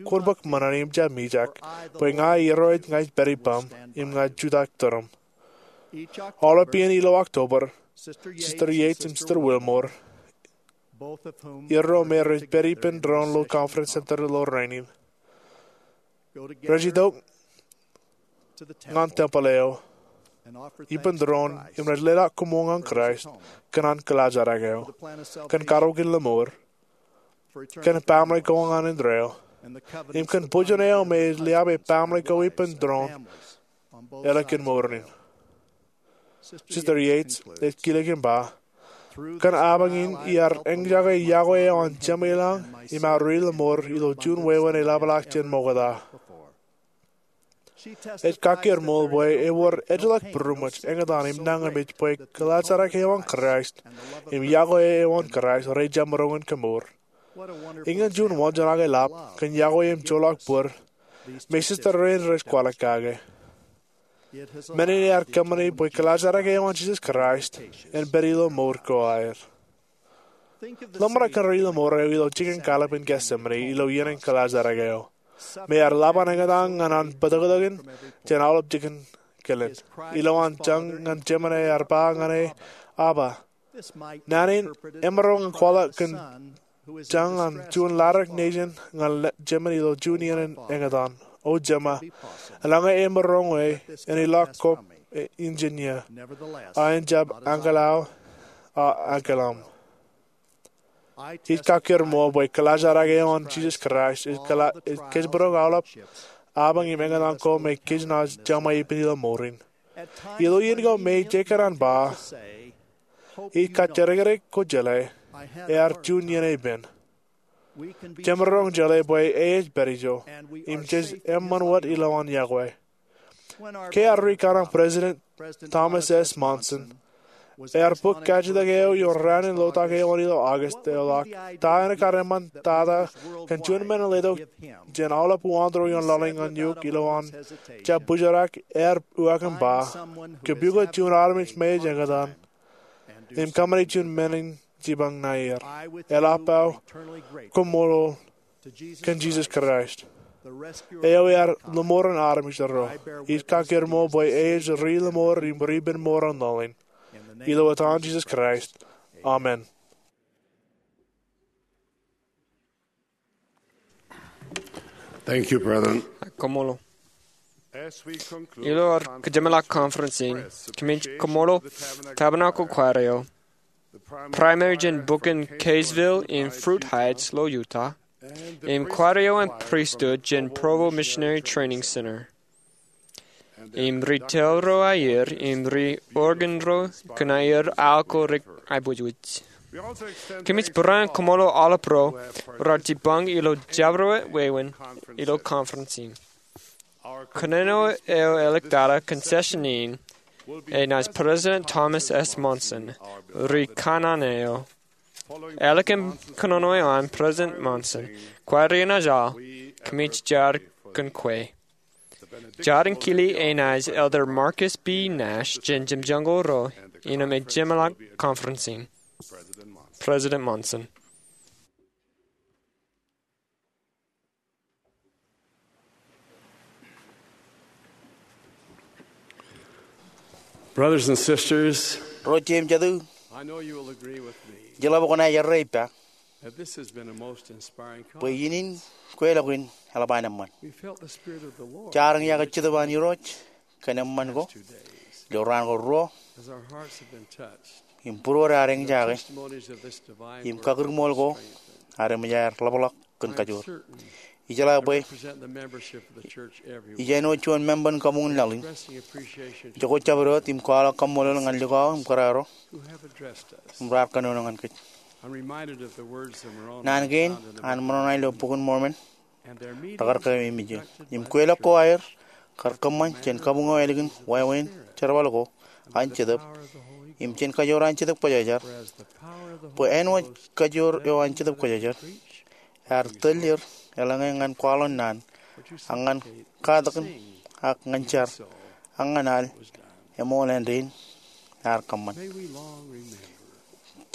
kwōn bōk ṃōṇōṇō im jab mijak, bwe ña Irooj ña ij pād ippaṃ im ña ij jutak tūrūṃ. Aolep iien ilo October, Sister Yates im Sister Wilmore, erro me rej pād ippān doon ilo Conference Center ilo rainin, rej itok ñan tempeḷ eo ippān tūroon im rej leḷọk koṃṃool ñan Kraist kōn an kilaajrak eo, kōn karukin lemour, kōn baaṃle ko ñan indeeo, im kōn bujen eo me ej liabe baaṃle ko ippān tūroon ālikin mour in. Sister Yates ej kilōk im ba, kōn apañ in iar eñjake yokwe eo an Jemem ilañ im aō ri lemour ilo juon wāween eḷapḷọk jān ṃokta. Ej kakkōrmool bwe ewōr ejjeḷọk būroṃōj, eñtaan im nañinmej bwe kilaajrak eo an Kraist im yokwe eo an Kraist rej jab maroñ in kemour. Iñin juon wōnjeṇ aō ḷap kōn yokwe im joḷọk bōd me sister rein rej kwaḷọk kake. Men in ear kōṃṃani bwe kilaajrak eo an Jisōs Kraist en pād ilo mour ko aer. Ḷōmṇak kōn ri lemour eo ilo jikin kallib in Getsemane ilo iien in kilaajrak eo, me ear ḷap an eñtaan ñan an bōtōktōkin jān aolep jikin kilen. Ilo an jañ ñan Jemem ear ba ñan e, Abba. Naan in emaroñ in kwaḷọk kōn jañ an juon ladik nejin ñan Jemem ilo juon iien in eñtaan. O Jema, eḷaññe emaroñ e, en ilọk kōm injin ie, a en jab ankilōk aō, a ankilōk aṃ. Ij kakkōrmool bwe kilaajrak eo an Jisōs Kraist ej kōjparok aolep apañ im eñtaan ko me kōjnaaj jeṃḷọk ippān ilo mour in. Ilo iien ko me ij kōṇaan ba, ij kajjidikdik ko jeḷā, ear juon iien epen. Jemaroñ jeḷā bwe e ej pād ijo, im jej eṃṃan wōt ilowaan yokwe. Ke ear rūkaṇe President Thomas S. Monson ear bōk kajjitōk eo ioon raan in lotak eo an ilo August eḷọk, ta en kar eṃṃan tata kōn juon men in letok jān aolep uwaanto ioon laḷ in ñan eok ilowaan jab bōjrak? Ear uwaak im ba, kōpukot juon armej me ej eñtaan im kōṃṃani juon men in jipañ ṇae er. Eḷap aō koṃṃool kōn Jisōs Kraist, eo ear lemour in armej ro. Ij kakkōrmool bwe e ej ri lemour im ri ippān mour an laḷ in. Ilo etan Jisōs Kraist, amen. Thank you, brethren. Koṃṃool. Ilo ad kōjeṃḷọk conference in, kōmij koṃṃool Tabernacle Choir eo, Primary jān bukun Kaysville im Fruit Heights ilo Utah, im choir eo an pristut jān Provo Missionary Training Center, im ri tell ro aier im ri organ ro kōn aier aō ko rej aiboojoj. Kōmij barāinwōt koṃṃool aolep ro raar jipañ ilo jabdewōt wāween ilo conference in. Kōnono eo āliktata kōn session in enaaj President Thomas S. Monson, ri kanaan eo. Ālikin kōnono eo an President Monson, choir in enaaj al, kōmij jar kōn kwe. Jar in kile enaaj Elder Marcus B. Nash jān jemjeñko ro innām ej jeṃḷọk conference in. President Monson. Brothers and sisters, ro jeiū im jatū, I know you will agree with me ijeḷā bwe kwōnaaj errā ippa that this has been a most inspiring bwe conference. Iien in kweilọk in eḷap an eṃṃan. We felt the Spirit of the Lord jar in yokwe Jetōb an Irooj kōn eṃṃan ko ilo raan ko ruo. As our hearts have been touched, im būruod ear eñjake, testimonies of this divine im work kakūrṃool ko strengthened. Ear eṃōj aer ḷapḷọk kōn kajoor. Ijeḷā bwe ij āinwōt juon member in kabuñ in laḷ in. Jokwe jabdewōt im kwaḷọk kaṃṃoolol ñan likao im kōrā ro im raar kōnono ñan kōj. Naan kein an ṃōṇōṇō ilo Bok in Mormon rekar kememej im kweilọk ko aer kar kōṃṃan jān kabuñ eo ālikin wāween jerbal ko an Jetōb im jān kajoor an Jetōb Kwōjarjar, bwe āinwōt kajoor eo an Jetōb Kwōjarjar ear tōl er eḷaññe ñan kwaḷọk naan, ak ñan katakin, ak ñan jar, ak ñan al, eṃool āindein ear kōṃṃan.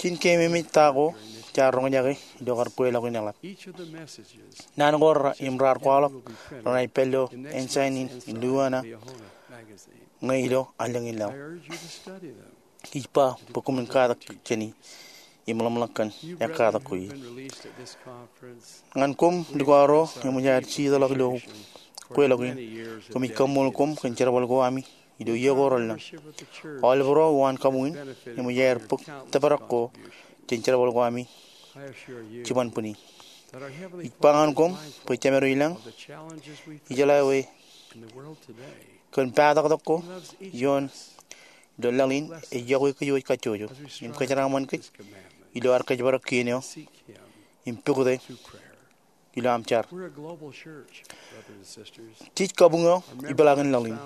Jen kememej ta ko jaar roñjake ilo kar kweilọk in eḷap. Naan ko im raar kwaḷọk renaaj pād ilo Ensign in Louisiana ñe ilo allōñ in laḷ. Ij ba bwe koṃwin katak jāni im ḷōmṇak kōn ekkatak ko ie. Ñan koṃ likao ro eṃōj aer jiitḷọk ilo kweilọk in, koṃij kaṃṃoolol koṃ kōn jerbal ko ami ilo iiō ko relōñ. Aolep ro uwaan kabuñ in eṃōj aer bōk tōprak ko jān jerbal ko ami jiban bwini. Ij ba ñan koṃ bwe Jemem eo ilañ, ijeḷā ewi kōn pataktak ko ioon ilo laḷ in, ej yokwe kōj wōj kajjojo im kōjeraaṃṃan kōj ilo ad kōjparok kien eo im pukot e ilo aṃ jar. Jej kabuñ eo ipeḷaakin laḷ in.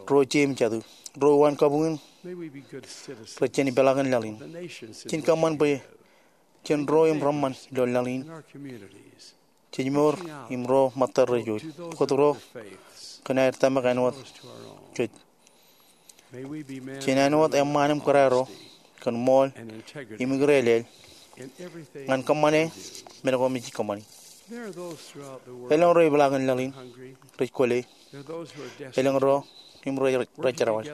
Ro jeiū im jatū, ro uwaan kabuñ in, rej jān ipeḷaakin laḷ in. Jen kōṃṃan bwe jen ro im reṃṃan ilo laḷ in. Jej mour im ro ṃōttad rej wōj, bōktok ro kōn aer tōmak āinwōt kōj. Jen āinwōt eṃṃaan im kōrā ro kōn ṃool im ikōrā ḷọk ñan kōṃṃane men ko me jej kōṃṃani. Elōñ ro ipeḷaakin laḷ in rej kwōle. Elōñ ro im rej jerbal.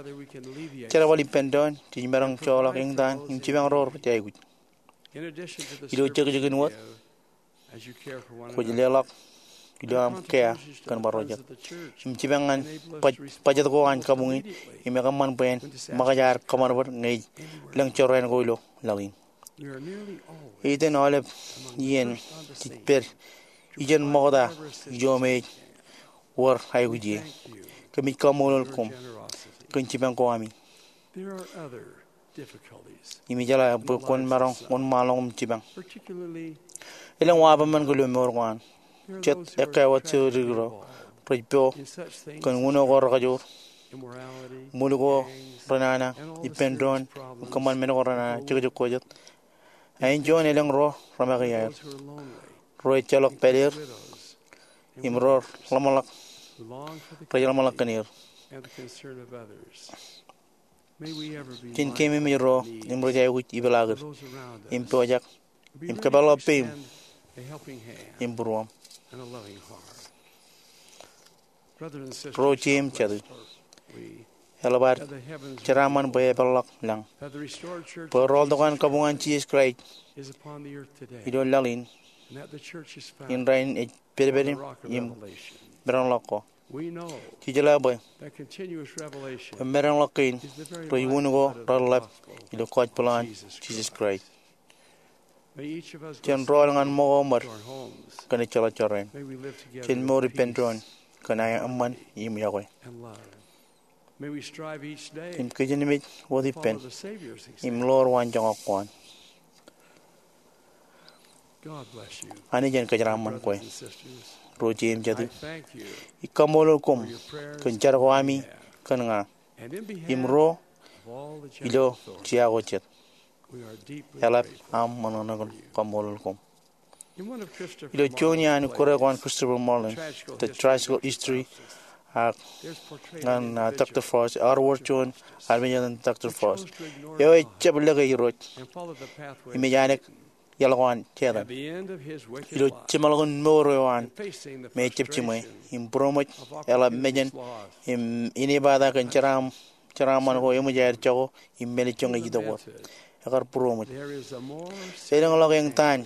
Jerbal ippān doon jej maroñ joḷọk eñtaan im jipañ ro rej aikuj. Ilo jekjekin wōt, kwōj leḷọk ilo aṃ kea kōn bar ro jet im jipañ ñan baj- bajet ko an kabuñ in im ekōṃṃan bwe en ṃōkaj ad kōṃadṃōd ñe ej lōñ jorrāān ko ilo laḷ in. Iten aolep iien jej pād ijeṇ ṃokta ijo me ej wōr aikuj ie. Kōmij kaṃṃoolol koṃ kōn jipañ ko ami im ijeḷā bwe kwōn maroñ wōnṃaanḷọk im jipañ. Elōñ waḷọkjeṇ ko ilo mour ko an. Jet ekkā wōt jidikdik ro rej po kōn uno ko rekajoor, ṃwil ko renana, ippān doon im kōṃṃan men ko renana, jekjek ko jet. Ak āinjuon elōñ ro remake iaer, ro ejjeḷọk pād er im ro ḷōmṇak, rej ḷōmṇak kōn er. Jen keememej ro im rej aikuj ipeḷaakid im pojak im kōpeḷḷọk peim im būruōm. Ro jeiū im jatū, eḷap ad jeraaṃṃan bwe epeḷḷọk lañ bwe rọọltok an kabuñ an Jisōs Kraist ilo laḷ in, in rainin ej pedped im maroñḷọk ko. Jej jeḷā bwe maroñḷọk kein rej unin ko reḷḷap ilo gospel an Jisōs Kraist. Jen rọọl ñan ṃōko ṃōd kōn ejjeḷọk jorrāān. Jen mour ippān doon kōn eṃṃan im yokwe. Im kijenmej wōt ippān im ḷoor waanjoñak ko an. Anij en kōjeraaṃṃan kwe, ro jeiū im jatū. Ij kaṃṃoolol koṃ kōn jar ko ami kōn ña im ro ilo jea ko jet. Eḷap aṃ ṃōṇōṇō in kaṃṃoolol koṃ. Ilo juon iaan ikkure ko an Christopher Marlin, The Tragical History, ak ñan, ah, Doctor Faust, eor wōr juon armej etan Doctor Faust eo ejjab lōke Irooj im ej anek iaḷ ko an Setan. Ilo jeṃḷọkin mour eo an me ejjab jiṃwe im būroṃōj, eḷap mejān im inepata kōn jeraaṃṃan ko eṃōj aer jako im mālejjoñe ej itok wōt. Ekar būroṃōj. Elōñḷọk eñtaan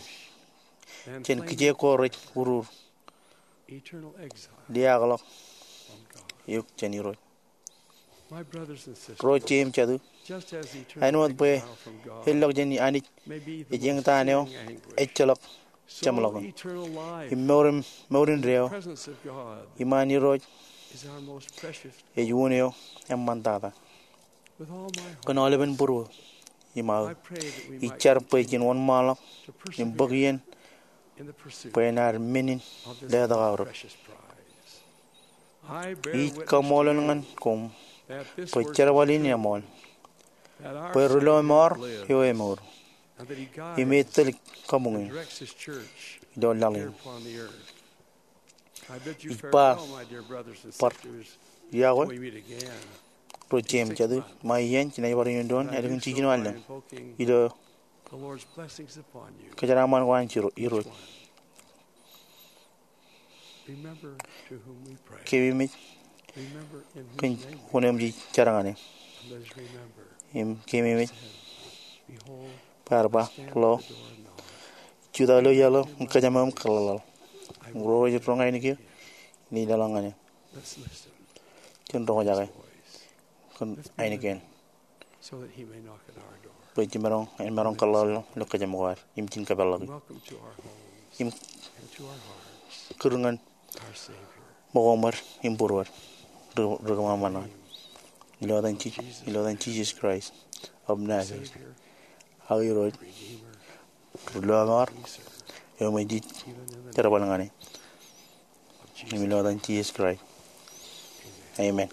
jān kijeek ko rej urur, liaakḷọk eok jān Irooj. Ro jeiū im jatū, āinwōt bwe elọk jān Anij ej eñtaan eo ejjeḷọk jeṃḷọkin im mour in, mour in deo, iṃaan Irooj ej un eo eṃṃantata. Kōn aolepen būruō im aō, ij jar bwe jen wōnṃaanḷọk im bōk iien bwe en ad men in letok aorōk. Ij kaṃṃoolol ñan koṃ bwe jerbal in eṃool, bwe ri lo eṃoor eo emour, im etōl kabuñ in ilo laḷ in. Ij ba bar iọkwe, ro jeiū im jatū, ṃae iien jenaaj bar iioon doon ālikin jiljino allōñ ilo kōjeraaṃṃan ko an Irooj. Keememej kōn wūn eo jej jar ñan e. Im keememej bwe ear ba, lo, ij jutak ilo iaḷ eo im kōjām eo im kōḷḷaḷḷaḷ. Im ro rej roñ ainikien, inaaj leḷọk ñan e. Jen roñjake. kōn ainikien. So that he may knock at our door. Bwe jen maroñ, en maroñ kōḷḷaḷḷaḷ ilo kōjām ko ad im jen kapeḷḷọk. Welcome to our homes. Im and to our hearts. Kūr ñan Our Savior. Ṃōko ṃōd im būruod. Ri-, ri-kōṃanṃan ṇe. Ilo etan Ji-, ilo etan Jesus Christ of Nazareth. Savior. Ak Irooj. Redeemer. Ri-lọmọọr. Eo ṃōj jej jerbal ñan e. Im ilo etan Jesus Christ. Amen.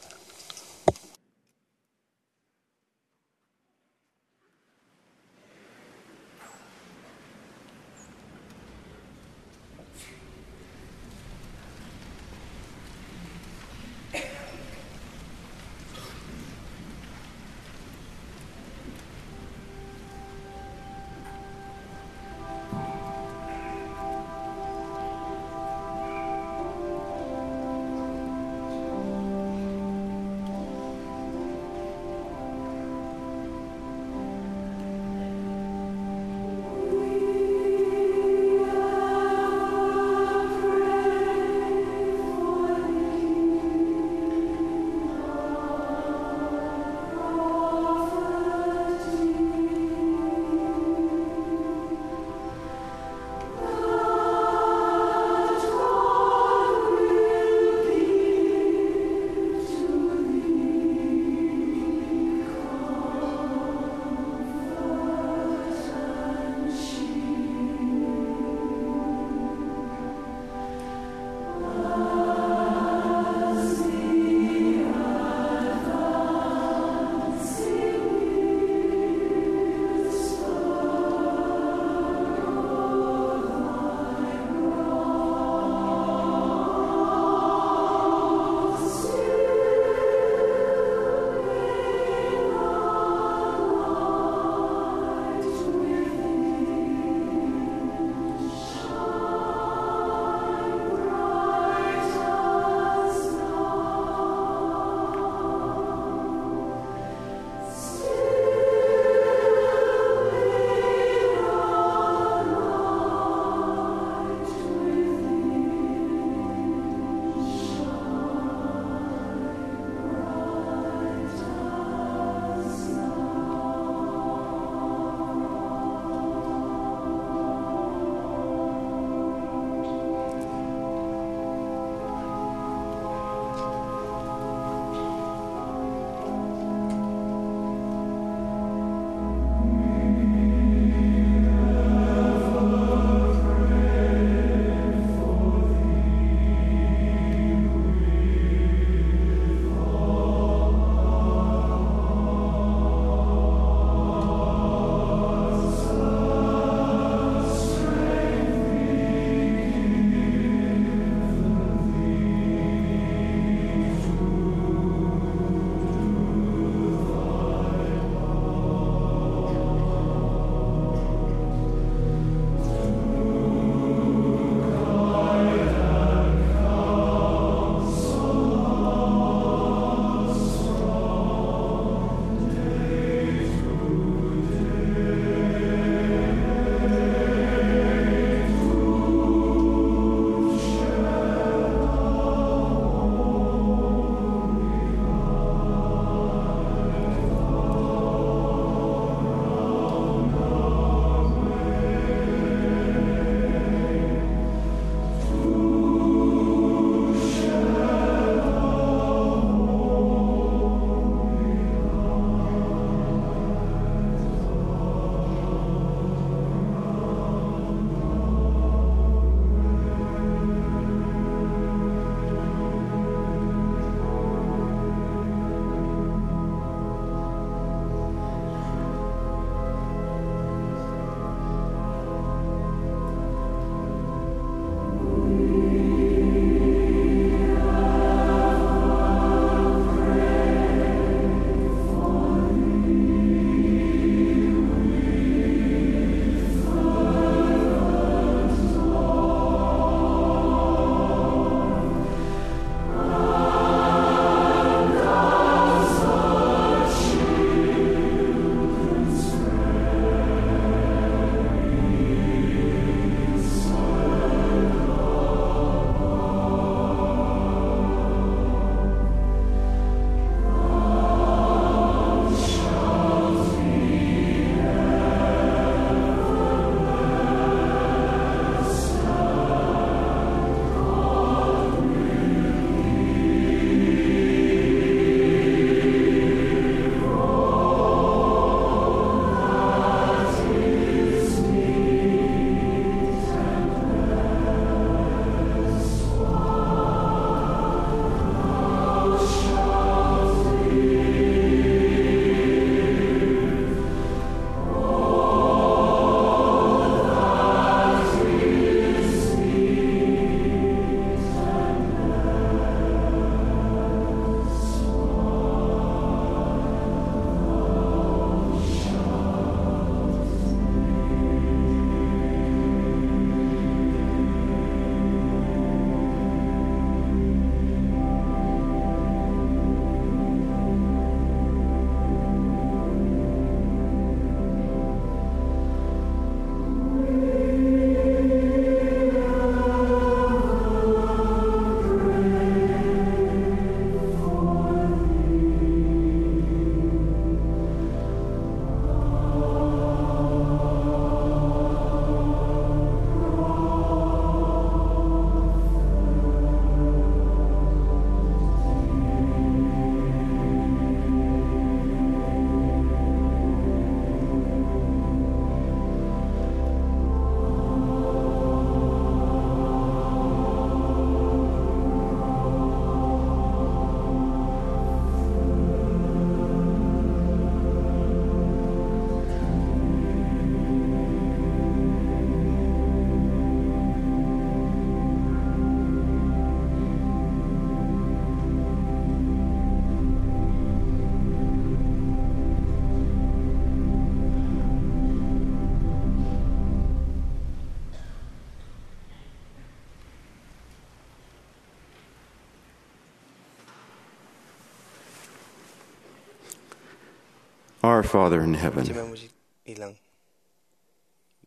Our Father in heaven, Jemem ej ilañ,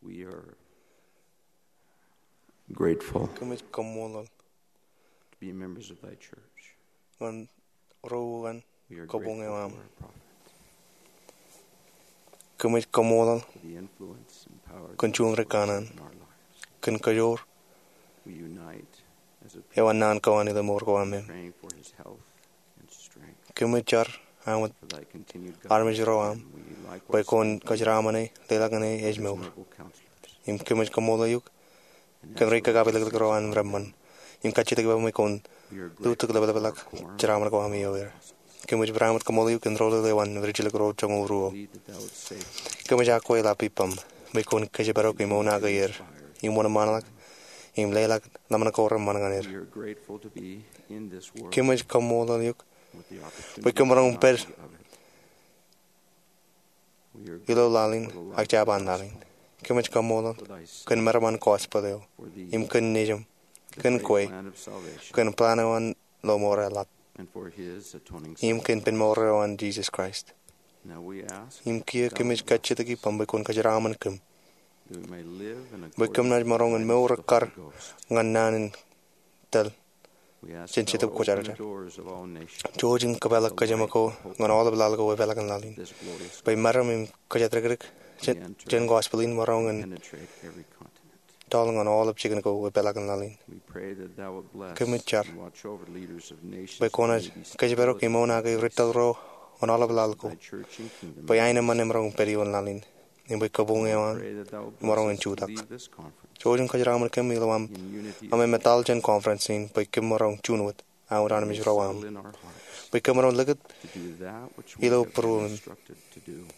we are grateful kōmij kaṃṃoolol to be members of thy church. Ñan ro uwaan kōbuñ eo aṃ. Kōmij kaṃṃoolol kōn juon ri kanaan kōn kōjoor eo an naan ko an ilo mour ko aṃ. Kōmij jar am wōt armej ro aṃ bwe kwōn kōjeraaṃṃan e, leḷọk ñan e ej mour. Im kōmij kaṃṃoolol eok kōn ri kōkāpilōklōk ro an reṃṃan im kajjitōk ippaṃ bwe kwōn lutōk leplepḷọk jeraaṃṃan ko aṃ ioer. Kōmij barāinwōt kaṃṃoolol eok kōn ro ḷe eo an rijjilōk ro joñoul ruo. Kōmij akwālōk ippaṃ bwe kwōn kōjparok im onaake er im wōnṃaanḷọk im leḷọk ḷōmṇak ko reṃṃan ñan er. Kōmij kaṃṃoolol eok bwe kōm maroñ pād ilo laḷ in ak jab an laḷ in. Kōmij kaṃṃoolol kōn meram an gospel eo im kōn nejiṃ, kōn kwe, kōn plan eo an lọmọọr eḷap, im kōn pen mour eo an Jesus Christ. Im kiiō kōmij kajjitōk ippaṃ bwe kwōn kōjeraaṃṃan kōm bwe kōm naaj maroñ in mour ekkar ñan naan in tōl jān Jetōb Kwōjarjar. Jouj im kōpeḷḷọk kōjām ko ñan aolep laḷ ko epeḷaakin laḷ in, bwe meram im kōjatdikdik jān gospel in maroñ in tọọl ñan aolep jikin ko epeḷaakin laḷ in. Kōmij jar bwe kwōnaaj kōjparok im onaake ri tōl ro ñan aolep laḷ ko bwe aenōṃṃan emaroñ pād ioon laḷ in im bwe kōbuñ eo aṃ emaroñ in jutak. Jouj im kōjeraaṃṃan kōm ilo aṃ, aṃ etal jān conference in bwe kōm maroñ juon wōt, aṃ wōt armej ro aṃ, bwe kōm maroñ likūt ilo būruōm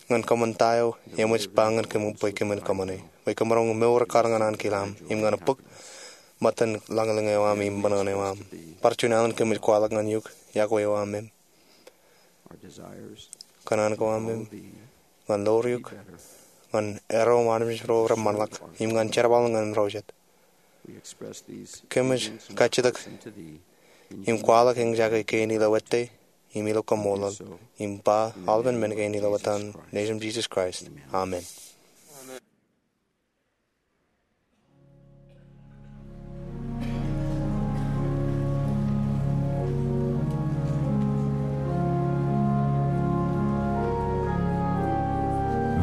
ñan kōṃṃan ta eo eṃōj ba ñan kōm bwe kōmin kōṃṃane, bwe kōm maroñ mour ekkar ñan ankilaṃ im ñan bōk ṃōttan lañlōñ eo aṃ im ṃōṇōṇō eo aṃ. Bar juon alen kōmij kwaḷọk ñan eok yokwe eo aṃ im kōṇaan ko aṃ im ñan ḷoor eok, ñan erro im armej ro reṃṃanḷọk, im ñan jerbal ñan ro jet. Kōmij kajjitōk im kwaḷọk eñjake kein ilo ettā im ilo kaṃṃoolol, im ba aolepān men kein ilo etan Nejūṃ Jesus Christ. Amen.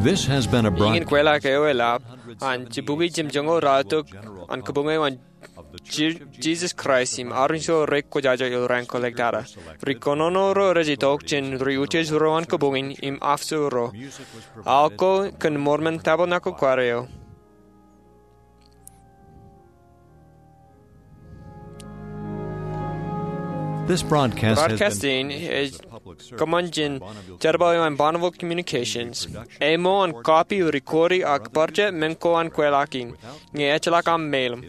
This has been a broadcast. Iien kweilọk eo eḷap an jibukwi jimjuon ko raorōk an kōbuñ eo an Je-, Jesus Christ im armej ro rekwōjarjar ilo raan ko ḷọk tata. Ri kōnono ro rej itok jān ri utiej ro an kōbuñ in im officer ro. Aolep ko kōn ṃool men tabernacle choir eo. This broadcast has been Broadcast in ej kōṃṃan jān jerbal eo an Bonneville Communications. Āinwōt an copy, recording ak bar juon men ko an kweilọk in, ñe ejjeḷọk aṃ mail im